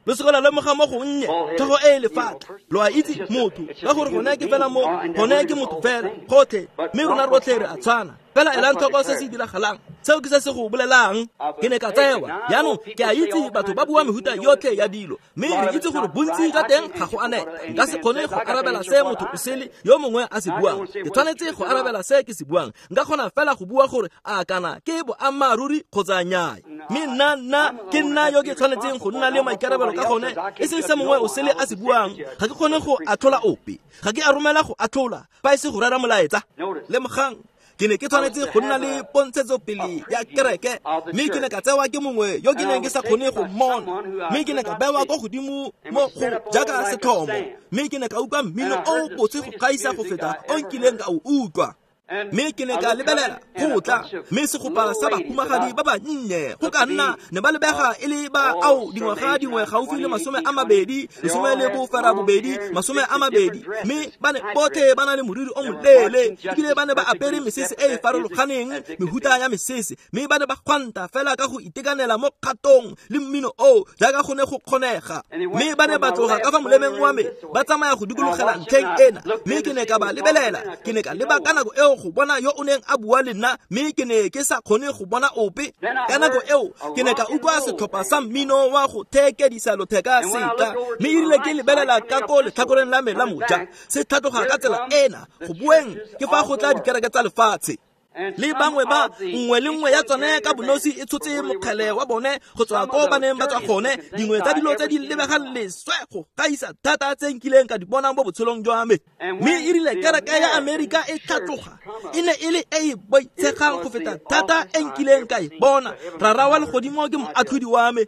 Lo seka lwa lemoga mo gonnye tlhogo e e lefatla. Lo a itse motho, ka gore gone ke fela mo, gone ke motho fela gotlhe, mme rona rotlhe re a tshwana. Fela elang tlhoko se se diragalang. Seo ke se se go bolelang. Ke ne ka tsewa. Jaanong ke a itse batho ba bua mehuta yotlhe ya dilo, mme re itse gore bontsi jwa teng ga go anela. Nka se kgone go arabela se motho o sele yo mongwe a se buang. Ke tshwanetse go arabela se ke se buang. Nka kgona fela go bua gore a kana ke boammaaruri kgotsa nnyaa. Mme nna nna ke nna yo ke tshwanetseng go nna le maikarabelo ka gone, e seng se mongwe o sele a se buang. Ga ke kgone go atlhola ope. Ga ke a romela go atlhola, fa e se go rera molaetsa. Lemogang, ke ne ke tshwanetse go nna le pontshetsopele ya kereke, mme ke ne ka tsewa ke mongwe yo ke neng ke sa kgone go mmona, mme ke ne ka bewa kwa godimo mo go jaaka setlhomo, mme ke ne ka utlwa mmino o botse go gaisa go feta o nkileng ka o utlwa. Mme ke ne ka lebelela go tla, mme segopa sa bahumagadi ba bannye go ka nna ne ba lebega e le ba ao dingwaga dingwe gaufi le masome a mabedi, lesome le bofera bobedi, masome a mabedi, mme ba ne botlhe ba na le moriri o moleele, ebile ba ne ba apere mesese e e farologaneng, mehuta ya mesese, mme ba ne ba gwanta fela ka go itekanela mo kgatong le mmino o jaaka go ne go kgonega. Mme ba ne ba tloga ka fa molemeng wa me ba tsamaya go dikologela ntlheng ena, mme ke ne ka ba lebelela. Ke ne ka leba ka nako eo koo go bona yo o neng a bua le nna, mme ke ne ke sa kgone go bona ope. Ka nako eo ke ne ka utlwa setlhopha sa mmino wa go theekedisa lotheka se tla, mme erile ke lebelela ka ko letlhakoreng la me la moja, se tlhatloga ka tsela ena. Go boeng ke fa go tla dikereke tsa lefatshe. Le bangwe ba nngwe le nngwe ya tsone ka bonosi e tshotse mokgele wa bone go tswa ko ba neng ba tswa gone. Dingwe tsa dilo tse di lebegang leswe go gaisa thata tse nkileng ka di bona mo botshelong jwa me. Mme erile kereke ya Amerika e tlhatloga, e ne e le e e boitshegang go feta thata e nkileng ka e bona. Rara wa legodimo ke moatlhodi wa me.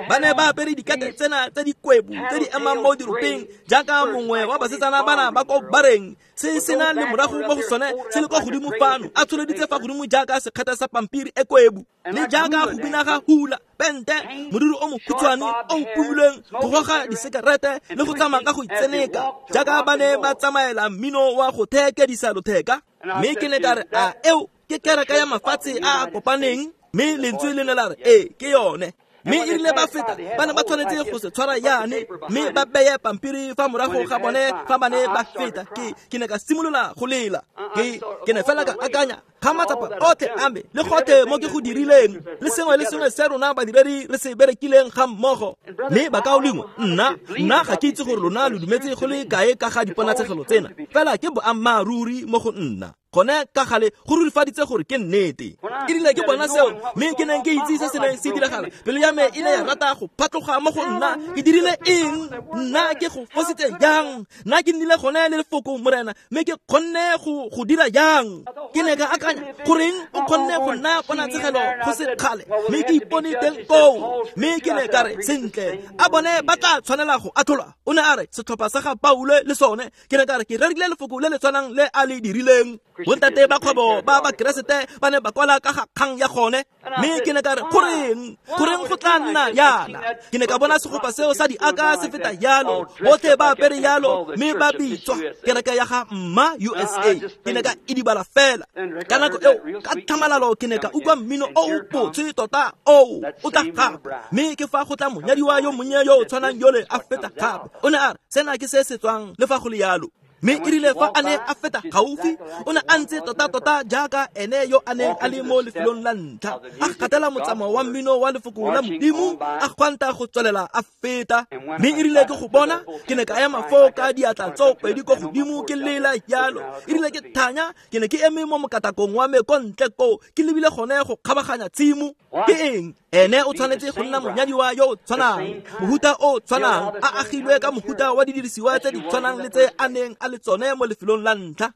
Ba ne ba apere dikete tsena tse dikwebu tse di emang mo diropeng jaaka mongwe wa basetsana bana ba ko bareng, se sena le morago mo go sone se le kwa godimo fano, a tsholeditse fa godimo jaaka sekgetha sa pampiri e kwebu, le jaaka go bina ga hula pente, moriri o mokhutshwane o pumilweng, go goga disekerete le go tsamaya ka go itseneka jaaka ba ne ba tsamaela mmino wa go theekedisa lotheka. Mme ke ne ka re, a eo ke kereke ya mafatshe a a kopaneng? Mme lentswe le ne la re, ee, ke yone. Mme erile ba feta, ba ne ba tshwanetse go se tshwara yane, mme ba beye pampiri fa morago ga bone fa ba ne ba feta. Ke ke ne ka simolola go lela. Ke ke ne fela ka akanya ga matsapa otlhe a me le gotlhe mo ke go dirileng, le sengwe le sengwe se rona badiredi re se berekileng ga mmogo. Mme bakaulengwe, nna nna ga ke itse gore lona lo dumetse go le kae ka ga diponatshegelo tsena, fela ke boammaaruri mo go nna. Gone ka gale go rurifaditse gore ke nnete. Erile ke bona seo, mme ke neng ke itse se se neng se diragala, pelo ya me e ne ya rata go phatloga mo go nna. Ke dirile eng? Nna ke go fositse jang? Nna ke nnile gone le lefoko, Morena, mme ke kgonne go go dira jang? Ke ne ka akanya, goreng o kgonne go nna ponatshegelo go se kgale, mme ke ipone teng koo. Mme ke ne ka re, sentle, a bone ba tla tshwanela go atlholwa. O ne a re, setlhopha sa ga Paulo le sone. Ke ne ka re, ke rerile lefoko le le tshwanang le a le dirileng. Bontate ba kgwebo ba Bakeresete ba ne ba kwala ka ga kgang ya gone. Mme ke ne ka re, goreng goreng go tla nna yana? Ke ne ka bona segopa seo sa diaka se feta yalo, botlhe ba apere yalo, mme ba bitswa kereke ya ga Mma U S A. Ke ne ka idibala fela. Ka nako eo, ka tlhamalalo ke ne ka utlwa mmino o o botshe tota oo o tla gape. Mme ke fa go tla monyadiwa yo monnye yo o tshwanang yole a feta gape. O ne a re, sena ke se se tswang le fa go le yalo. Mme erile fa a ne a feta gaufi, o ne a ntse tota-tota jaaka ene yo a neng a le mo lefelong la ntlha, a gatela motsamao wa mmino wa lefoko la Modimo, a gwanta go tswelela a feta. Mme erile ke go bona, ke ne ka ema foo ka diatla tsoopedi ko godimo ke lela jalo. Erile ke thanya, ke ne ke eme mo mokatakong wa me ko ntle koo, ke lebile gone go kgabaganya tshimo. Ke eng? Ene o tshwanetse go nna monyadiwa yo o tshwanang, mohuta o tshwanang, a agilwe ka mohuta wa didirisiwa tse di tshwanang le tse a neng a le tsone mo lefelong la ntlha.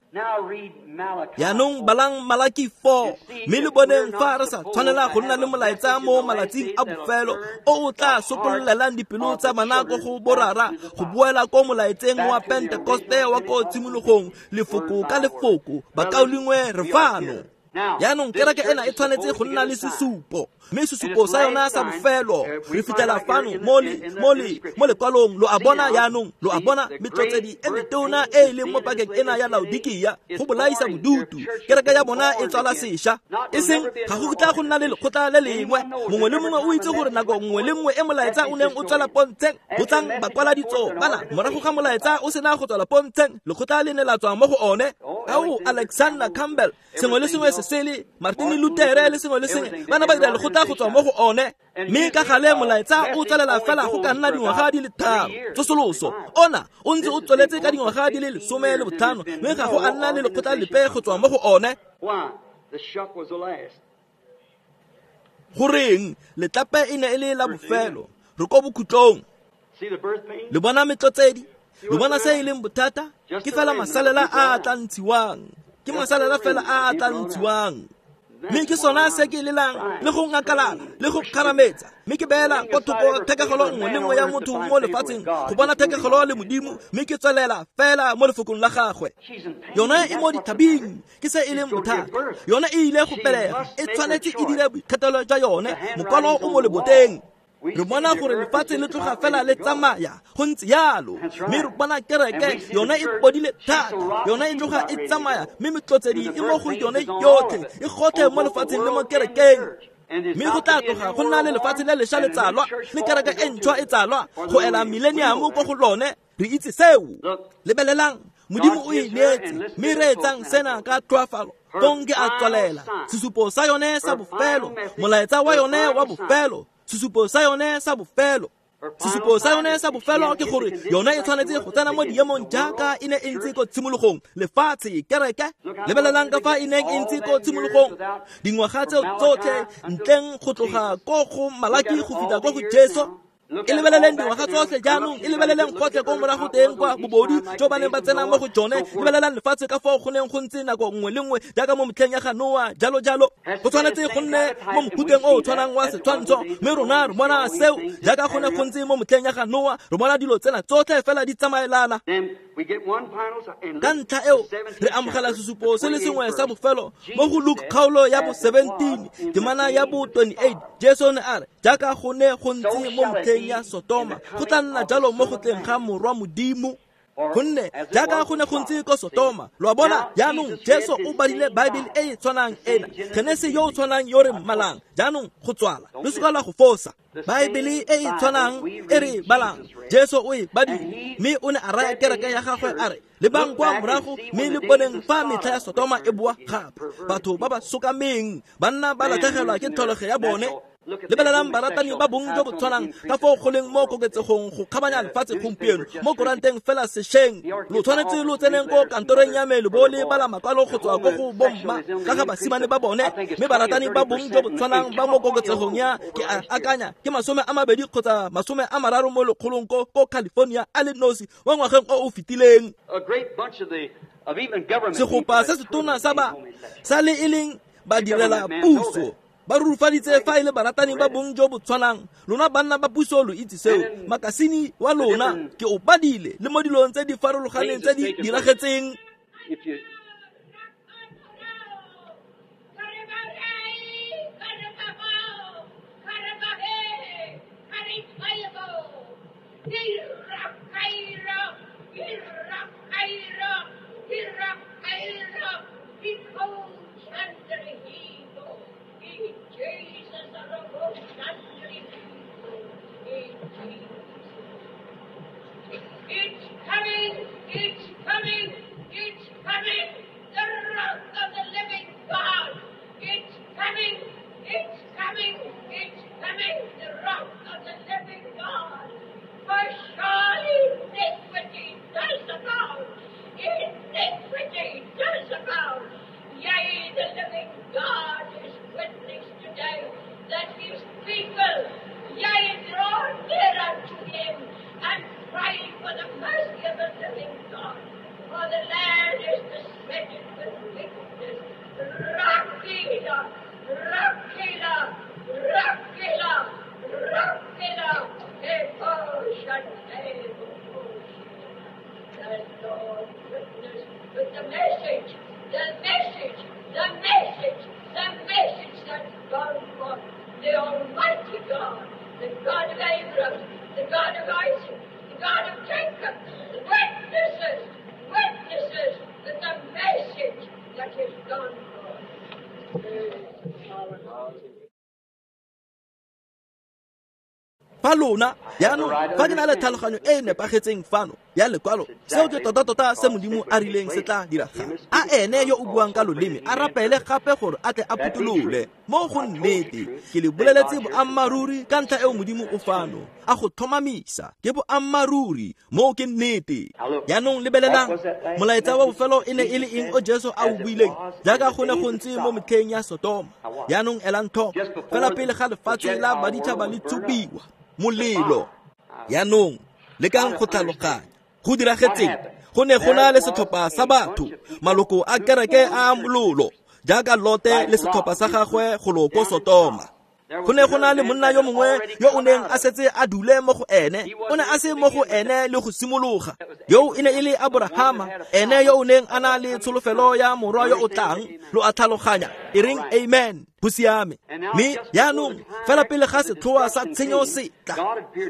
Jaanong balang Malaki four, mme le boneng fa re sa tshwanela go nna le molaetsa mo malatsing a bofelo o o tla sokololelang dipelo tsa bana ko go borara, go boela ko molaetseng wa Pentekoste wa ko tshimologong, lefoko ka lefoko. Bakaulengwe, re fano. Jaanong kereke ena e tshwanetse go nna le sesupo, mme sesupo sa yona sa bofelo re fitlhela fano mo le mo le mo lekwalong. Lo a bona jaanong, lo a bona metlotsedi e metona e e leng mo pakeng ena ya Laodikia go bolaisa bodutu. Kereke ya bona e tswala sešwa, e seng ga go tla go nna le lekgotla le lengwe. Mongwe le mongwe o itse gore nako nngwe le nngwe e molaetsa o neng o tswela pontsheng, go tlang bakwaladitso bana morago ga molaetsa o sena go tswela pontsheng, lekgotla le ne la tswa mo go one. Ao Alexander Campbell, sengwe le sengwe se sele, Martin Luther le sengwe le sengwe, bana ba dira lekgotla go tswa mo go one. Mme ka gale molaetsa o tswelela fela go ka nna dingwaga di le tharo. Tsosoloso ona o ntse o tsweletse ka dingwaga di le lesome le botlhano, mme ga go a nna le lekgotla lepe go tswa mo go one. Goreng letlape e ne e le la bofelo? Re ko bokhutlong. Le bona metlotsedi, le bona se e leng bothata? Ke fela masalela a a tla ntshiwang, ke masalela fela a a tla ntshiwang. Mme ke sona se ke lelang le go ngakalala le go kgarametsa, mme ke beela kwa thoko thekegelo nngwe le nngwe ya motho mo lefatsheng go bona thekegelo le Modimo, mme ke tswelela fela mo lefokong la gagwe. Yone e mo dithabeng, ke se e leng bothata. Yone e ile go pelega, e tshwanetse e dire boikgethelo jwa yone. Mokwalo o mo leboteng. Re bona gore lefatshe le tloga fela le tsamaya go ntse yalo, mme re bona kereke yone e bodile thata, yone e tloga e tsamaya, mme metlotsedi e mo go yone yotlhe, e gotlhe mo lefatsheng le mo kerekeng. Mme go tla tloga go nna le lefatshe le lešwa le tsalwa, le kereke e ntšhwa e tsalwa go ela millennium ko go lone. Re itse seo. Lebelelang Modimo o e neetse, mme reetsang sena ka tlhoafalo. Fong ke a tswalela. Sesupo sa yone sa bofelo, molaetsa wa yone wa bofelo, sesupo sa yone sa bofelo. Sesupo sa yone sa bofelo ke gore yone e tshwanetse go tsena mo diemong jaaka e ne e ntse ko tshimologong. Lefatshe, kereke, lebelelang ka fa e neng e ntse ko tshimologong. Dingwaga tseo tsotlhe ntleng go tloga ko go Malaki go fitlha ko go Jesu. E lebeleleng dingwaga tsotlhe jaanong, e lebeleleng gotlhe ko morago teng kwa bobodu jo ba neng ba tsena mo go jone. Lebelelang lefatshe ka foo go neng go ntse nako nngwe le nngwe jaaka mo metlheng ya ga Noa, jalo jalo. Go tshwanetse go nne mo mofuteng o o tshwanang wa setshwantsho, mme rona re bona seo jaaka go ne go ntse mo metlheng ya ga Noa. Re bona dilo tsena tsotlhe fela di tsamaelana. Ka ntlha eo re amogela sesupo se le sengwe sa bofelo mo go Luke kgaolo ya bo seventeen temana ya bo twenty-eight. Jesu ne a re jaaka go ne go ntse mo metlheng ya Sotoma, go tla nna jalo mo go tleng ga Morwa Modimo. Gonne jaaka go ne go ntse ko Sotoma. Lo a bona jaanong Jesu o badile Bible e e tshwanang ena, Genese yo o tshwanang yo re mmalang jaanong go tswala le seka la go fosa. Bible e e tshwanang e re balang Jesu o e badile, mme o ne a raya kereke ya gagwe a re lebang kwa morago mme le boneng fa metlha ya Sotoma e boa gape. Batho ba ba sokameng banna ba latlhegelwa ke tlholego ya bone. Lebelelang baratani ba bong jo bo tshwanang ka foo go leng mo koketsegong go kgabanya lefatshe gompieno mo koranteng fela sešweng. Lo tshwanetse lo tseneng ko kantorong ya me lo bo le bala makwalo go tswa ko go bomma ka ga basimane ba bone, mme baratani ba bong jo bo tshwanang ba mo koketsegong ya ke a akanya ke masome a mabedi kgotsa masome a mararo mo lekgolong ko ko California a le nosi mo ngwageng o o fetileng. Segopa se setona sa ba sa le e leng badirela puso ba rurufaditse fa e le baratani ba bong jo bo tshwanang. Lona banna ba puso lo itse seo. Makasini wa lona ke o badile le mo dilong tse di farologaneng tse di diragetseng. It's coming, it's coming, it's coming, the wrath of the living God. It's coming, it's coming, it's coming, the wrath of the living God. For surely iniquity does abound, iniquity does abound. Yea, the living God is witness today that his people, yea, draw near unto him and pray for the mercy of the living God. For the land is besetted with wickedness. Rakila, Rakila, Rakila, Rakila, The Lord witness with the message, the message, the message, the message that's gone forth. The Almighty God, the God of Abraham, the God of Isaac, the God of Jacob, the witnesses, witnesses with the message that is gone forth. Fa lona jaanong fa ke na le tlhaloganyo e e nepagetseng fano ya lekwalo, seo ke tota-tota se Modimo a rileng se tla diragala. A ene yo o buang ka loleme a rapele gape gore a tle a phutholole mo go nnete. Ke le boleletse boammaaruri ka ntlha eo Modimo o fano a go tlhomamisa ke boammaaruri, moo ke nnete. Jaanong lebelelang molaetsa wa bofelo e ne e le eng o Jesu a o buileng jaaka go ne go ntse mo metlheng ya Sotoma. Jaanong elang tlhoko fela pele ga lefatshe la baditšhaba le tshubiwa molelo. Jaanong lekang go tlhaloganya go diragetseng. Go ne go na le setlhopha sa batho, maloko a kereke a mololo jaaka Lote le setlhopha sa gagwe go lo ko Sotoma. Go ne go na le monna yo mongwe yo o neng a setse a dule mo go ene, o ne a se mo go ene le go simologa. Yo e ne e le Abrahama, ene yo o neng a na le tsholofelo ya morwa yo o tlang. Lo a tlhaloganya, e reng amen, go siame. Mme jaanong fela pele ga setlhoa sa tshenyo se tla,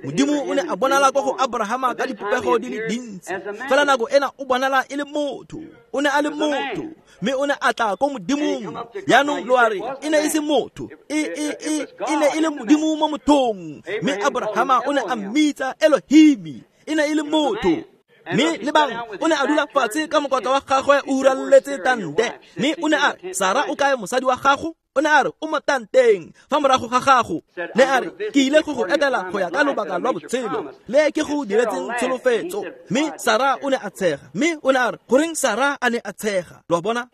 Modimo o ne a bonala kwa go Abrahama ka dipopego di le dintsi. Fela nako ena o bonala e le motho, o ne a le motho, mme o ne a tla ko Modimong. Jaanong lo a re e ne e se motho, e e e e ne e le Modimo mo mothong. Mme Abrahama o ne a mmitsa Elohimi, e ne e le motho. Mme lebang, o ne a dula fatshe ka mokotla wa gagwe o huraletse tante. Mme o ne a re, Sara o kae mosadi wa gago? O ne a re, o mo tanteng fa morago ga gago. Ne a re, ke ile go go etela go ya ka lobaka lwa botshelo le ke go diretseng tsholofetso. Mme Sara o ne a tshega. Mme o ne a re, goreng Sara a ne a tshega? Lo a bona?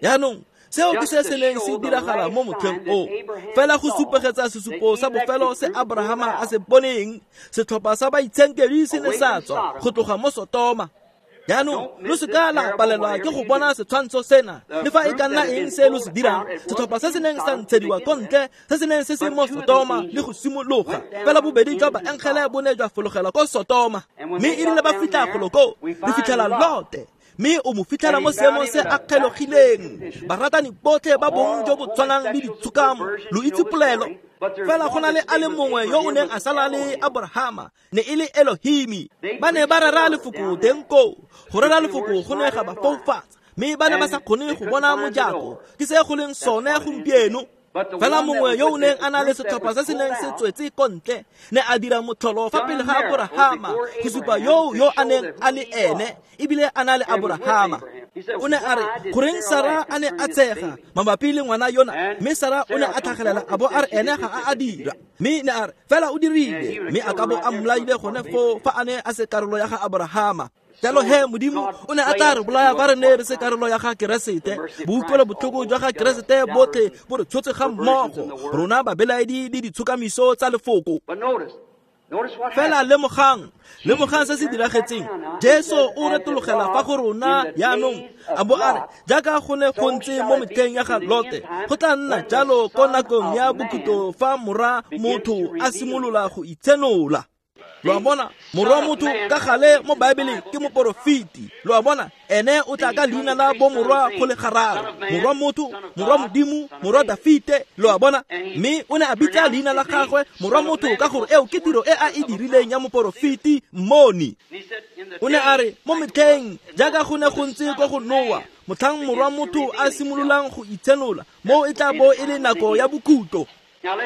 Jaanong seo ke se se neng se diragala mo motlheng o. Fela go supegetsa sesupo sa bofelo se Abrahama a se boneng, setlhopha sa baitshenkedi se ne sa tswa go tloga mo Sotoma. Jaanong lo se ka la palelwa ke go bona setshwantsho sena, le fa e ka nna eng se lo se dirang. Setlhopha se se neng sa ntshediwa ko ntle, se se neng se se mo Sotoma le go simologa, fela bobedi jwa baengele bo ne jwa fologela ko Sotoma. Mme e rile ba fitlha golo koo, re fitlhela Lote, mme o mo fitlhela mo seemong se a kgelogileng. Baratani botlhe ba bong jo bo tshwanang le ditshokamo, lo itse polelo. Fela go na le a le mongwe yo o neng a sala le Abrahama, ne e le Elohimi. Ba ne ba rera lefoko teng koo. Go rera lefoko go ne ga ba foufatsa, mme ba ne ba sa kgone go bona mojako. Ke se go leng sone gompieno. Fela mongwe yo o neng a na le setlhopha se se neng se tswetse ko ntle ne a dira motlholo fa pele ga Abrahama go supa yo yo a neng a le ene, ebile a na le Abrahama. O ne a re, goreng Sara a ne a tshega mabapi le ngwana yona? Mme Sara o ne a tlhagelela a bo a re ene ga a a dira. Mme ne a re, fela o dirile, mme a ka bo a mmolaile gone foo fa a ne a se karolo ya ga Abrahama. Jalo he Modimo o ne a tla re bolaya fa re ne re se karolo ya ga Keresete. Boutlwelo botlhoko jwa ga Keresete botlhe bo re tshotse ga mmogo, rona babelaedi le ditshokamiso tsa lefoko. Fela lemogang, lemogang se se diragetseng. Jesu o retologela fa go rona jaanong, a bo a re, jaaka go ne go ntse mo metlheng ya ga Lote, go tla nna jalo ko nakong ya bokhutlo fa morwa motho a simolola go itshenola. Lo a bona, morwa motho ka gale mo Baebeleng ke moporofeti. Lo a bona, ene o tla ka leina la bo morwa go le gararo, morwa motho, morwa Modimo, morwa Dafite. Lo a bona, mme o ne a bitsa leina la gagwe morwa motho ka gore eo ke tiro e a e dirileng ya moporofeti mmoni. O ne a re, mo metlheng jaaka go ne go ntse ko go Noa, motlhang morwa motho a simololang go itshenola, mo e tla bo e le nako ya bokhutlo.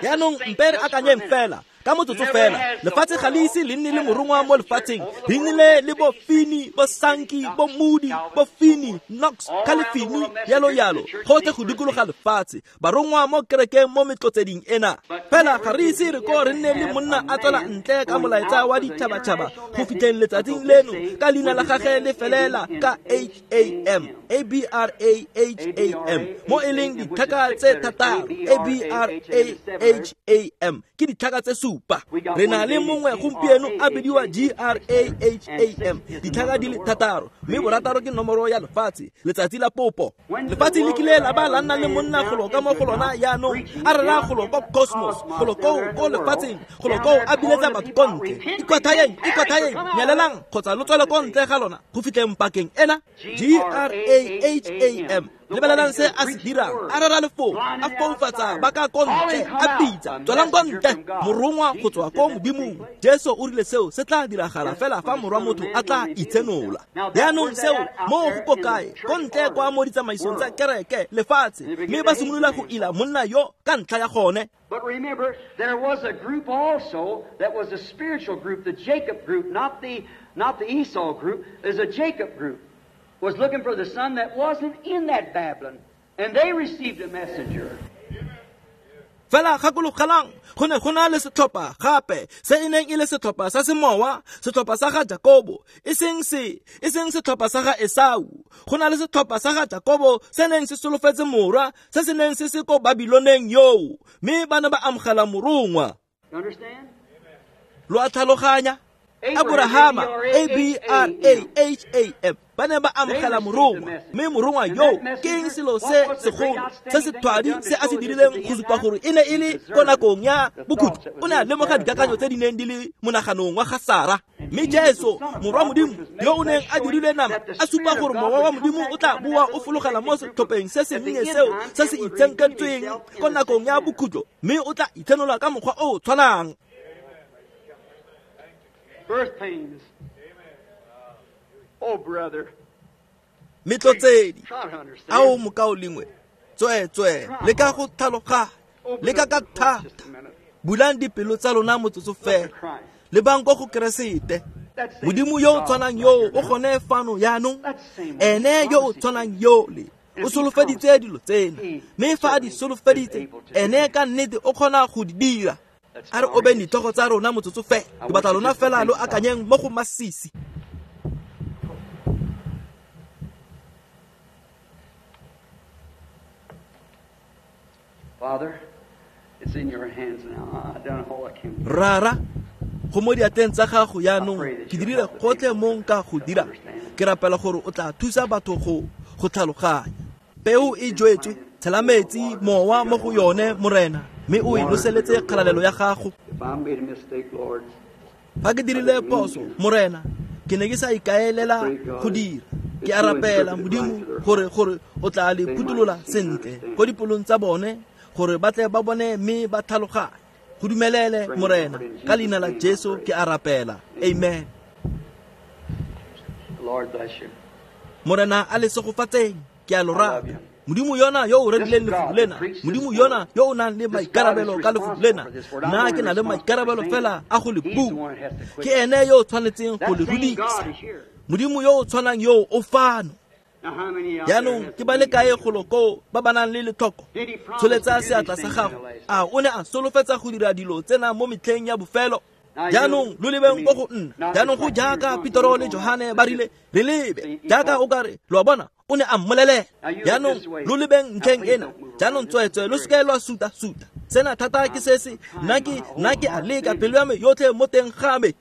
Jaanong mpe re akanyeng fela ka motsotso fela. Lefatshe ga le ise le nne le morongwa mo lefatsheng. Re nnile le bo Fini, bo Sanki, bo Moody, bo Fini, Knox, Califini, yalo yalo, gotlhe go dikologa lefatshe, barongwa mo kerekeng mo metlotseding ena. Fela ga re ise re ko re nne le monna a tswela ntle ka molaetsa wa ditšhabatšhaba go fitlheng letsatsing leno ka leina la gagwe le felela ka H A M, A B R A H A M, mo e leng ditlhaka tse thataro, A B R A H A M, ke ditlhaka tse supa. Re na le mongwe gompieno a bidiwa G R A H A M, ditlhaka di le thataro, mme borataro ke nomoro ya lefatshe, letsatsi la popo. Lefatshe le kile la ba la nna le monna golo ka mo go lona jaanong, a rera golo ko cosmos, golo koo ko lefatsheng, golo koo a biletsa batho ko ntle. Ikwathayeng, ikwathayeng, nyelelang kgotsa lo tswele ko ntle ga lona go fitlheng pakeng ena. G R A H A M. Lebelelang se a se dirang, a rera lefoko, a foufatsa ba ka ko ntle, a bitsa, tswelang ko ntle, morongwa go tswa ko Modimong. Jesu o rile seo se tla diragala fela fa morwa motho a tla itshenola. Jaanong seo mo go ko kae? Ko ntle kwa mo ditsamaisong tsa kereke lefatshe, mme ba simolola go ila monna yo ka ntlha ya gone. But remember, there was a group also that was a spiritual group, the Jacob group, not the not the Esau group. There's a Jacob group. Was looking for the son that wasn't in that Babylon. And they received a messenger. Fela gakologelang, go ne go na le setlhopha gape se e neng e le setlhopha sa semowa, setlhopha sa ga Jakobo, e seng se, e seng setlhopha sa ga Esau. Go na le setlhopha sa ga Jakobo se neng se solofetse morwa, se se neng se se ko Babiloneng yoo, mme ba ne ba amogela morongwa. Lo a tlhaloganya? Abrahama, A B R A H A M, ba ne ba amogela morongwa, mme morongwa yo ke eng selo se segolo se se thwadi se a se dirileng go supa gore e ne e le ko nakong ya bokhutlo? O ne a lemoga dikakanyo tse di neng di le monaganong wa ga Sara. Mme Jesu, morwa Modimo, yo o neng a dirilwe nama, a supa gore mowa wa Modimo o tla boa o fologela mo setlhopheng se sennye seo se se itshenkentsweng ko nakong ya bokhutlo, mme o tla itshenola ka mokgwa o o tshwanang. Birth pains. Oh, brother. Metlotsedi. Ao mokaulengwe. Tswe tswe, leka go tlhaloganya, leka ka thata. Bulang dipelo tsa lona motsotso fela. Lebang ko go Keresete. Modimo yo o tshwanang yo o gone fano jaanong, ene yo o tshwanang yole o solofeditse dilo tsena, mme fa a di solofeditse, ene ka nnete o kgona go di dira. A re obeng ditlhogo tsa rona motsotso fela, ke batla lona fela lo akanyeng mo go masisi. Father, it's in your hands now. I've done all I can. Rara, go mo diatleng tsa gago jaanong, ke dirile gotlhe mo nka go dira. Ke rapela gore o tla thusa batho go go tlhaloganya. Peo e jwetswe, tshela metsi mowa mo go yone, Morena, mme o e noseletse kgalalelo ya gago. If I made a mistake, Lord, Fa ke dirile phoso, Morena, ke ne ke sa ikaelela go dira. Ke a rapela Modimo gore gore o tla le phuthulola sentle ko dipolong tsa bone, gore ba tle ba bone mme ba tlhaloganye. Go dumelele, Morena, ka leina la Jesu ke a rapela. Amen. Lord bless you. Morena a le segofatseng, ke a lo rata. Modimo yona yo o rerileng lefoko lena, Modimo yona yo o nang le maikarabelo ka lefoko lena, nna ke na le maikarabelo fela a go le bua. Ke ene yo o tshwanetseng go le rudisa. Modimo yo o tshwanang yo o fano. Jaanong ke ba le kae golo koo ba ba nang le letlhoko? Tsholetsa seatla sa gago. A o ne a solofetsa go dira dilo tsena mo metlheng ya bofelo? Jaanong lo lebeng ko go nna. Jaanong go jaaka Petro le Johane ba rile, re lebe jaaka o kare, lo a bona, o ne a mmolelela. Jaanong lo lebeng ntlheng ena. Jaanong tsweetswe lo seke lwa suta-suta. Sena thata ke se se nna ke nna ke a leka pelo ya me yotlhe mo teng ga me.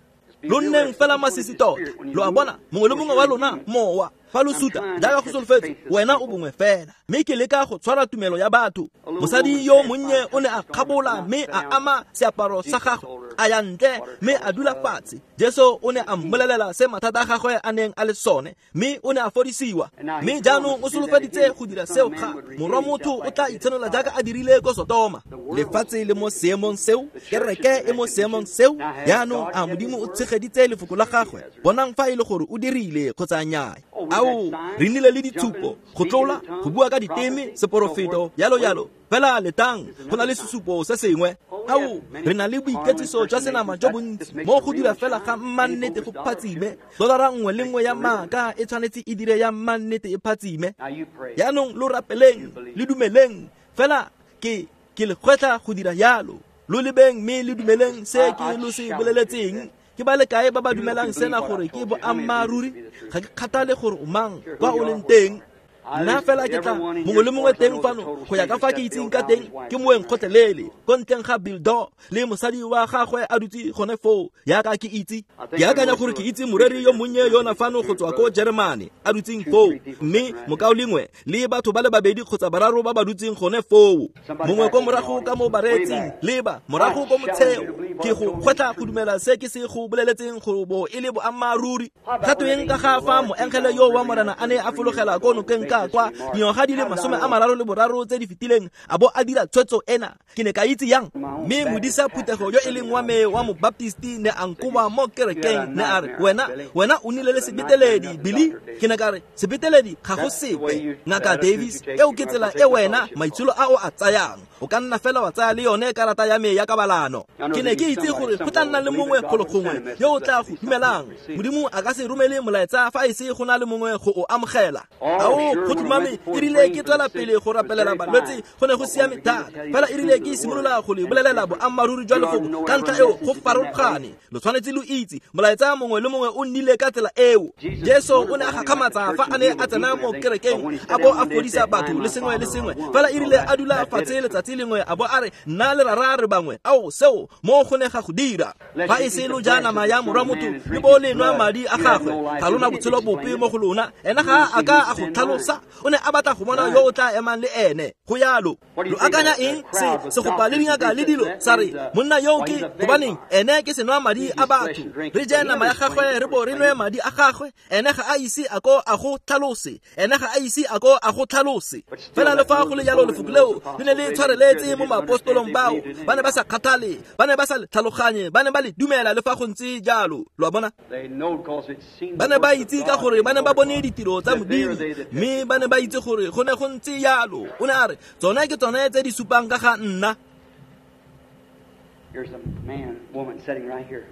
Lo nneng fela masisi tota. Lo a bona, mongwe le mongwe wa lona mowa fa lo suta jaaka go solofetse, wena o bongwe fela. Mme ke leka go tshwara tumelo ya batho. Mosadi yo monnye o ne a kgabola mme a ama seaparo sa gagwe, a ya ntle mme a dula fatshe. Jesu o ne a mmolelela se mathata a gagwe a neng a le sone, mme o ne a fodisiwa. Mme jaanong o solofeditse go dira seo gape. Morwa motho o tla itshenola jaaka a dirile ko Sotoma. Lefatshe le mo seemong seo, kereke e mo seemong seo. Jaanong a Modimo o tshegeditse lefoko la gagwe. Bonang fa e le gore o dirile kgotsa nnyaa. Ao, re nnile le ditshupo, go tlola, go bua ka diteme, seporofeto, yalo yalo. Fela letang, go na le sesupo se sengwe. Ao, re na le boiketsiso jwa senama jo bontsi mo go dira fela ga mmannete go phatsime. Dolara nngwe le nngwe ya maaka e tshwanetse e dire ya mmannete e phatsime. Jaanong lo rapeleng, le dumeleng. Fela ke ke le kgwetlha go dira yalo. Lo lebeng mme le dumeleng se ke lo se boleletseng. Ke ba le kae ba ba dumelang sena gore ke boammaaruri? Ga ke kgathale gore o mang, kwa o leng teng. Nna fela ke tla mongwe le mongwe teng fano go ya ka fa ke itseng ka teng, ke moeng kgotlelele ko ntleng ga Bildo le mosadi wa gagwe a dutse gone foo. Jaaka ke itse, ke akanya gore ke itse moreri yo monnye yona fano go tswa ko Jeremane a dutseng foo, mme mokaulengwe le batho ba le babedi kgotsa bararo ba ba dutseng gone foo. Mongwe ko morago ka mo bareetsing, leba morago ko motsheo. Ke go kgwetlha go dumela se ke se go boleletseng go bo e le boammaaruri. Ga tweng ka ga fa moengele yo wa Morena a ne a fologela ko nokeng ka kwa dingwaga di le masome a mararo le boraro tse di fetileng, a bo a dira tshwetso ena? Ke ne ka itse yang? Mme modisa phuthego yo e leng wa me wa mobaptisti ne a nkoba mo kerekeng, ne a re, wena wena o nnile le sebeteledi, Billy. Ke ne ka re, sebeteledi ga go sepe, Ngaka Davis. Eo ke tsela e wena maitsholo a o a tsayang. O ka nna fela wa tsaya le yone karata ya me ya kabalano. Ke ne ke itse gore go tla nna le mongwe golo gongwe yo o tla go dumelang. Modimo a ka se romele molaetsa fa e se go na le mongwe go o amogela. Ao, go tlhomame, e rile ke tswela pele go rapelela balwetse, go ne go siame thata. Fela e rile ke simolola go le bolelela boammaaruri jwa lefoko, ka ntlha eo go farologane. Lo tshwanetse lo itse molaetsa mongwe le mongwe o nnile ka tsela eo. Jesu o ne a gakgamatsa fa a ne a tsena mo kerekeng, a bo a fodisa batho le sengwe le sengwe. Fela e rile a dula fatshe letsatsi lengwe, a bo a re, nna le rara re bangwe. Ao, seo mo go ne ga go dira. Fa e se lo ja nama ya morwa motho le bo le nwa madi a gagwe, ga lona botshelo bope mo go lona. Ena ga a ka a go tlhalosa. O ne a batla go bona yo o tla emang le ene. Go yalo. Lo akanya eng se segopa le dingaka le dilo sa re, monna yo ke gobaneng ene ke senwa madi a batho, re je nama ya gagwe re bo re nwe madi a gagwe. Ene ga a ise a ko a go tlhalose, ene ga a ise a ko a go tlhalose. Fela le fa go le jalo, lefoko leo le ne le tshwareletse mo maapostolong bao. Ba ne ba sa kgathale, ba ne ba sa le tlhaloganye, ba ne ba le dumela le fa go ntse jalo. Lo a bona? Ba ne ba itse ka gore ba ne ba bone ditiro tsa Modimo, mme ba ne ba itse gore go ne go ntse jalo. O ne a re, tsone ke tsone tse di supang ka ga nna. Here's a man, woman sitting right here.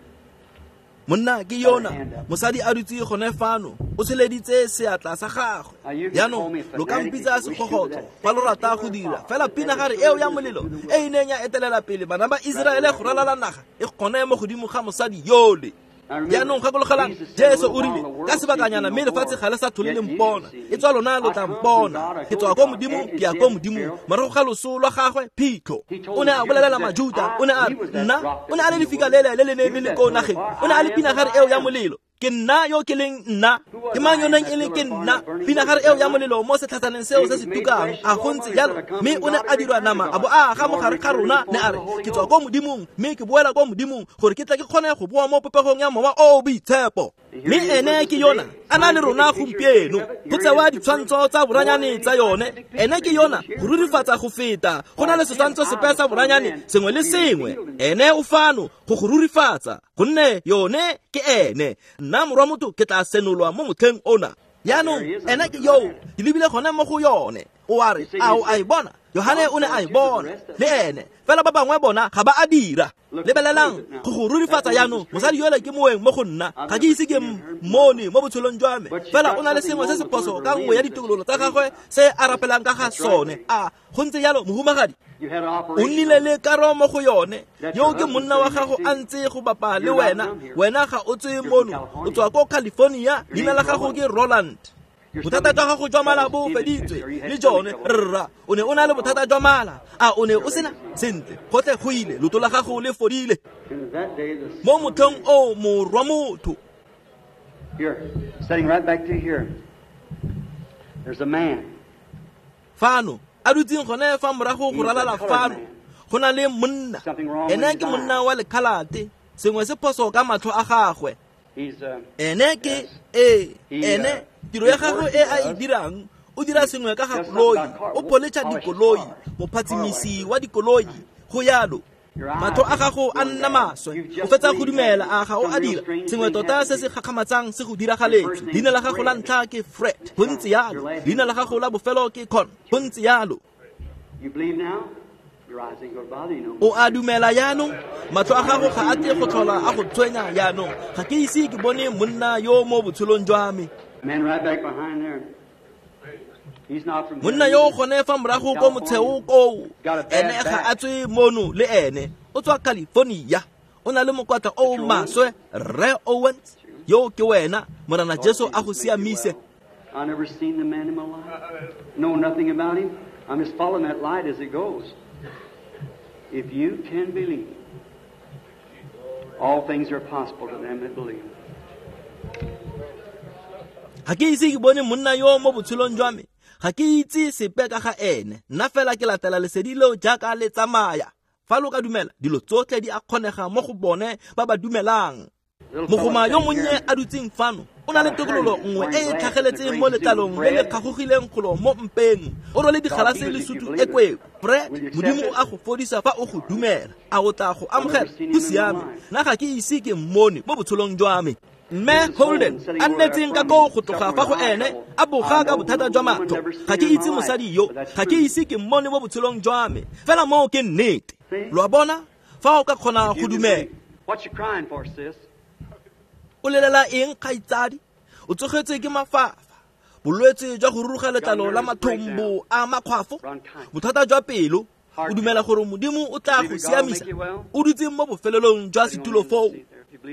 Monna ke yona mosadi a dutse gone fano o tsholeditse seatla sa gagwe. Jaanong lo ka mpitsa segogotlo fa lo rata go dira, fela pinagare eo ya molelo e e neng ya etelela pele bana ba Iseraele go ralala naga e gone mo godimo ga mosadi yole. Jaanong gakologelang, Jesu o rile ka sebakanyana mme lefatshe ga le sa tlhole le mpona, e tswa lona lo tla mpona. Ke tswa ko Modimo, ke ya ko Modimo. Morago ga loso lwa gagwe phitlho, o ne a bolelela Majuta, o ne a re nna o ne a le lefika lele le le neng le le ko nageng, o ne a le pinagare eo ya molelo. Ke nna yo ke leng nna, ke mang yo neng e le ke nna, pinagare eo ya molelo mo setlhatsaneng seo se se tukang. A go ntse jalo, mme o ne a dirwa nama a bo a aga mo gare ga rona. Ne a re ke tswa ko Modimong mme ke boela ko Modimong gore ke tle ke kgone go boa mo popegong ya Mowa o o Boitshepo. Mme ene ke yona a na le rona gompieno go tsewa ditshwantsho tsa boranyane tsa yone. Ene ke yona go rurifatsa go feta go na le setshwantsho sepe sa boranyane sengwe le sengwe. Ene o fano go go rurifatsa, gonne yone ke ene. Nna morwa motho ke tla senolwa mo motlheng ona. Jaanong ene ke yo ke lebile gone mo go yone. O a re a o a e bona? Yohane o ne a e bona le ene, fela ba bangwe bona ga ba a dira. Lebelelang go go rurifatsa jaanong. Mosadi yole ke moeng mo go nna, ga ke ise ke mmone mo botshelong jwa me, fela o na le sengwe se se phoso ka nngwe ya ditokololo tsa gagwe se a rapelang ka ga sone. A go ntse jalo, mohumagadi? O nnile le karo mo go yone. Yo ke monna wa gago a ntse go bapa le wena. Wena ga o tswe mono, o tswa ko California. Leina la gago ke Roland. Bothata jwa gago jwa mala bo feditswe le jone, rra. O ne o na le bothata jwa mala, a o ne o sena? Sentle, gotlhe go ile, loto la gago le fodile. Mo motlheng o morwa motho. Here, sitting right back to here, there's a man. Fano a dutseng gone fa morago go ralala fano, go na le monna. Ene ke monna wa lekhalate, sengwe se phoso ka matlho a gagwe. Ene ke ee, ene tiro ya gagwe e a e dirang, o dira sengwe ka ga koloi, o poletša dikoloi, mophatsimisi wa dikoloi, go yalo. Matlho a gago a nna maswe, o fetsa go dumela, a ga o a dira sengwe tota se se gakgamatsang se go diragaletse. Leina la gago la ntlha ke Fred, go ntse yalo. Leina la gago la bofelo ke Con, go ntse yalo. O a dumela jaanong? Matlho a gago ga a tle go tlhola a go tshwenya jaanong. Ga ke ise ke bone monna yo mo botshelong jwa me. Monna yo gone fa morago ko motsheo koo, ene ga a tswe mono le ene, o tswa California. O na le mokwatla o maswe, Rre Owens. Yo ke wena, Morena Jesu a go siamise. I never seen the man in my life. Know nothing about him. I'm just following that light as it goes. If you can believe, all things are possible to them that believe. Ga ke ise ke bone monna yo mo botshelong jwa me. Ga ke itse sepe ka ga ene. Nna fela ke latela lesedi leo jaaka le tsamaya. Fa lo ka dumela, dilo tsotlhe di a kgonega mo go bone ba ba dumelang. Mogoma yo monnye a dutseng fano o na le tokololo nngwe e e tlhageletseng mo letlalong le le kgagogileng golo mo mpeng. O rwele digalase le sutu e kweu. Fred, Modimo o a go fodisa fa o go dumela. A o tla go amogela? Go siame. Nna ga ke ise ke mmone mo botshelong jwa me. Mme Holden a nnetseng ka koo go tloga fa go ene a boga ka bothata jwa matlho. Ga ke itse mosadi yo, ga ke ise ke mmone mo botshelong jwa me, fela moo ke nnete. Lo a bona? Fa o ka kgona go dumela. O lelela eng, kgaitsadi? O tsogetse ke mafafa, bolwetse jwa go ruruga letlalo la mathombo a makgwafo, bothata jwa pelo. O dumela gore Modimo o tla go siamisa? O dutse mo bofelelong jwa setulo foo.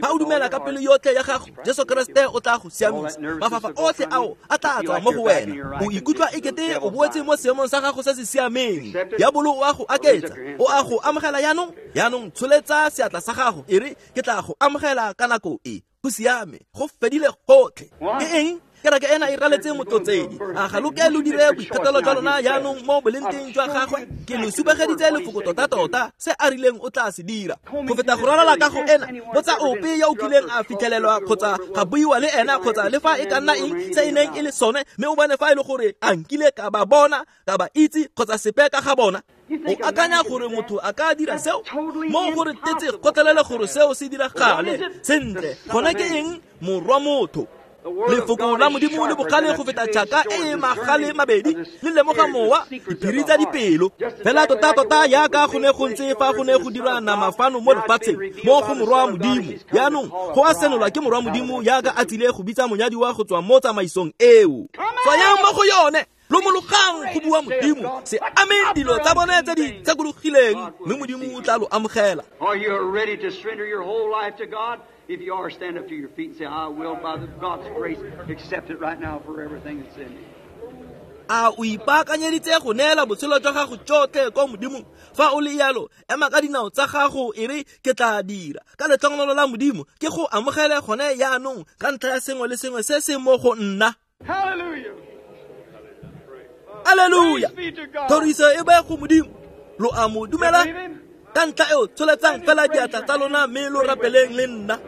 Fa o dumela ka pelo yotlhe ya gago, Jesu Keresete o tla go siamisa. Mafafa otlhe ao a tla tswa mo go wena. O ikutlwa ekete o boetse mo seemong sa gago se se siameng. Diabolo o a go aketsa, o a go amogela jaanong. Jaanong tsholetsa seatla sa gago, e re ke tla go amogela ka nako e. Go siame, go fedile gotlhe. Ke eng? Kereke ena e raletse motlotsedi. A ga lo ke lo dire boithatelo jwa lona jaanong mo bolenteng jwa gagwe? Ke lo supegeditse lefoko tota-tota se a rileng o tla se dira. Go feta go ralala kago ena, botsa ope yo o kileng a fitlhelelwa kgotsa ga buiwa le ena kgotsa le fa e ka nna eng se e neng e le sone, mme o bone fa e le gore a nkile ka ba bona, ka ba itse kgotsa sepe ka ga bona. O akanya gore motho a ka dira seo? Mo gore tetse gotlhelele gore seo se diragale. Sentle, gona ke eng? Morwa motho. Lefoko la Modimo le bogale go feta tšhaka e e magale mabedi, le lemoga mowa, diphiri tsa dipelo. Fela tota-tota yaka go ne go ntse fa go ne go dirwa nama fano mo lefatsheng, mo go Morwa Modimo. Jaanong go a senolwa ke Morwa Modimo yaka a tsile go bitsa monyadiwa go tswa mo tsamaisong eo. Tswayang mo go yone, lomologang go bua Modimo, se ameng dilo tsa bone tse di tshekologileng, mme Modimo o tla lo amogela. Are you ready to surrender your whole life to God? If you are, stand up to your feet and say, I will, by the God's grace, accept it right now for everything that's in me. A o ipaakanyeditse go neela botshelo jwa gago jotlhe kwa Modimong? Fa o le yalo, ema ka dinao tsa gago e re ke tla dira. Ka letlhogonolo la Modimo, ke go amogele gone jaanong ka ntlha ya sengwe le sengwe se se mo go nna. Hallelujah. Alleluia. Thoriso e be go Modimo. Lo a mo dumela? Ka ntlha eo tsholetsang fela diatla tsa lona mme lo rapeleng le nna.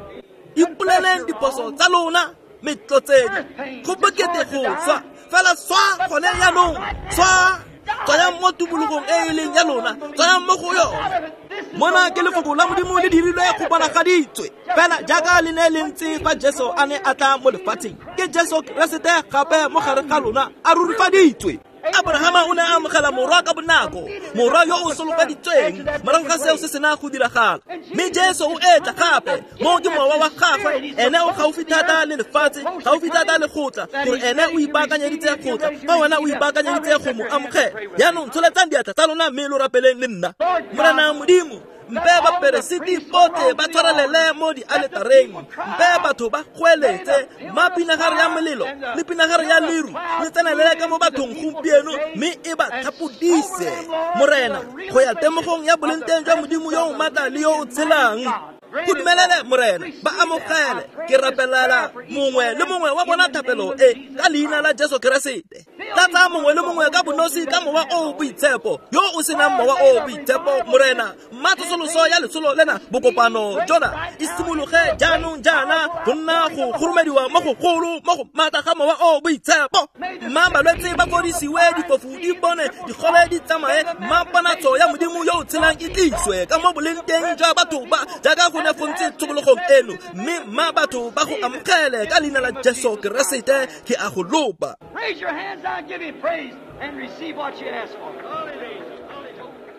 Ipoleleng diphoso tsa lona, metlotseng. Go bokete go swa, fela swa gone jaanong, swa. Tswayang mo tumologong e e leng ya lona, tswayang mo go yone. Mona ke lefoko la Modimo le dirilwe go bonagaditswe, fela jaaka le ne le ntse fa Jesu a ne a tla mo lefatsheng. Ke Jesu Keresete gape mo gare ga lona a rurifaditswe. Abrahama o ne a amogela morwa ka bonako, morwa yo o solofeditsweng, morago ga seo se sena go diragala. Mme Jesu o etla gape, mo ke mowa wa gagwe, ene o gaufi thata le lefatshe, gaufi thata le go tla, gore ene o ipaakanyeditse go tla, fa wena o ipaakanyeditse go mo amogela. Jaanong tsholetsang diatla tsa lona mme lo rapeleng le nna. Morena Modimo, mpe baperesiti botlhe ba tshwarelele mo dialetareng, mpe batho ba goeletse, mma pinagare ya molelo le pinagare ya leru le tsenelele ka mo bathong gompieno, mme e ba thapodise, Morena, go ya temogong ya bolengteng jwa Modimo yo o maatla le yo o tshelang. Go dumelele, Morena, ba amogele. Ke rapelela mongwe le mongwe wa bona thapelo e ka leina la Jesu Keresete. Tlatsa mongwe le mongwe ka bonosi ka mowa o o boitshepo, yo o senang mowa o o boitshepo, Morena. Mma tsosoloso ya letsholo lena bokopano jona e simologe jaanong jaana go nna go goromediwa mo gogolo mo go maatla ga mowa o o boitshepo. Mma balwetse ba fodisiwe, difofu di bone, digole di tsamaye, mma ponatso ya Modimo yo o tshelang e tliswe ka mo boleng teng jwa batho ba jaaka go ne go ntse tshokologong eno, mme mma batho ba go amogele ka leina la Jesu Keresete. Ke a go lopa. Raise your hands out, give him praise, and receive what you ask for.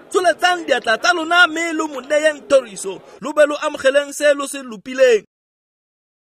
Tsholetsang diatla tsa lona mme lo mo neyeng thoriso, lo be lo amogeleng se lo se lopileng.